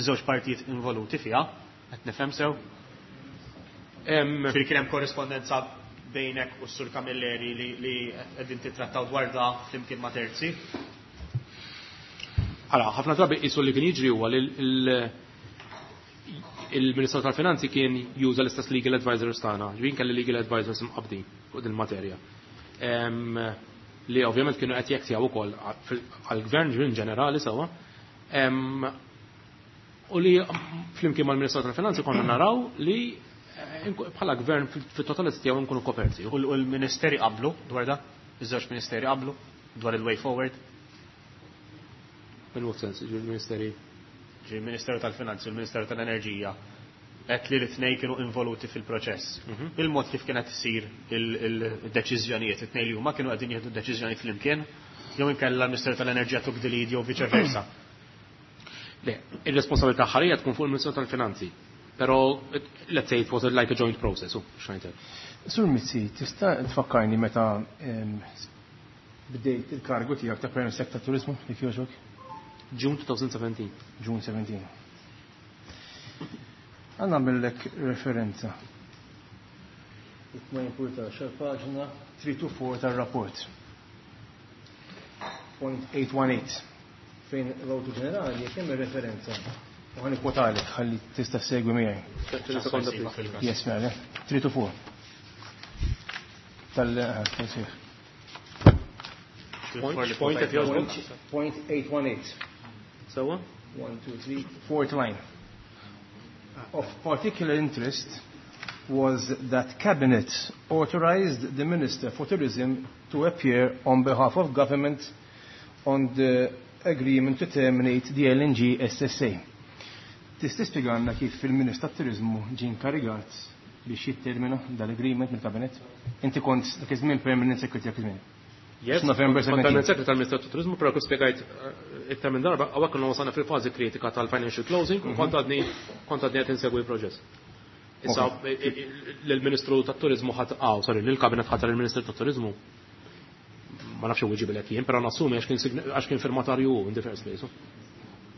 B: żewġ partijiet involuti fiha, qed nifhem sew? Ġifieri kien hemm korrispondenza bejnek u s-Sur Camilleri li qegħdin titrattaw dwar da flimkien ma' terzi?
C: Ara, ħafna drabi qisu li kien jiġri huwa li il-Ministru tal-Finanzi kien juża l-istess legal advisors tagħna, ġifieri kelli legal advisors imqabdin fuq din materja. Li ovvjament kienu qed jektjaw ukoll għall-gvern ġifieri ġenerali sewwa. U li flimkien mal-Ministru tal-Finanzi konna naraw li eh, bħala gvern fit-totalità tiegħu nkunu koperti.
B: U l-ministeri qablu dwar da? Iż-żewġ ministeri qablu dwar il-way forward?
C: In what sense, il-ministeri?
B: Il-Ministeru tal-Finanzi u l-Ministeru tal-Enerġija qed li l-tnej kienu involuti fil-proċess. Mhm. Il-mod kif kienet isir il-deċiżjonijiet, it-tnej li huma kienu qegħdin jieħdu deċiżjonijiet flimkien, jew inkella l-Ministeru tal-Enerġija took the lead jew vice versa.
C: Le, ir-responsabilità ħarija tkun fuq il-Ministeru tal-Finanzi. Però let's say it was like a joint process, u x'ngħidlek.
D: Sur Mizzi, tista' tfakkarni meta bdejt il-kargu tiegħek ta' Perm Sec ta' Turizmu, jekk jogħġbok?
C: June twenty seventeen.
D: June seventeen. Ħa nagħmillek referenza. Ma jimpurtax, paġna three to four tal-rapport. Point eight one eight. Fejn l-Awditur Ġenerali kemm referenza. U ħa nikkwotalek ħalli tista' segwi miegħi. Yes, mela, three to four. Tal tal
C: Point,
D: point eight one eight.
C: Sewwa?
D: One, two, three, fourth line. Of particular interest was that Cabinet authorized the Minister for Tourism to appear on behalf of government on the agreement to terminate the L N G S S A. Tista' tispjegalna kif il-Ministru tat-Turizmu ġie inkarigat biex jittermina dal-agreement mill-Kabinet? Inti kont dak iż-żmien permanent secretary dak iż-żmien.
C: Yes,
D: November seventeen.
C: Permanent secretary tal-Ministeru tat-Turizmu, però kif spjegajt eh, iktar minn darba, hawnhekk konna wasalna fil-fażi kritika tal-financial closing u kont għadni kont għadni qed insegwi l-proċess. Issa l-Ministru tat-Turizmu ħadd ah, sorry, lill-Kabinet ħatar il-Ministru tat-Turizmu ma nafx u ġibilek jien, però nassumi għax kien firmatarju in the first place.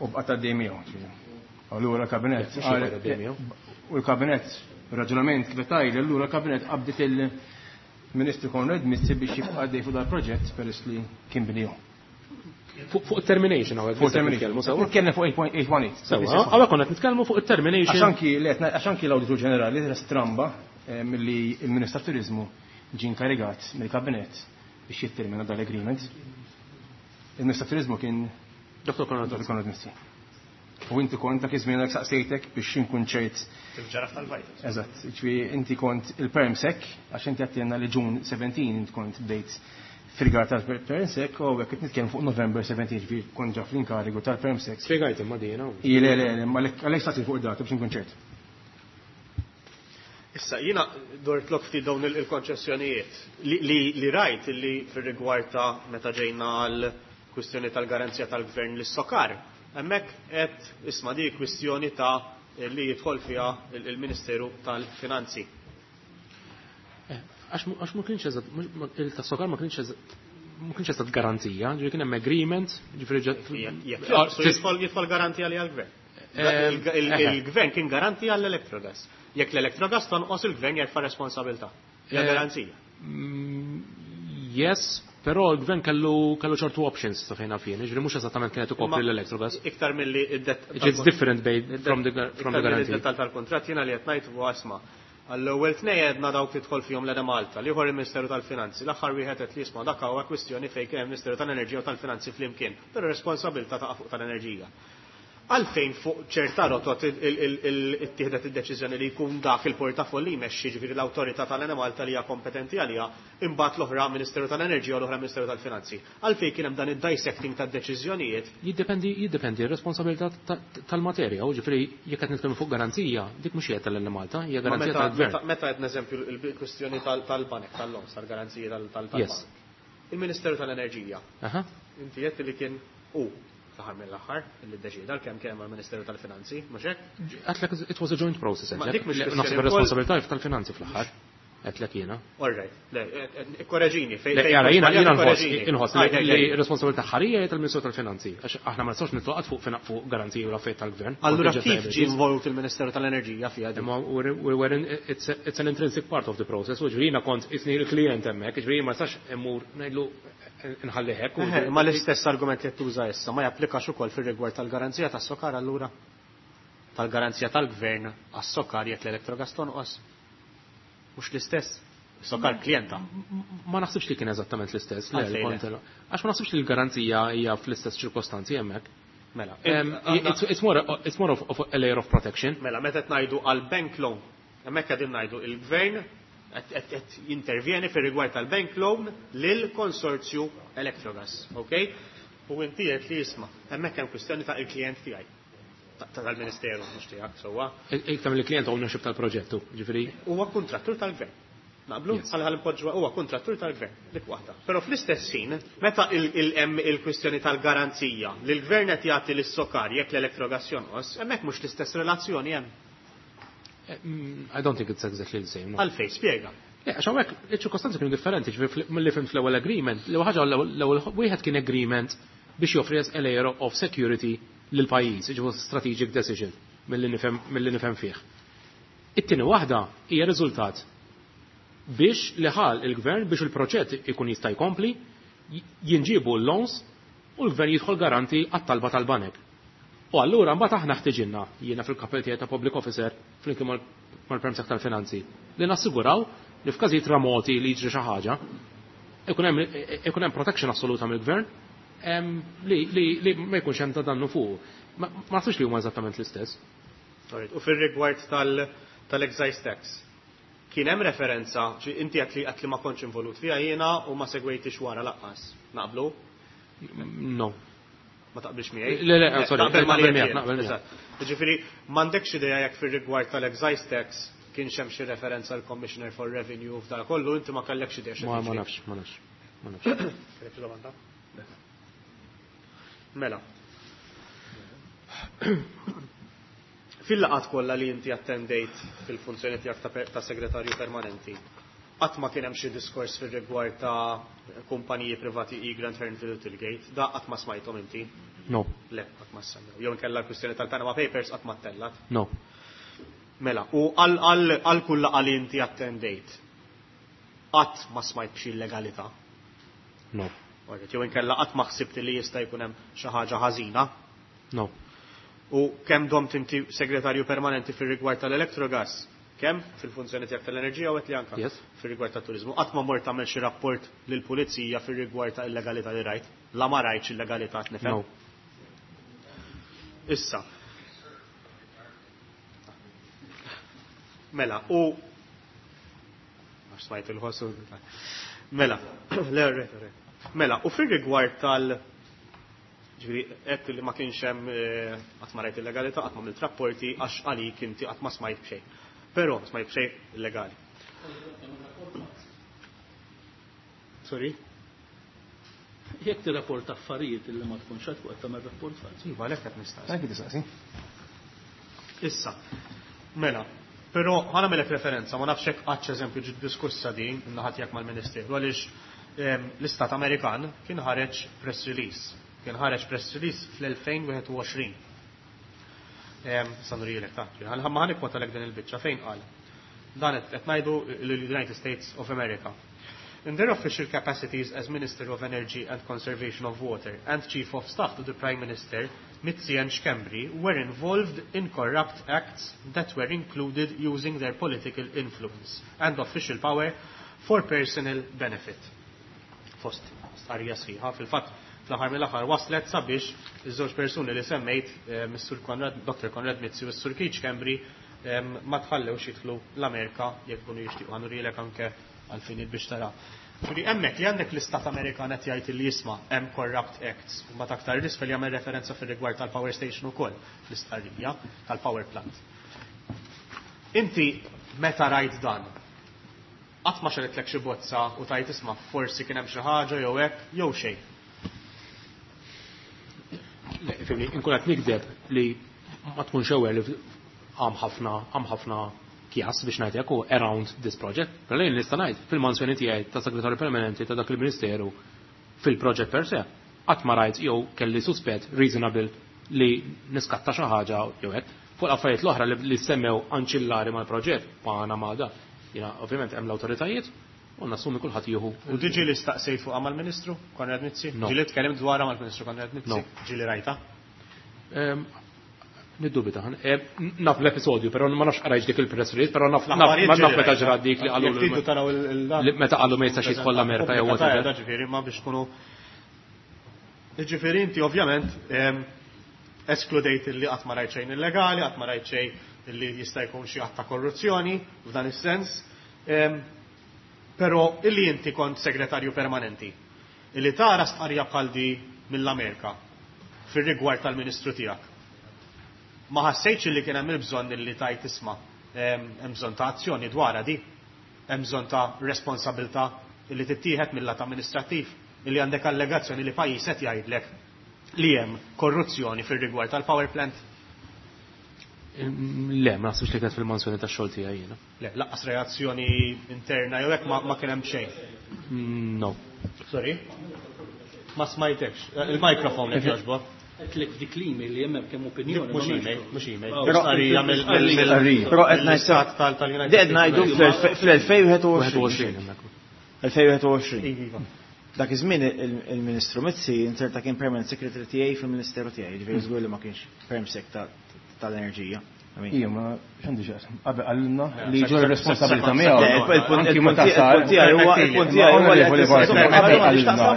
D: U bqgħet għaddej miegħu. Allura l-kabinet. U l-kabinet, raġunament kif tgħid, allura l-kabinet qabdet il-Ministru Konrad Mizzi biex jibqa' għaddej fuq dal-proġett peress li kien bniju.
C: Fuq termination għawek.
D: Fuq termination. Nitkellem fuq eight point eight one eight.
C: Sewwa, hawnhekk konna nitkellmu fuq termination.
D: Għax anki l-Awditur Ġenerali stramba eh, milli il-Ministru Turizmu ġie inkarigat mill-kabinet biex jittermina dal-agreement. Il-Ministru Turizmu kien
C: Doktor Konrad.
D: Doktor Konrad Mizzi. U inti kont dak iż-żmien saqsejtek biex inkun ċert.
B: Ġaraf tal-bajt.
D: Eżatt, ġifieri inti kont il-perm sec, għax inti għedtilna li June seventeen inti kont bdejt fil-gar tal-perm sec, u għek nitkellem fuq November seventeen, ġifieri kont ġa fl-inkarigu tal-perm sec.
C: Spjegajt imma dina.
D: Le, le, le, għalhekk staqsi fuq id-data biex inkun ċert.
B: Issa, jina dort lok ftit dawn il-konċessjonijiet li rajt li fil-rigward ta' meta ġejna għal kwistjoni tal-garanzija tal-gvern lis-SOCAR. Hemmhekk qed isma' di kwistjoni ta' li jidħol fiha il-Ministeru tal-Finanzi.
C: Eh, għax ma kienx eżatt, il-tas-SOCAR ma kienx eżatt ma kienx eżatt garanzija, ġifieri kien hemm agreement, ġifieri
B: Jidħol garantija li għall-gvern. Eh, il-gvern kien garantija għall-Electrogas. Jekk l-Electrogas tonqos, il-gvern jerfa' responsabilità. Hija eh, garanzija.
C: Mm, yes, però l-gvern kellu kellu ċertu options ta' fejn fien, ġifieri mhux eżattament kienet ikopri l-Electrogas.
B: Iktar milli
C: It's different from the from the guarantee.
B: Id-dettal tal-kontratt jiena li qed ngħid huwa isma'. Għall-ewwel tnej għedna dawk tidħol fihom l-Enemalta, l-ieħor il-Ministeru tal-Finanzi, l-aħħar wieħed qed li jisma' dak huwa kwistjoni fejn kien hemm Ministeru tal-Enerġija u tal-Finanzi flimkien, però responsabilità taqa' fuq tal-enerġija. Għalfejn fuq ċerta rotot ittieħdet id-deċiżjoni li jkun dak il-portafoll li jmexxi, ġifieri l-awtorità tal-Enemalta li hija kompetenti għaliha, imbagħad l-oħra Ministeru tal-Enerġija u l-oħra Ministeru tal-Finanzi? Għalfejn kien hemm dan id-dissecting tad-deċiżjonijiet?
C: Jiddependi jiddependi r-responsabilità tal-materja, u ġifieri jekk qed nitkellmu fuq garanzija, dik mhux hija tal-Enemalta, hija garanzija tal-gvern.
B: Meta qed eżempju il-kwistjoni tal-banek, tal-loans, tal-garanziji tal-bank. Il-Ministeru tal-Enerġija. Inti qed li kien u Fl-aħħar mill-aħħar, illi ddeċida kemm kemm mal-Ministeru tal-Finanzi, mhux hekk?
C: Għedtlek it was a joint process.
B: Ma dik mhux
C: Naħseb
B: kwestjoni
C: ir-responsabilità tal-finanzi fl-aħħar. Għedtlek jiena.
B: All right, le, korreġini, fejn
C: Le, jara, jiena jiena nħoss inħoss
B: Għaj,
C: li r-responsabilità ħarija hija tal-Ministeru tal-Finanzi. Għax aħna ma nistgħux nitloqgħod fuq fina- fuq garanziji u l-affarijiet tal-gvern.
B: Allura
C: Contingent
B: kif ġie
C: liabilities.
B: involut il-Ministeru tal-Enerġija fiha din?
C: Imma we're, we're in, it's, a, it's an intrinsic part of the process, u ġifieri jiena kont isni il-klient hemmhekk, ġifieri ma nistax immur ngħidlu nħalli hekk. u-
B: Eħe, Ma l-istess argument li qed tuża issa ma japplikax ukoll fir-rigward tal-garanzija tas-SOCAR allura? Tal-garanzija tal-gvern għas-SOCAR jekk l-Electrogas tonqos? Mhux l-istess. SOCAR klijenta.
C: Ma naħsibx li kien eżattament l-istess. Le,
B: Għalfejn le?
C: kont- Għax ma naħsibx li l-garanzija hija fl-istess ċirkostanzi hemmhekk.
B: Mela.
C: Um, it's, it's more, it's more of, of a layer of protection.
B: Mela, meta qed ngħidu għal bank loan, hemmhekk qegħdin ngħidu il-gvern qed qed- qed jintervjeni fir-rigward tal-bank loan lil konsorzju Electrogas, ok? U inti qed li jisma' hemmhekk hemm kwistjoni ta' il-klient tiegħi. Ta' tal-Ministeru mhux tiegħek sewwa.
C: Iktar mill-klient ownership tal-proġettu, ġifieri.
B: Huwa kontrattur tal-gvern. Naqblu?
C: Yes.
B: Għal ħal huwa kontrattur tal-gvern, dik waħda. Però fl-istess ħin, meta il- il- hemm il-kwistjoni tal-garanzija li l-gvern qed jagħti lis-SOCAR jekk l-Electrogas jonqos, hemmhekk mhux l-istess relazzjoni hemm.
C: eh, mm, I don't think it's exactly the same. No.
B: Għalfejn, spjega.
C: Le, għax hawnhekk iċ-ċirkostanzi kienu differenti, ġifieri fl- mill-li fhimt fl-ewwel agreement, l-ewwel ħaġa l-ewwel wieħed kien agreement biex joffri a layer of security lil pajjiż, ġifieri strategic decision milli nifhem milli nifhem fih. It-tieni waħda hija riżultat biex li ħal il-gvern biex il-proġett ikun jista' jkompli, j- jinġibu l-loans u l-gvern jidħol garanti għat-talba tal-banek. U allura mbagħad aħna ħtiġinna jiena fil-kapell tiegħi ta' public officer flimkien mal- mal-Perm Sec tal-Finanzi li nassiguraw li f'każijiet remoti li jiġri xi ħaġa ikun hemm ikun hemm protection assoluta mill-gvern em, li, li, li ma jkunx hemm ta' dannu fuq. Ma ma naħsibx li huma eżattament l-istess.
B: Alright, U fil-rigward tal- tal-excise tax, kien hemm referenza, ġi inti għedt li għedt li ma kontx involut fiha jiena u ma segwejtix wara lanqas. Naqblu?
C: No.
B: Ma taqbilx miegħi?
C: Le, le, sorry,
B: Taqbel ma
C: naqbel
B: li
C: miegħek,
B: jien.
C: naqbel miegħek.
B: Eżatt. Ġifieri, m'għandekx idea jekk fir-rigward tal-excise tax kienx hemm xi referenza l Commissioner for Revenue f'dal kollu, inti ma kellekx idea xi
C: Ma ma
B: jiġri.
C: nafx, ma nafx. Ma nafx.
B: Kellek xi domanda? Mela. Fil-laqat kollha li inti attendejt fil-funzjoni tiegħek ta' per- ta' segretarju permanenti, qatt ma kien hemm xi diskors fir-rigward ta' kumpaniji privati Egrant Hearnville u Tillgate, da qatt ma smajthom inti?
C: No,
B: Le, qatt ma semmew. Jew inkella l-kwistjoni tal-Panama Papers qatt ma ttellat.
C: no.
B: Mela, u għal għal għal kull laqgħa li inti attendejt, qatt ma smajt b'xi illegalità.
C: No.
B: Alright, Jew inkella qatt ma ħsibt li jista' jkun hemm xi ħaġa ħażina.
C: No.
B: U kemm domt inti segretarju permanenti fir-rigward tal-Electrogas? Kemm fil-funzjoni tiegħek tal-enerġija u għedt li anka
C: Yes.
B: fir-rigward tat-turiżmu. Qatt ma mort tagħmel xi rapport lill-pulizija fir-rigward ta' illegalità li rajt. La ma rajtx illegalità nifhem.
C: No.
B: Issa. Mela, u għax smajt il-ħossu. Mela, le, re, re. Mela, u fir-rigward tal- ġifieri, għedt li ma kienx hemm eh, qatt ma rajt illegalità, qatt ma għamilt rapporti għax għalik inti qatt ma smajt b'xejn. Però smajt b'xejn illegali. Sorry?
E: Jekk tirrapport affarijiet illi ma tkunx għad fuq tagħmel rapport falz.
B: Iva, għalhekk qed nistaqsi.
D: Anki tistaqsi.
B: Issa, mela, però ħa nagħmellek referenza, ma nafx hekk qattx eżempju ġiet diskussa din in-naħa tiegħek mal-Ministeru għaliex ehm, l-Istat Amerikan kien ħareġ press release. Kien ħareġ press release fl-elfejn u wieħed u għoxrin. Ehm, Sa nurijilek ta' ħa ħa nikkwotalek din il-biċċa fejn qal. Dan qed qed ngħidu l-United States of America. In their official capacities as Minister of Energy and Conservation of Water and Chief of Staff to the Prime Minister, Mizzi and Schembri were involved in corrupt acts that were included using their political influence and official power for personal benefit. Fost stqarrija sħiħa, fil-fatt fl-aħħar mill-aħħar waslet sabiex iż-żewġ persuni li semmejt, eh, Mister Konrad, Doctor Konrad Mizzi u s-Sur Keith Schembri, eh, ma tħallewx jidħlu l-Amerika jekk kunu jixtiequ ħa nurijlek anke għalfinijiet biex tara. Ġifieri hemmhekk li għandek l-Istat Amerikan qed jgħid li jisma' hemm corrupt acts u mbagħad aktar 'l isfel jagħmel referenza fir-rigward tal-power station ukoll fl-istqarrija tal-power plant. Inti meta rajt dan, qatt ma xegħlitlek xi bozza u tgħid isma' forsi kien hemm xi ħaġa jew hekk jew xejn.
C: Ifhimni, inkun qed nikdeb li ma tkunx aware li għam ħafna għam ħafna kjas biex ngħid hekk around this project. Però lejn nista' ngħid fil-mansjoni tiegħi ta' segretarju permanenti ta' dak il-Ministeru fil-proġett per se, qatt ma rajt jew kelli suspett reasonable li niskatta xi ħaġa jew hekk. Fuq l-affarijiet l-oħra li semmew anċillari mal-proġett, Panama da. Jiena ovvjament hemm l-awtoritajiet u nassumi kulħadd jieħu.
B: U diġi li staqsejt fuqha mal-Ministru Konrad Mizzi? Ġieli tkellimt dwarha mal-Ministru Konrad Mizzi? Ġieli rajta?
C: Niddubita. Naf l-episodju, però ma nafx qrajx dik il-press release, però naf naf meta ġrat dik li qalu meta qalu ma jistax jidħol l-Amerika jew whatever.
B: Ġifieri ma biex tkunu. Ġifieri inti ovvjament eskludejt li qatt ma rajt xejn illegali, qatt ma rajt xejn li jista' jkun xi att ta' korruzzjoni f'dan is-sens. Però illi inti kont segretarju permanenti, illi tara stqarrija bħal di mill-Amerika fir-rigward tal-Ministru tiegħek. Ma ħassejtx li kien hemm il-bżonn illi tajt isma' hemm bżonn ta' azzjoni dwarha di, hemm bżonn ta' responsabilità illi tittieħed mill-lat amministrattiv, illi għandek allegazzjoni li pajjiż qed jgħidlek li hemm korruzzjoni fir-rigward tal-power plant?
C: Le, ma naħsibx li kienet fil-mansjoni tax-xogħol tiegħi jiena.
B: Le, lanqas reazzjoni interna jew hekk ma kien hemm xejn.
C: No.
B: Sorry? Ma smajtekx. Il-mikrofon jekk jogħġbok.
E: Għedtlek f'dik l-email li hemm kemm opinjoni.
B: Mhux email, mhux email.
G: Però Però qed ngħid ngħidu fl-elfejn wieħed u għoxrin. elfejn wieħed u għoxrin. Dak iż-żmien il-Ministru Mizzi inserta kien permanent secretary tiegħi fil-Ministeru tiegħi, ġifieri żgur li ma kienx perm sec tal-enerġija.
D: Ija, ma x'għandi x'aqsam. Qabel qalilna li ġol responsabilità miegħu.
G: Il-punt tiegħi huwa il-punt tiegħi huwa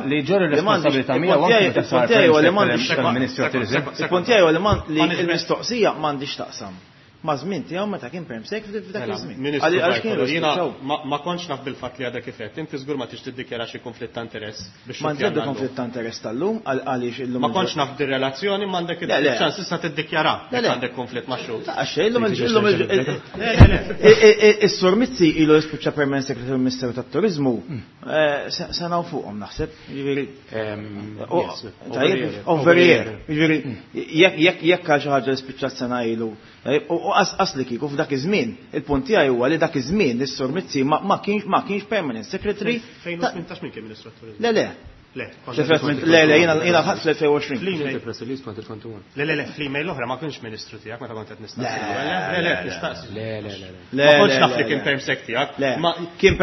D: li ġol responsabilità miegħu anki meta sar
G: Il-punt tiegħi huwa li l-mistoqsija m'għandix taqsam. Ma' żmien tiegħu meta kien perm sec f'dak iż-żmien.
B: Jiena ma kontx naf bil-fatt li għadha kif qed. Inti żgur ma tix tiddikjara xi konflitt ta' interess biex.
G: M'għandx konflitt ta' interess tal-lum għaliex illum.
B: Ma kontx naf dir-relazzjoni m'għandek iċ-ċans issa tiddikjara jekk għandek konflitt ma' xhud.
G: Għax illum illum is-Sur Mizzi ilu jispiċċa permanent secretary fil-Ministeru tat-Turiżmu sena u fuqhom naħseb. Jiġifieri over year. Jiġifieri jekk jekk għal xi ħaġa li spiċċat sena ilu. U qas li kieku f'dak iż-żmien, il-punt tiegħi huwa li dak iż-żmien is-Sur Mizzi ma kienx ma kienx permanent secretary.
B: elfejn u tmintax min kien Ministru tat-Turiżmu?
G: Le, le.
B: Le,
G: le, le, jiena jiena ħadd fl-elfejn u għoxrin.
B: Le, le, le, fl-email l-oħra ma kienx ministru tiegħek meta kont qed nistaqsi. Le, le, nistaqsi.
C: Le, le, le.
B: Ma kontx naf li kien perm sec tiegħek.
G: Kien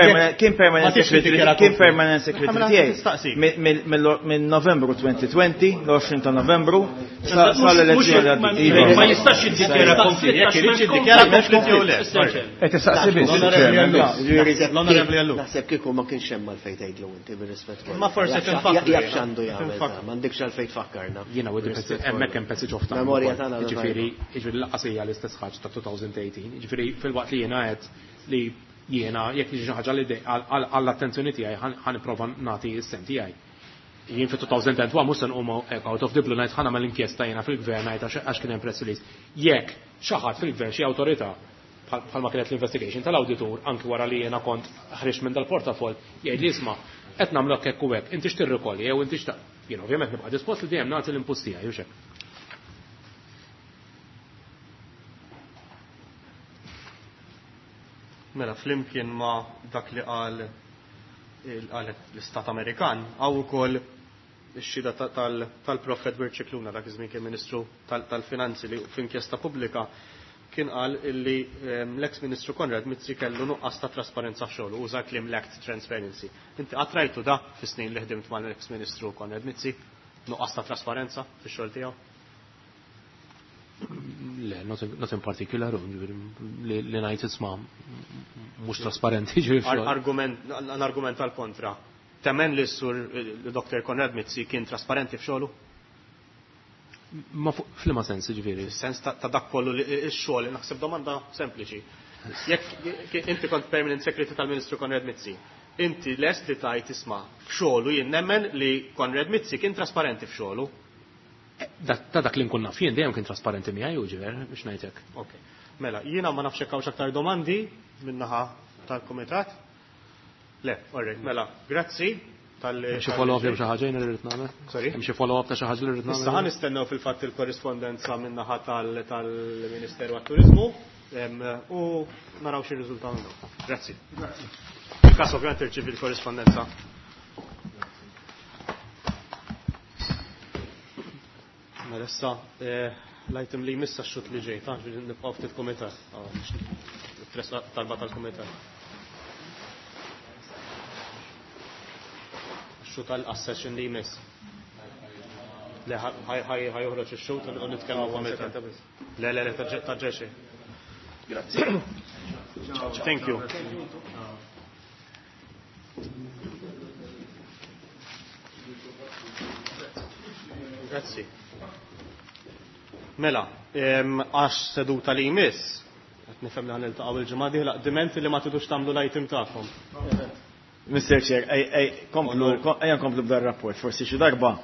G: permanent secretary, kien permanent secretary tiegħi. Minn Novembru elfejn u għoxrin, l-għoxrin ta' Novembru, sal-elezzjoni.
E: Ma jistax jiddikjara konflitt,
B: jekk irid jiddikjara konflitt jew le.
D: Qed tistaqsi biss.
B: L-Onorevoli Ellul.
I: Naħseb kieku ma kienx hemm għalfejn tgħidlu inti bir-rispett.
B: Ma forsi
I: jaf x'għandu jagħmel, m'għandekx għalfejn tfakkarna.
C: Jiena u hemmhekk hemm passage of time.
I: Memorja tagħna.
C: Jiġifieri, jiġifieri lanqas hija l-istess ħaġa ta' elfejn u tmintax. Jiġifieri fil-waqt li jiena qed li jiena jekk tiġi xi ħaġa li għall-attenzjoni tiegħi ħa nipprova nagħti s-sem tiegħi. Jien fi elfejn u wieħed mhux se nqum out of the blue ngħid ħa nagħmel inkjesta jiena fil-gvern ngħid għax kien hemm press release. Jekk xi ħadd fil-gvern xi awtorità bħalma kienet l-investigation tal-awditur anki wara li jiena kont ħriġt minn dal-portafol jgħid li isma' qed nagħmlu hekk u hekk, inti x'tirrikolli jew inti x'ta' jien ovvjament nibqa' dispost li dejjem nagħti l-inputs tiegħi u x'hekk.
B: Mela flimkien ma' dak li qal qalet l-Istat Amerikan hawn ukoll ix-xhieda tal-Prof Edward Scicluna dak iż-żmien kien Ministru tal-Finanzi li f'inkjesta pubblika kien qal illi l-ex Ministru Konrad Mizzi kellu nuqqas ta' trasparenza f'xogħlu, uża kliem lacked transparency. Inti qatt rajtu da fis-snin li ħdimt mal-ex Ministru Konrad Mizzi, nuqqas ta' trasparenza fix-xogħol tiegħu?
C: Le, not in particular, li ngħid isma' mhux trasparenti ġifieri f'xogħol.
B: Argument, argument tal-kontra. Temmen li s-sur Doktor Konrad Mizzi kien trasparenti f'xogħlu?
C: Ma f'liema sens, ġifieri?
B: Fis-sens ta' dak kollu li x-xogħol, naħseb domanda sempliċi. Jekk inti kont permanent secretary tal-Ministru Konrad Mizzi, inti lest li tajt isma' f'xogħlu jien nemmen li Konrad Mizzi kien trasparenti f'xogħlu?
C: Ta' dak li nkun naf jien dejjem kien trasparenti miegħi u ġifier biex ngħidlek.
B: Ok. Mela, jiena ma nafx hekk hawnx aktar domandi min-naħa tal-kumitat. Le, all right, mela, grazzi. Tal-li.
C: Xi follow-up jew xi ħaġa jien irrid nagħmel?
B: Sorry?
C: Hemm xi follow-up ta' xi ħaġa li rrid nagħmel?
B: Issa ħa nistennew fil-fatt il-korrispondenza min-naħa tal-Ministeru għat-Turiżmu u naraw xi riżultat minnu. Grazzi. Il-każ ovvjament irċievi l-korrispondenza. Mela issa l-item li jmiss għax-xut li ġej, ta' nibqgħu ftit kumitat. Talba tal-kumitat. Xut għal-session li jmiss. Le, ħa joħroġ ix-xut u nitkellmu kumitat. Le, le, le, ta' ġeċi.
D: Grazzi.
B: Thank you. Grazzi. Mela, għax seduta li jmiss, qed nifhem li ħa niltaqgħu il-ġimgħa dieħla, diment li ma tidux tagħmlu l-item tagħkom.
G: Mister Chair, ej, ej, komplu, ejja nkomplu b'dar rapport, forsi xi darba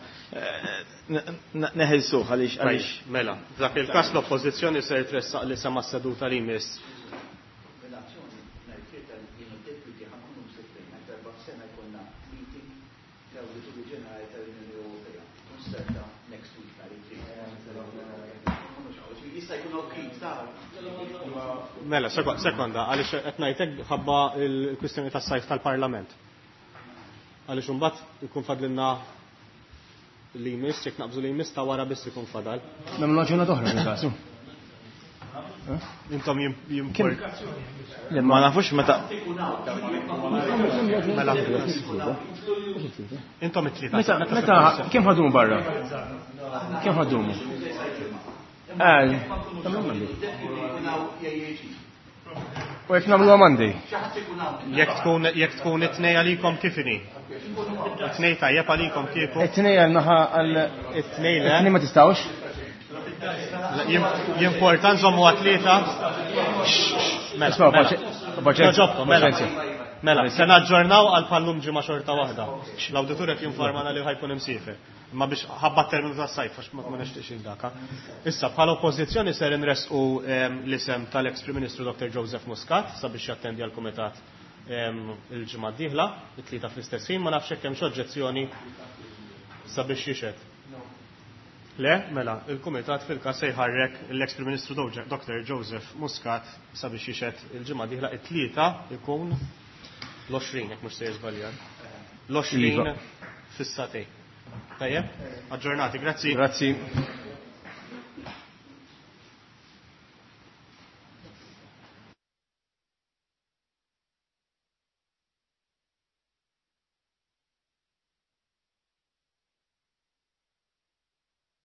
G: neħilsu għaliex għaliex.
B: Mela, f'dak il-każ l-oppożizzjoni ser tressaq li sema seduta li jmiss.
J: Relazzjoni nhar it-Tlieta jien u d-deputy ħa nkunu msefrin għal darba f'sena jkollna meeting l-Awdituri Ġenerali tal-Unjoni Ewropea. Konserta next week nhar it-Tlieta. Jista' jkun okej, ta'
B: Mela, sekonda, għaliex qed ngħidlek ħabba l-kwistjoni tas-sajf tal-Parlament. Għaliex imbagħad ikun fadlilna li jmiss, jekk naqbżu li jmiss ta' wara biss ikun fadal.
D: Nagħmlu ġurnata oħra fil-kasu.
B: Intom jimport.
G: Le, ma nafux meta.
B: Mela. Intom it-tlieta.
D: Meta, meta, kemm ħadumu barra? Kemm ħadumu? Eh, U jekk nagħmluha Monday?
B: Jekk tkun jekk tkun it-tnej għalikom kif inhi? It-tnej tajjeb għalikom kieku?
D: It-tnej għal naħa għal
B: it-tnej le.
D: It-tnej ma tistgħux?
B: Jimporta nżommu għat-tlieta. Mela, mela. Mela. Mela, se naġġornaw għal pallum ġimgħa xorta waħda. L-awditur qed jinformana li ħa jkun imsiefer. Ma biex ħabba terminu tas-sajf għax ma nixtieqx daka. Issa bħala oppożizzjoni ser inresqu l-isem tal-ex Prim Ministru Doktor Joseph Muscat sabiex jattendi għal kumitat il-ġimgħa d-dieħla, it-tlieta fl-istess ħin, ma nafx hekk hemm xi oġġezzjoni sabiex jixhed. Le, mela, il-kumitat fil-każ se jħarrek l-ex Prim Ministru Doktor Joseph Muscat sabiex jixhed il-ġimgħa d-dieħla, it-tlieta ikun l-għoxrin, jekk mhux se jiżbaljar. L-għoxrin fis-satej. Tajjeb? Aġġornati, grazzi.
D: Grazzi.